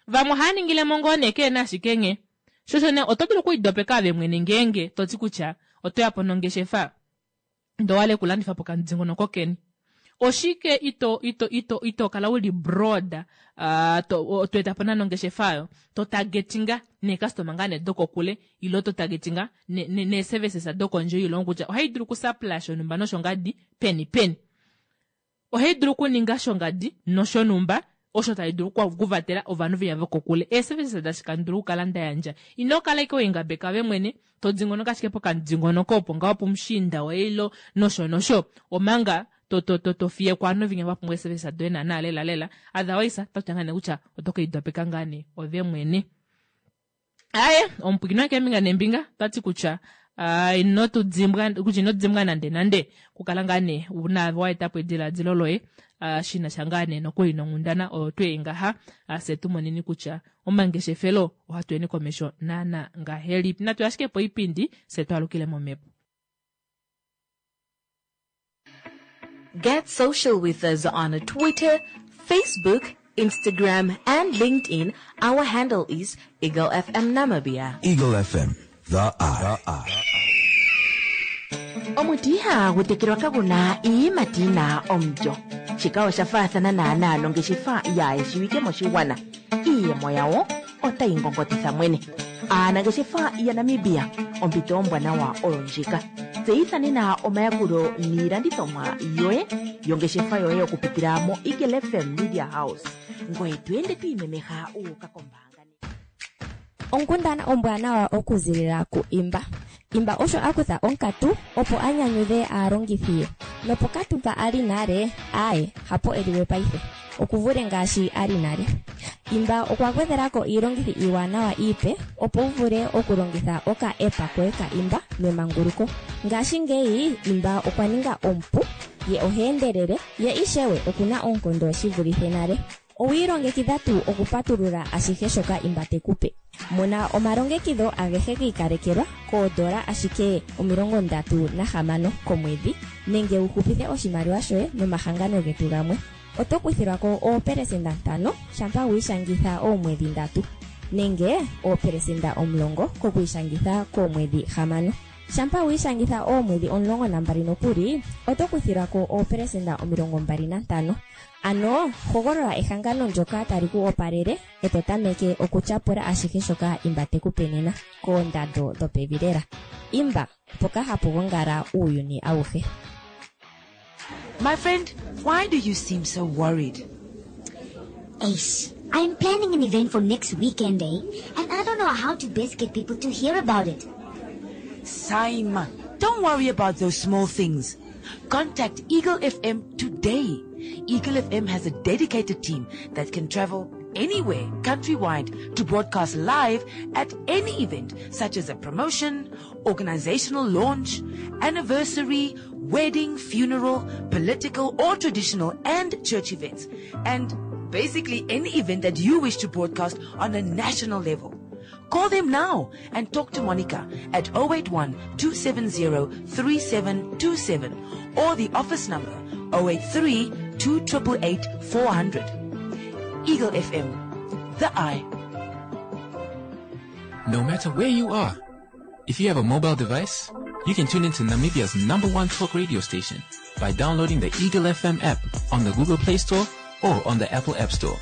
Vamwe ohava ningile mo ngoo nee keena ashike nghee. Sho osho nee oto dulu okwiidopeka ove mwene ngeenge to ti kutya oto ya po nongeshefa ndee owa hala okulandifa pokamudingonoko keni. Oshike ito ito ito ito kala uli broad uh, to, to eta po nana ongeshefa oyo to targetinga neecustomer ngaa nee dokokule ilo to targetinga ne, ne, nee services dokondje yoilongo kutya ohai dulu okusupply shonhumba noshongadi peni peni. Ohai dulu okuninga shongadi noshonhumba osho tashi dulu okuvatela ovanhu venya vokokule. Eeservices dashi kandi dulu okukala nda yandja. Ino kala ashike wengabeka ove mwene, to dingonoka ashike pokamudingonoko opo ngaho pumushiinda woye ilo nosho nosho, omanga to to to to fiye ko ovanhu venya va pumbwa eeservices doye naana lela lela. Otherwise, ota kutya ngaa nee kutya oto ke lidopeka ngaa nee ove mwene. Aye, omupwikinwa keembinga neembinga ota ti kutya. Ino tu dimbwa kutya ino dimbwa nande nande okukala ngaa nee naave wa eta po ediladilo loye shi na sha ngaa nee nokuli nonghundana oyo tu ei ngaha fye tu moneni kutya omangeshefelo ohatu eni komesho naana ngahelipi. Natu ashike poipindi fye tu alukile momhepo. Get social with us on Twitter, Facebook, Instagram, and LinkedIn. Our handle is Eagle FM Namibia. Eagle FM, the eye. Omuti ihagu tekelwa kagu na iiyimati yi na omulyo. Shika osha faathana naanaa nongeshefa yaayeshiwike moshigwana. Iiyemo yawo otayi ngongotitha mwene. Aanangeshefa yaNamibia, ompito ombwanawa oyo ndjika. Tseyitha nena omayakulo niilandithomwa yoye yongeshefa yoye okupitila moEagle FM Media House. Ngoye to ende to imemeha wu uka kombaanga. Onkundana ombwanawa okuzilila ku Imba. Imba osho a kutha onkatu opo a nyanyudhe aalongithi ye. Nopokatu mpa a li nale, aaye, hapo e li we paife. Oku vule ngaashi a li nale. Imba okwa gwedhela ko iilongithi iiwanawa iipe opo wu vule okulongitha oka app koye ka Imba memanguluko. Ngashingeyi Imba okwa ninga omupu, ye oha endelele, ye ishewe oku na oonkondo shi vulithe nale. Owi ilongekidha tuu okupatulula ashihe shoka Imba te ku pe? Mona omalongekidho agehe gi ikalekelwa koodola ashike 36 komwedhi nenge wu hupithe oshimaliwa shoye nomahangano getu gamwe. Oto kuthilwa ko oopelesenda ntano shampa wi ishangitha oomwedhi ndatu, nenge oopelesenda 10 kokwiishangitha koomwedhi hamano. Shampa wi ishangitha oomwedhi 12 nokuli, oto kuthilwa ko oopelesenda 25. Ano hogolola ehangano ndyoka tali ku opalele e to tameke okutyapula ashihe shoka Imba te ku pe nena, koondando dhopevi lela. Imba, mpoka hapu gongala uuyuni awuhe. My friend, why do you seem so worried? Ace, I'm planning an event for next weekend, eh? And I don't know how to best get people to hear about it. Saima, don't worry about those small things. Contact Eagle FM today. Eagle FM has a dedicated team that can travel anywhere countrywide to broadcast live at any event such as a promotion, organizational launch, anniversary, wedding, funeral, political or traditional and church events. And basically any event that you wish to broadcast on a national level. Call them now and talk to Monica at 081 270 3727 or the office number 083 288 400. Eagle FM, the eye. No matter where you are, if you have a mobile device, you can tune into Namibia's number one talk radio station by downloading the Eagle FM app on the Google Play Store or on the Apple App Store.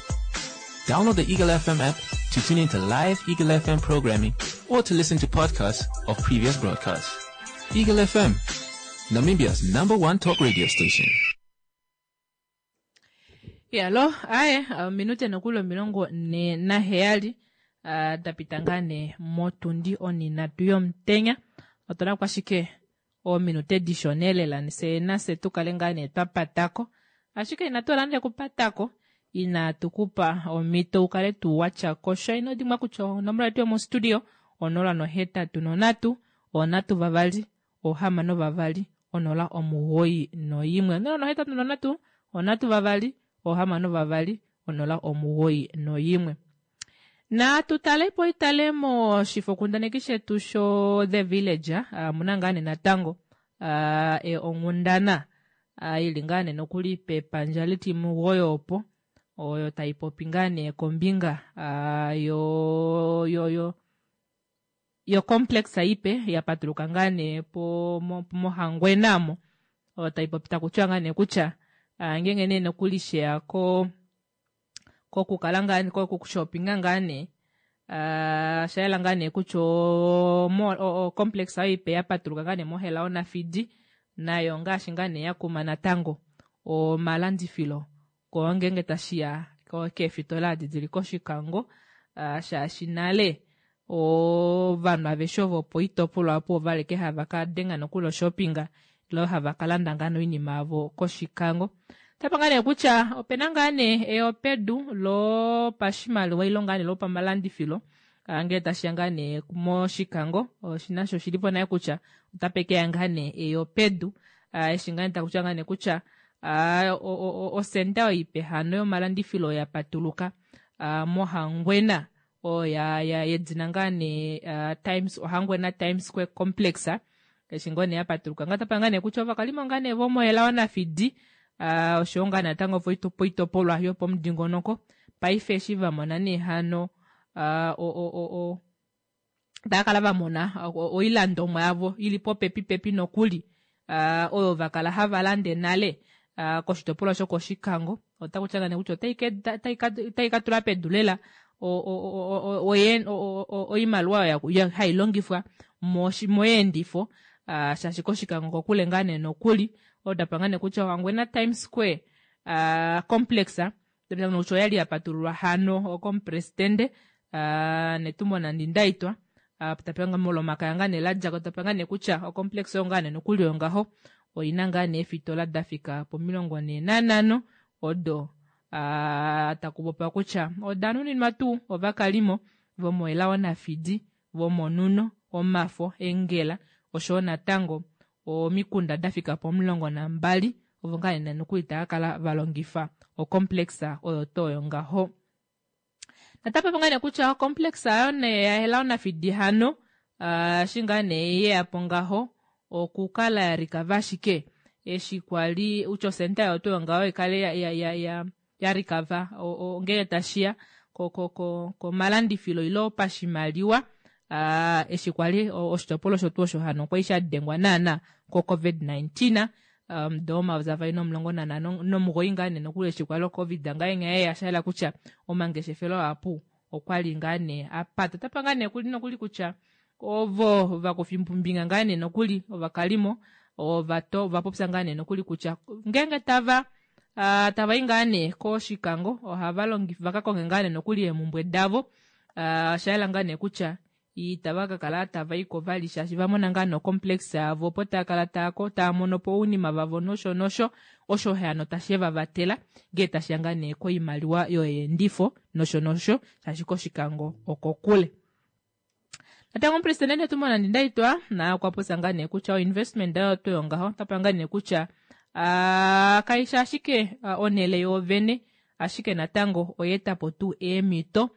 Download the Eagle FM app to tune into live Eagle FM programming or to listen to podcasts of previous broadcasts. Eagle FM, Namibia's number one talk radio station. Yalo, aye, ominute nokuli 47 da pita ngaa nee motundi oninatu yomutenya. Otuna ko ashike oominute dishona lela se nase tu kale ngaa nee twa patako. Ashike inatu hala nande okupatako inaatu ku pa omhito u kale tuu wa tya ko sha. Ino dimbwa kutya onomola yetu yomostudio 083 3 6 2 091. 083 3 6 2 091. Natu tale po itale moshifokundaneki shetu sho The Village, omuna ngaa nee natango e, onghundana i li ngaa nee nokuli pepandja litimugoyi opo oyo tai popi ngaa nee kombinga yo yo yo yo complex ipe ya patuluka ngaa nee po mOhangwena mo oyo tai popi taku tiwa ngaa nee kutya ngeenge nee nokuli sheya ko kokukala ngaa kokushopinga ngaa nee osha yela ngaa nee kutya ocomplex oyo ipe ya patuluka ngaa nee moHelao Nafidi nayo ngaashi ngaa nee ya kuma natango omalandifilo ko ngeenge tashi ya keefitola adi dili kOshikango shaashi nale ovanhu aveshe ovo poitopolwa opo ova li hava ka denga nokuli oshoppinga ile hava ka landa ngaa nee oinima yavo kOshikango. Otapa ngaa nee kutya opena ngaa nee eyopedu lopashimaliwa ile ngaa nee lopamalandifilo. Ngele tashiya ngaa nee mOshikango oshi nasho oshili po naye kutya otape keya ngaa nee eyo pedu. Eshi ngaa nee taku tiwa ngaa nee kutya osenda oyo ipe hano yomalandifilo ya patuluka mOhangwena oyo ya, ya yedina ngaa nee Times Ohangwena Times Square Complex eshi ngoo nee ya patuluka ngaa tapa ngaa nee kutya ovakalimo ngaa nee vomoElao Nafidi oshowo ngaa natango poitopolwa yopomudingonoko paife eshi va mona nee hano tava kala va mona oilandomwa yavo ili popepi pepi nokuli oyo va kala hava lande nale koshitopolwa shokOshikango otaku tya nee kutya otai ka tula pedu lela oimaliwa oyo hai longifwa moyeendifo shaashi kOshikango kokule ngaa nee nokuli otapa ngaa nee kutya Ohangwena Times Square Complex kutya oyali ya patululwa hano komupresidende Netumbo Nandi-Ndaitwah tapanga mOlomakaya ngaa nee ladjako tapanga nee kutya ocomplex oyo ngaa nee nokuli oyo ngaho oina ngaa nee eefitola da fika po45 odo taku popiwa kutya oda nuninwa tuu ovakalimo vomoElao Nafidi vomOnhuno Omafo Engela oshowo natango omikunda da fika po12 ovo ngaa nee nokuli tava kala va longifa ocomplex oyo tuu oyo ngaho. Natapopi ngaa nee kutya ocomplex ayo nee yaElao Nafidi hano eshi ngaa nee yeyapo ngaho okukala ya rikava ashike eshi kwali utya osenta yayo tuu ngaho ikale ya rikava ngele tashiya komalandifilo ilo pashimaliwa eshi kwali oshitopolwa osho tuu osho hano kwali sha dengwa naana ko COVID-19 omudo 2019 ngaa nee nokuli eshi kwali oCovid ngaa nghee ya shayela kutya omangeshefelo apu okwali ngaa nee apata. Otapa ngaa nee kuli nokuli kutya ovo vakufimbinga ngaa nee nokuli ovakalimo ova popya ngaa nee nokuli kutya ngeenge tava tava i ngaa nee kOshikango ohava longifa vaka konge ngaa nee nokuli eemumbwe davo oshayela ngaa nee kutya itava ka kala tava iko vali shaashi va mona ngaa nocomplex yavo opo tava kala tava mono po ounima vavo nosho nosho osho hano tashi va vatela ngee tashiya ngaa nee koimaliwa yoyeendifo nosho nosho shaashi kOshikango okokule. Natango omupresidente Netumbo Nandi-Ndaitwah naye okwa popya ngaa nee kutya oinvestment oyo tuu yongaho otapa ngaa nee kutya kaishi ashike onhele yoovene ashike natango oyeetapo tuu eemhito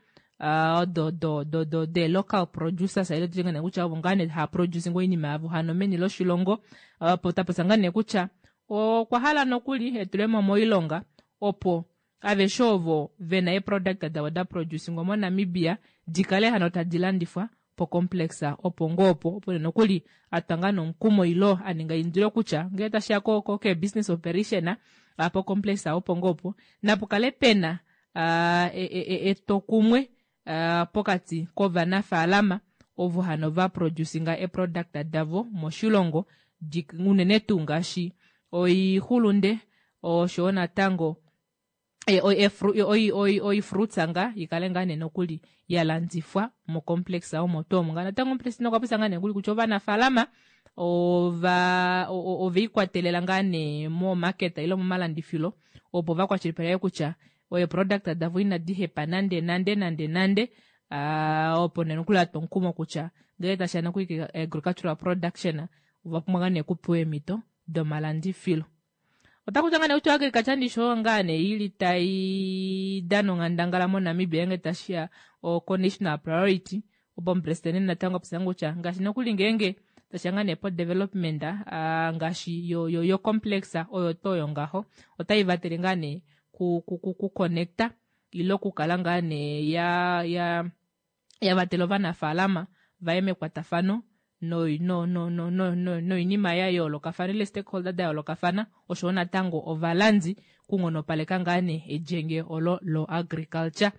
odo do do do de local producers ile tutye ngaa kutya ovo ngaa nee hava producing oinima yavo hano meni loshilongo tapopya ngaa nee kutya okwa hala nokuli etulemo moilonga opo aveshe ovo vena eeproduct davo da producingwa moNamibia dikale hano tadi landifwa pocomplex opo ngoo opo opo nokuli atwa ngaa nomukumo ilo aninga eindilo kutya ngele tashiya ko ke business operation pocomplex opo ngoo opo napukale pena etokumwe pokati kovanafaalama ovo hano va producinga eproduct davo moshilongo unene tuu ngaashi oixulunde oshowo natango oifruits nga ikale ngaa nee nokuli ya landifwa mocomplex omo tuu omo. Natango omupresidente okwa popya ngaa nee nokuli kutya ovanafaalama ova oveikwatelela ngaa nee momarket ile momalandifilo opo vakwashilipaleke kutya eeproduct davo inadi hepa nande nande nande nande opo nee nokuli atwa omukumo kutya ngele tashiya nokuli agricultural production ova pumbwa ngaa nee okupewa eemhito domalandifilo. Otaku tya ngaa nee kutya agriculture ndisho ngaa nee ili tai dana onghandangala moNamibia ngele tashiya ko national priority opo omupresidente natango apopya kutya ngaashi nokuli ngeenge tashiya ngaa nee po development ngaashi yo, yo, yo complex oyo tuu oyo ngaho otai vatele ngaa nee ku, ku, ku, ku connecta ile okukala ngaa nee ya, ya, ya vatela ovanafaalama vaye mekwatafano noinima no, no, no, no, no ya yoolokafana ile stakeholder da yoolokafana oshowo natango ovalandi kunghonopaleka ngaa nee elyenge olo lo agriculture.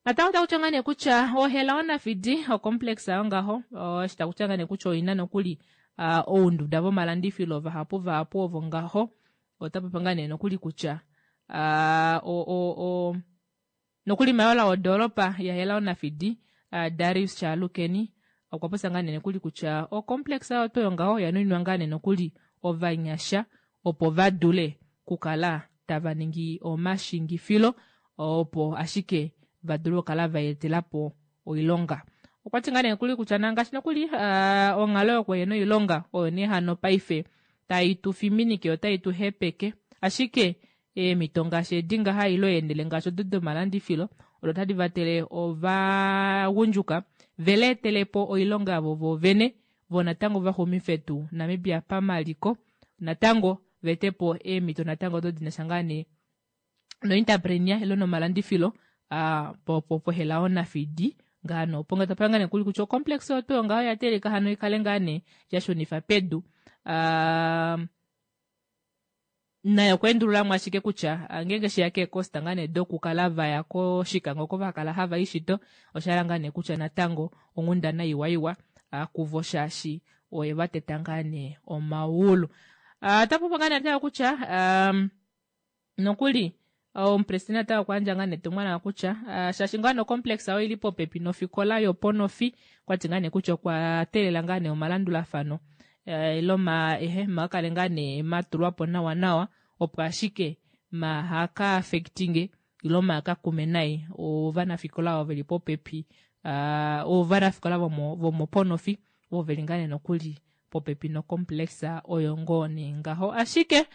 Natango taku tya ngaa nee kutya oHelao Nafidi ocomplex ayo ngaho eshi taku tya ngaa nee kutya oina nokuli ounduda vomalandifilo vahapu vahapu ovo ngaho otapopi ngaa nee nokuli kutya nokuli mayola wodoolopa yaHelao Nafidi Darius Shaalukeni okwa popya ngaa nee nokuli kutya ocomplex ayo tuu yongaho oya nuninwa ngaa nee nokuli ovanyasha opo va dule kukala tava ningi omashingifilo opo ashike va dule okukala va etelapo oilonga. Okwa ti ngaa nee nokuli kutya nangaashi nokuli onghalo yokuhena oilonga oyo nee hano paife tai tu fiminike otai tu hepeke ashike eemhito ngaashi edi ngaha ile eenhele ngaashi odo domalandifilo odo tadi vatele ovagundjuka ve leetele po oilonga yavo voovene vo natango va xumife tuu Namibia pamaliko natango va ete po eemhito natango odo di na sha ngaa nee nointerpreneur ile nomalandifilo po po poHelao Nafidi ngaa nee opo nga tapanga nee kuli kutya ocomplex oyo tuu ngaho oya teeleka hano ikale ngaa nee ya shunifa pedu naye okwa endululamo ashike kutya ngeenge sheya keekosta ngaa nee dokukala vaya kOshikango oko va kala hava i shito osha hala ngaa nee kutya natango onghundana iwaiwa kuvo shaashi oye va teta ngaa nee omaulu. Ota popi ngaa nee natango kutya nokuli omupresidente natango okwa yandja ngaa nee etumwalaka kutya shaashi ngaa nee ocomplex oyo ili popepi nofikola yoponofi okwa ti ngaa nee kutya okwa teelela ngaa nee omalandulafano ile ma ehe ma kale ngaa nee ma tulwa po nawa nawa opo ashike ma haka affectinge ile ma ka kume nai ovanafikola ovo veli popepi ovanafikola vomo vomoponofi ovo veli ngaa nee nokuli popepi nocomplex oyo ngoo nee ngaho ashike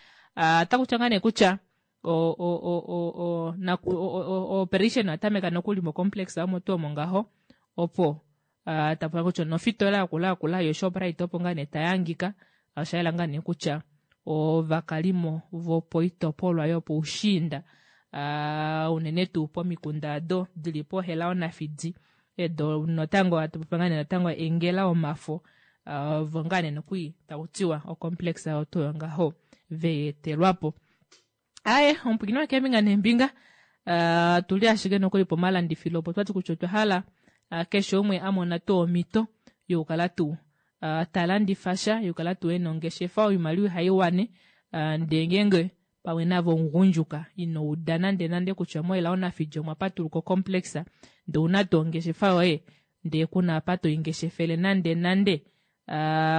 ota kutya ngaa nee kutya o o o o o naku o o operation oya tameka nokuli mocomplex omo tuu omo ngaho opo tapula kutya nofitola yakula yakula yoShoprite opo ngaa nee tayangika osha yela ngaa nee kutya ovakalimo vopoitopolwa yopoushiinda unene tuu pomikunda ado dili poHelao Nafidi edo natango atu ngaa nee natango engela omafo ovo ngaa nee nokuli taku tiwa ocomplex oyo tuu ngaho veetelwapo. Aye omupwiikini wakeembinga neembinga tuli ashike nokuli pomalandifilo opo twati kutya otwa hala keshe umwe a mona tuu omhito yokukala tuu ta landifa sha yokukala tuu ena ongeshefa oimaliwa ihai wane ndee ngeenge pamwe navo omugundjuka ino uda nande nande kutya moHelao Nafidi omwa patuluka ocomplex ndee ouna tuu ongeshefa yoye ndee kuna apa toingeshefele nande nande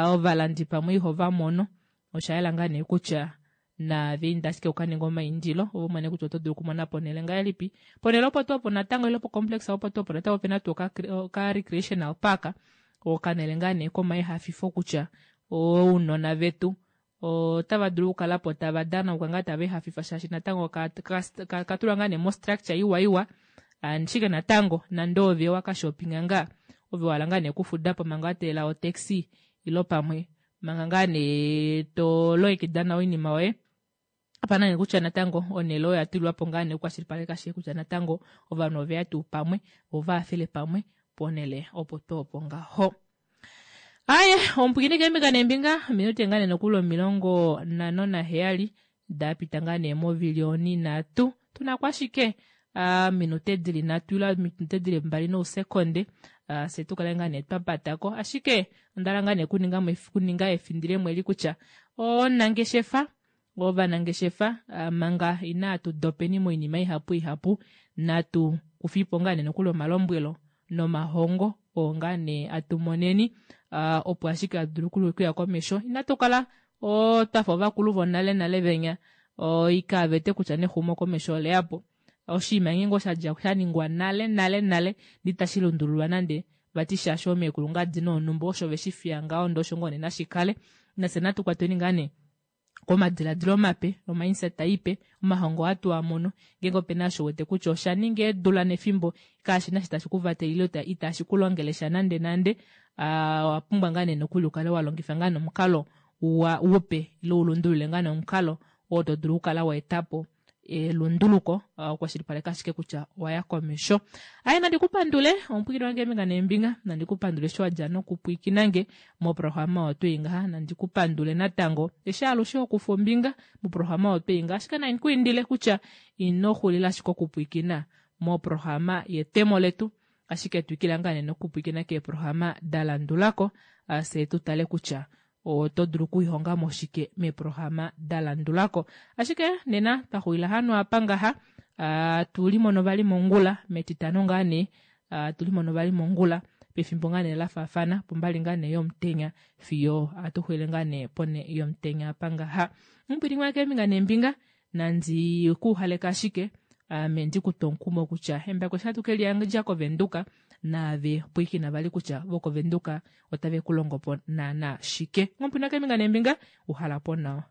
ovalandi pamwe ihova mono osha yela ngaa nee kutya naave inda ashike ukaninga omaindilo ovo umone kutya oto dulu okumona ponhele ngahelipi ponhele opo tuu opo natango ile pocomplex opo tuu opo natango opena tuu oka recreational park okanhele ngaa nee komaihafifo kutya ounona vetu otava dulu okukala po tava danauka ngaa tava ihafifa shaashi natango katulwa ngaa nee mostructure iwa iwa ashike natango nande ove waka shoppinga ngaa ove wahala ngaa nee okufuda po manga wa teelela otaxi ilo pamwe manga ngaa nee to longekida nawa oinima yoye apana nee kutya natango onhele oyo yatulwa po ngaa nee okukwashilipaleka ashike kutya natango ovanhu oveya tuu pamwe vo vahafele pamwe ponhele opo tuu opo ngaho. Aye omupwiikini keembinga neembinga ominute ngaa nee nokuli 57 dapita ngaa nee movili onhinhatu tuna ko ashike minute dili nhatu ile minute dili mbali nousekonde fye tukale ngaa nee twapatako ashike ondahala ngaa nee okuninga kuninga efindilemo eli kutya omunangeshefa ovanangeshefa manga inaatu dopeni moinima ihapu ihapu natu kufipo ngaa nee nokuli omalombwelo nomahongo oo ngaa nee atumoneni opo ashike atu dulu okuya komesho inatu kala twafa ovakulu vonale nale venya ikaavete kutya nexumo komesho oleyapo oshinima ngeenge oshadja shaningwa nale nale nale ndee itashi lundululwa nande vati shaashi oomekulu ngaa dina onhumba osho veshifiya ngaho ndee osho ngoo nee nashikale nafye natu kwatweni ngaa nee komadiladilo mape omindset ipe omahongo ohatu a mono ngeenge opena osho wete kutya osha ninga eedula nefimbo kashina eshi tashi kuvatele ile itashi kulongele sha nande nande owa pumbwa ngaa nee nokuli ukale wa longifa ngaa nomukalo upe ile ulundulule ngaa nomukalo oo to dulu okukala wa etapo elunduluko okukwashilipaleka ashike kutya owaya komesho. Aye nandi kupandule omupwikini wange eembinga neembinga nandi kupandule eshi wadja nokupwiikina nge moprograma oyo twei ngaha nandi kupandule natango eshi alushe okufa ombinga moprograma oyo twei ngaha ashike nandi kuindile kutya ino xulila ashike okupwiikina moprograma yetemo letu ashike twikila ngaa nee nokupwiikina keeprograma da landulako fye tu tale kutya oto dulu okuihonga mo shike meeprograma da landulako. Ashike nena twa xulila hano apa ngaha tu limono vali mongula metitano ngaa nee tu limono vali mongula pefimbo ngaa nee la faafana pombali ngaa nee yomutenya fiyo atu xulile ngaa nee pone yomutenya apa ngaha. Omupwilikini wange keembinga neembinga nandi ku uhaleka ashike ame ndi ku twe omukumo kutya embako eshi hatu ke liyandja koVenduka. Naave pwiikina vali kutya vokOvenduka otave ku longo po naana shike. Nghompwina keembinga neembinga, uhala po nawa.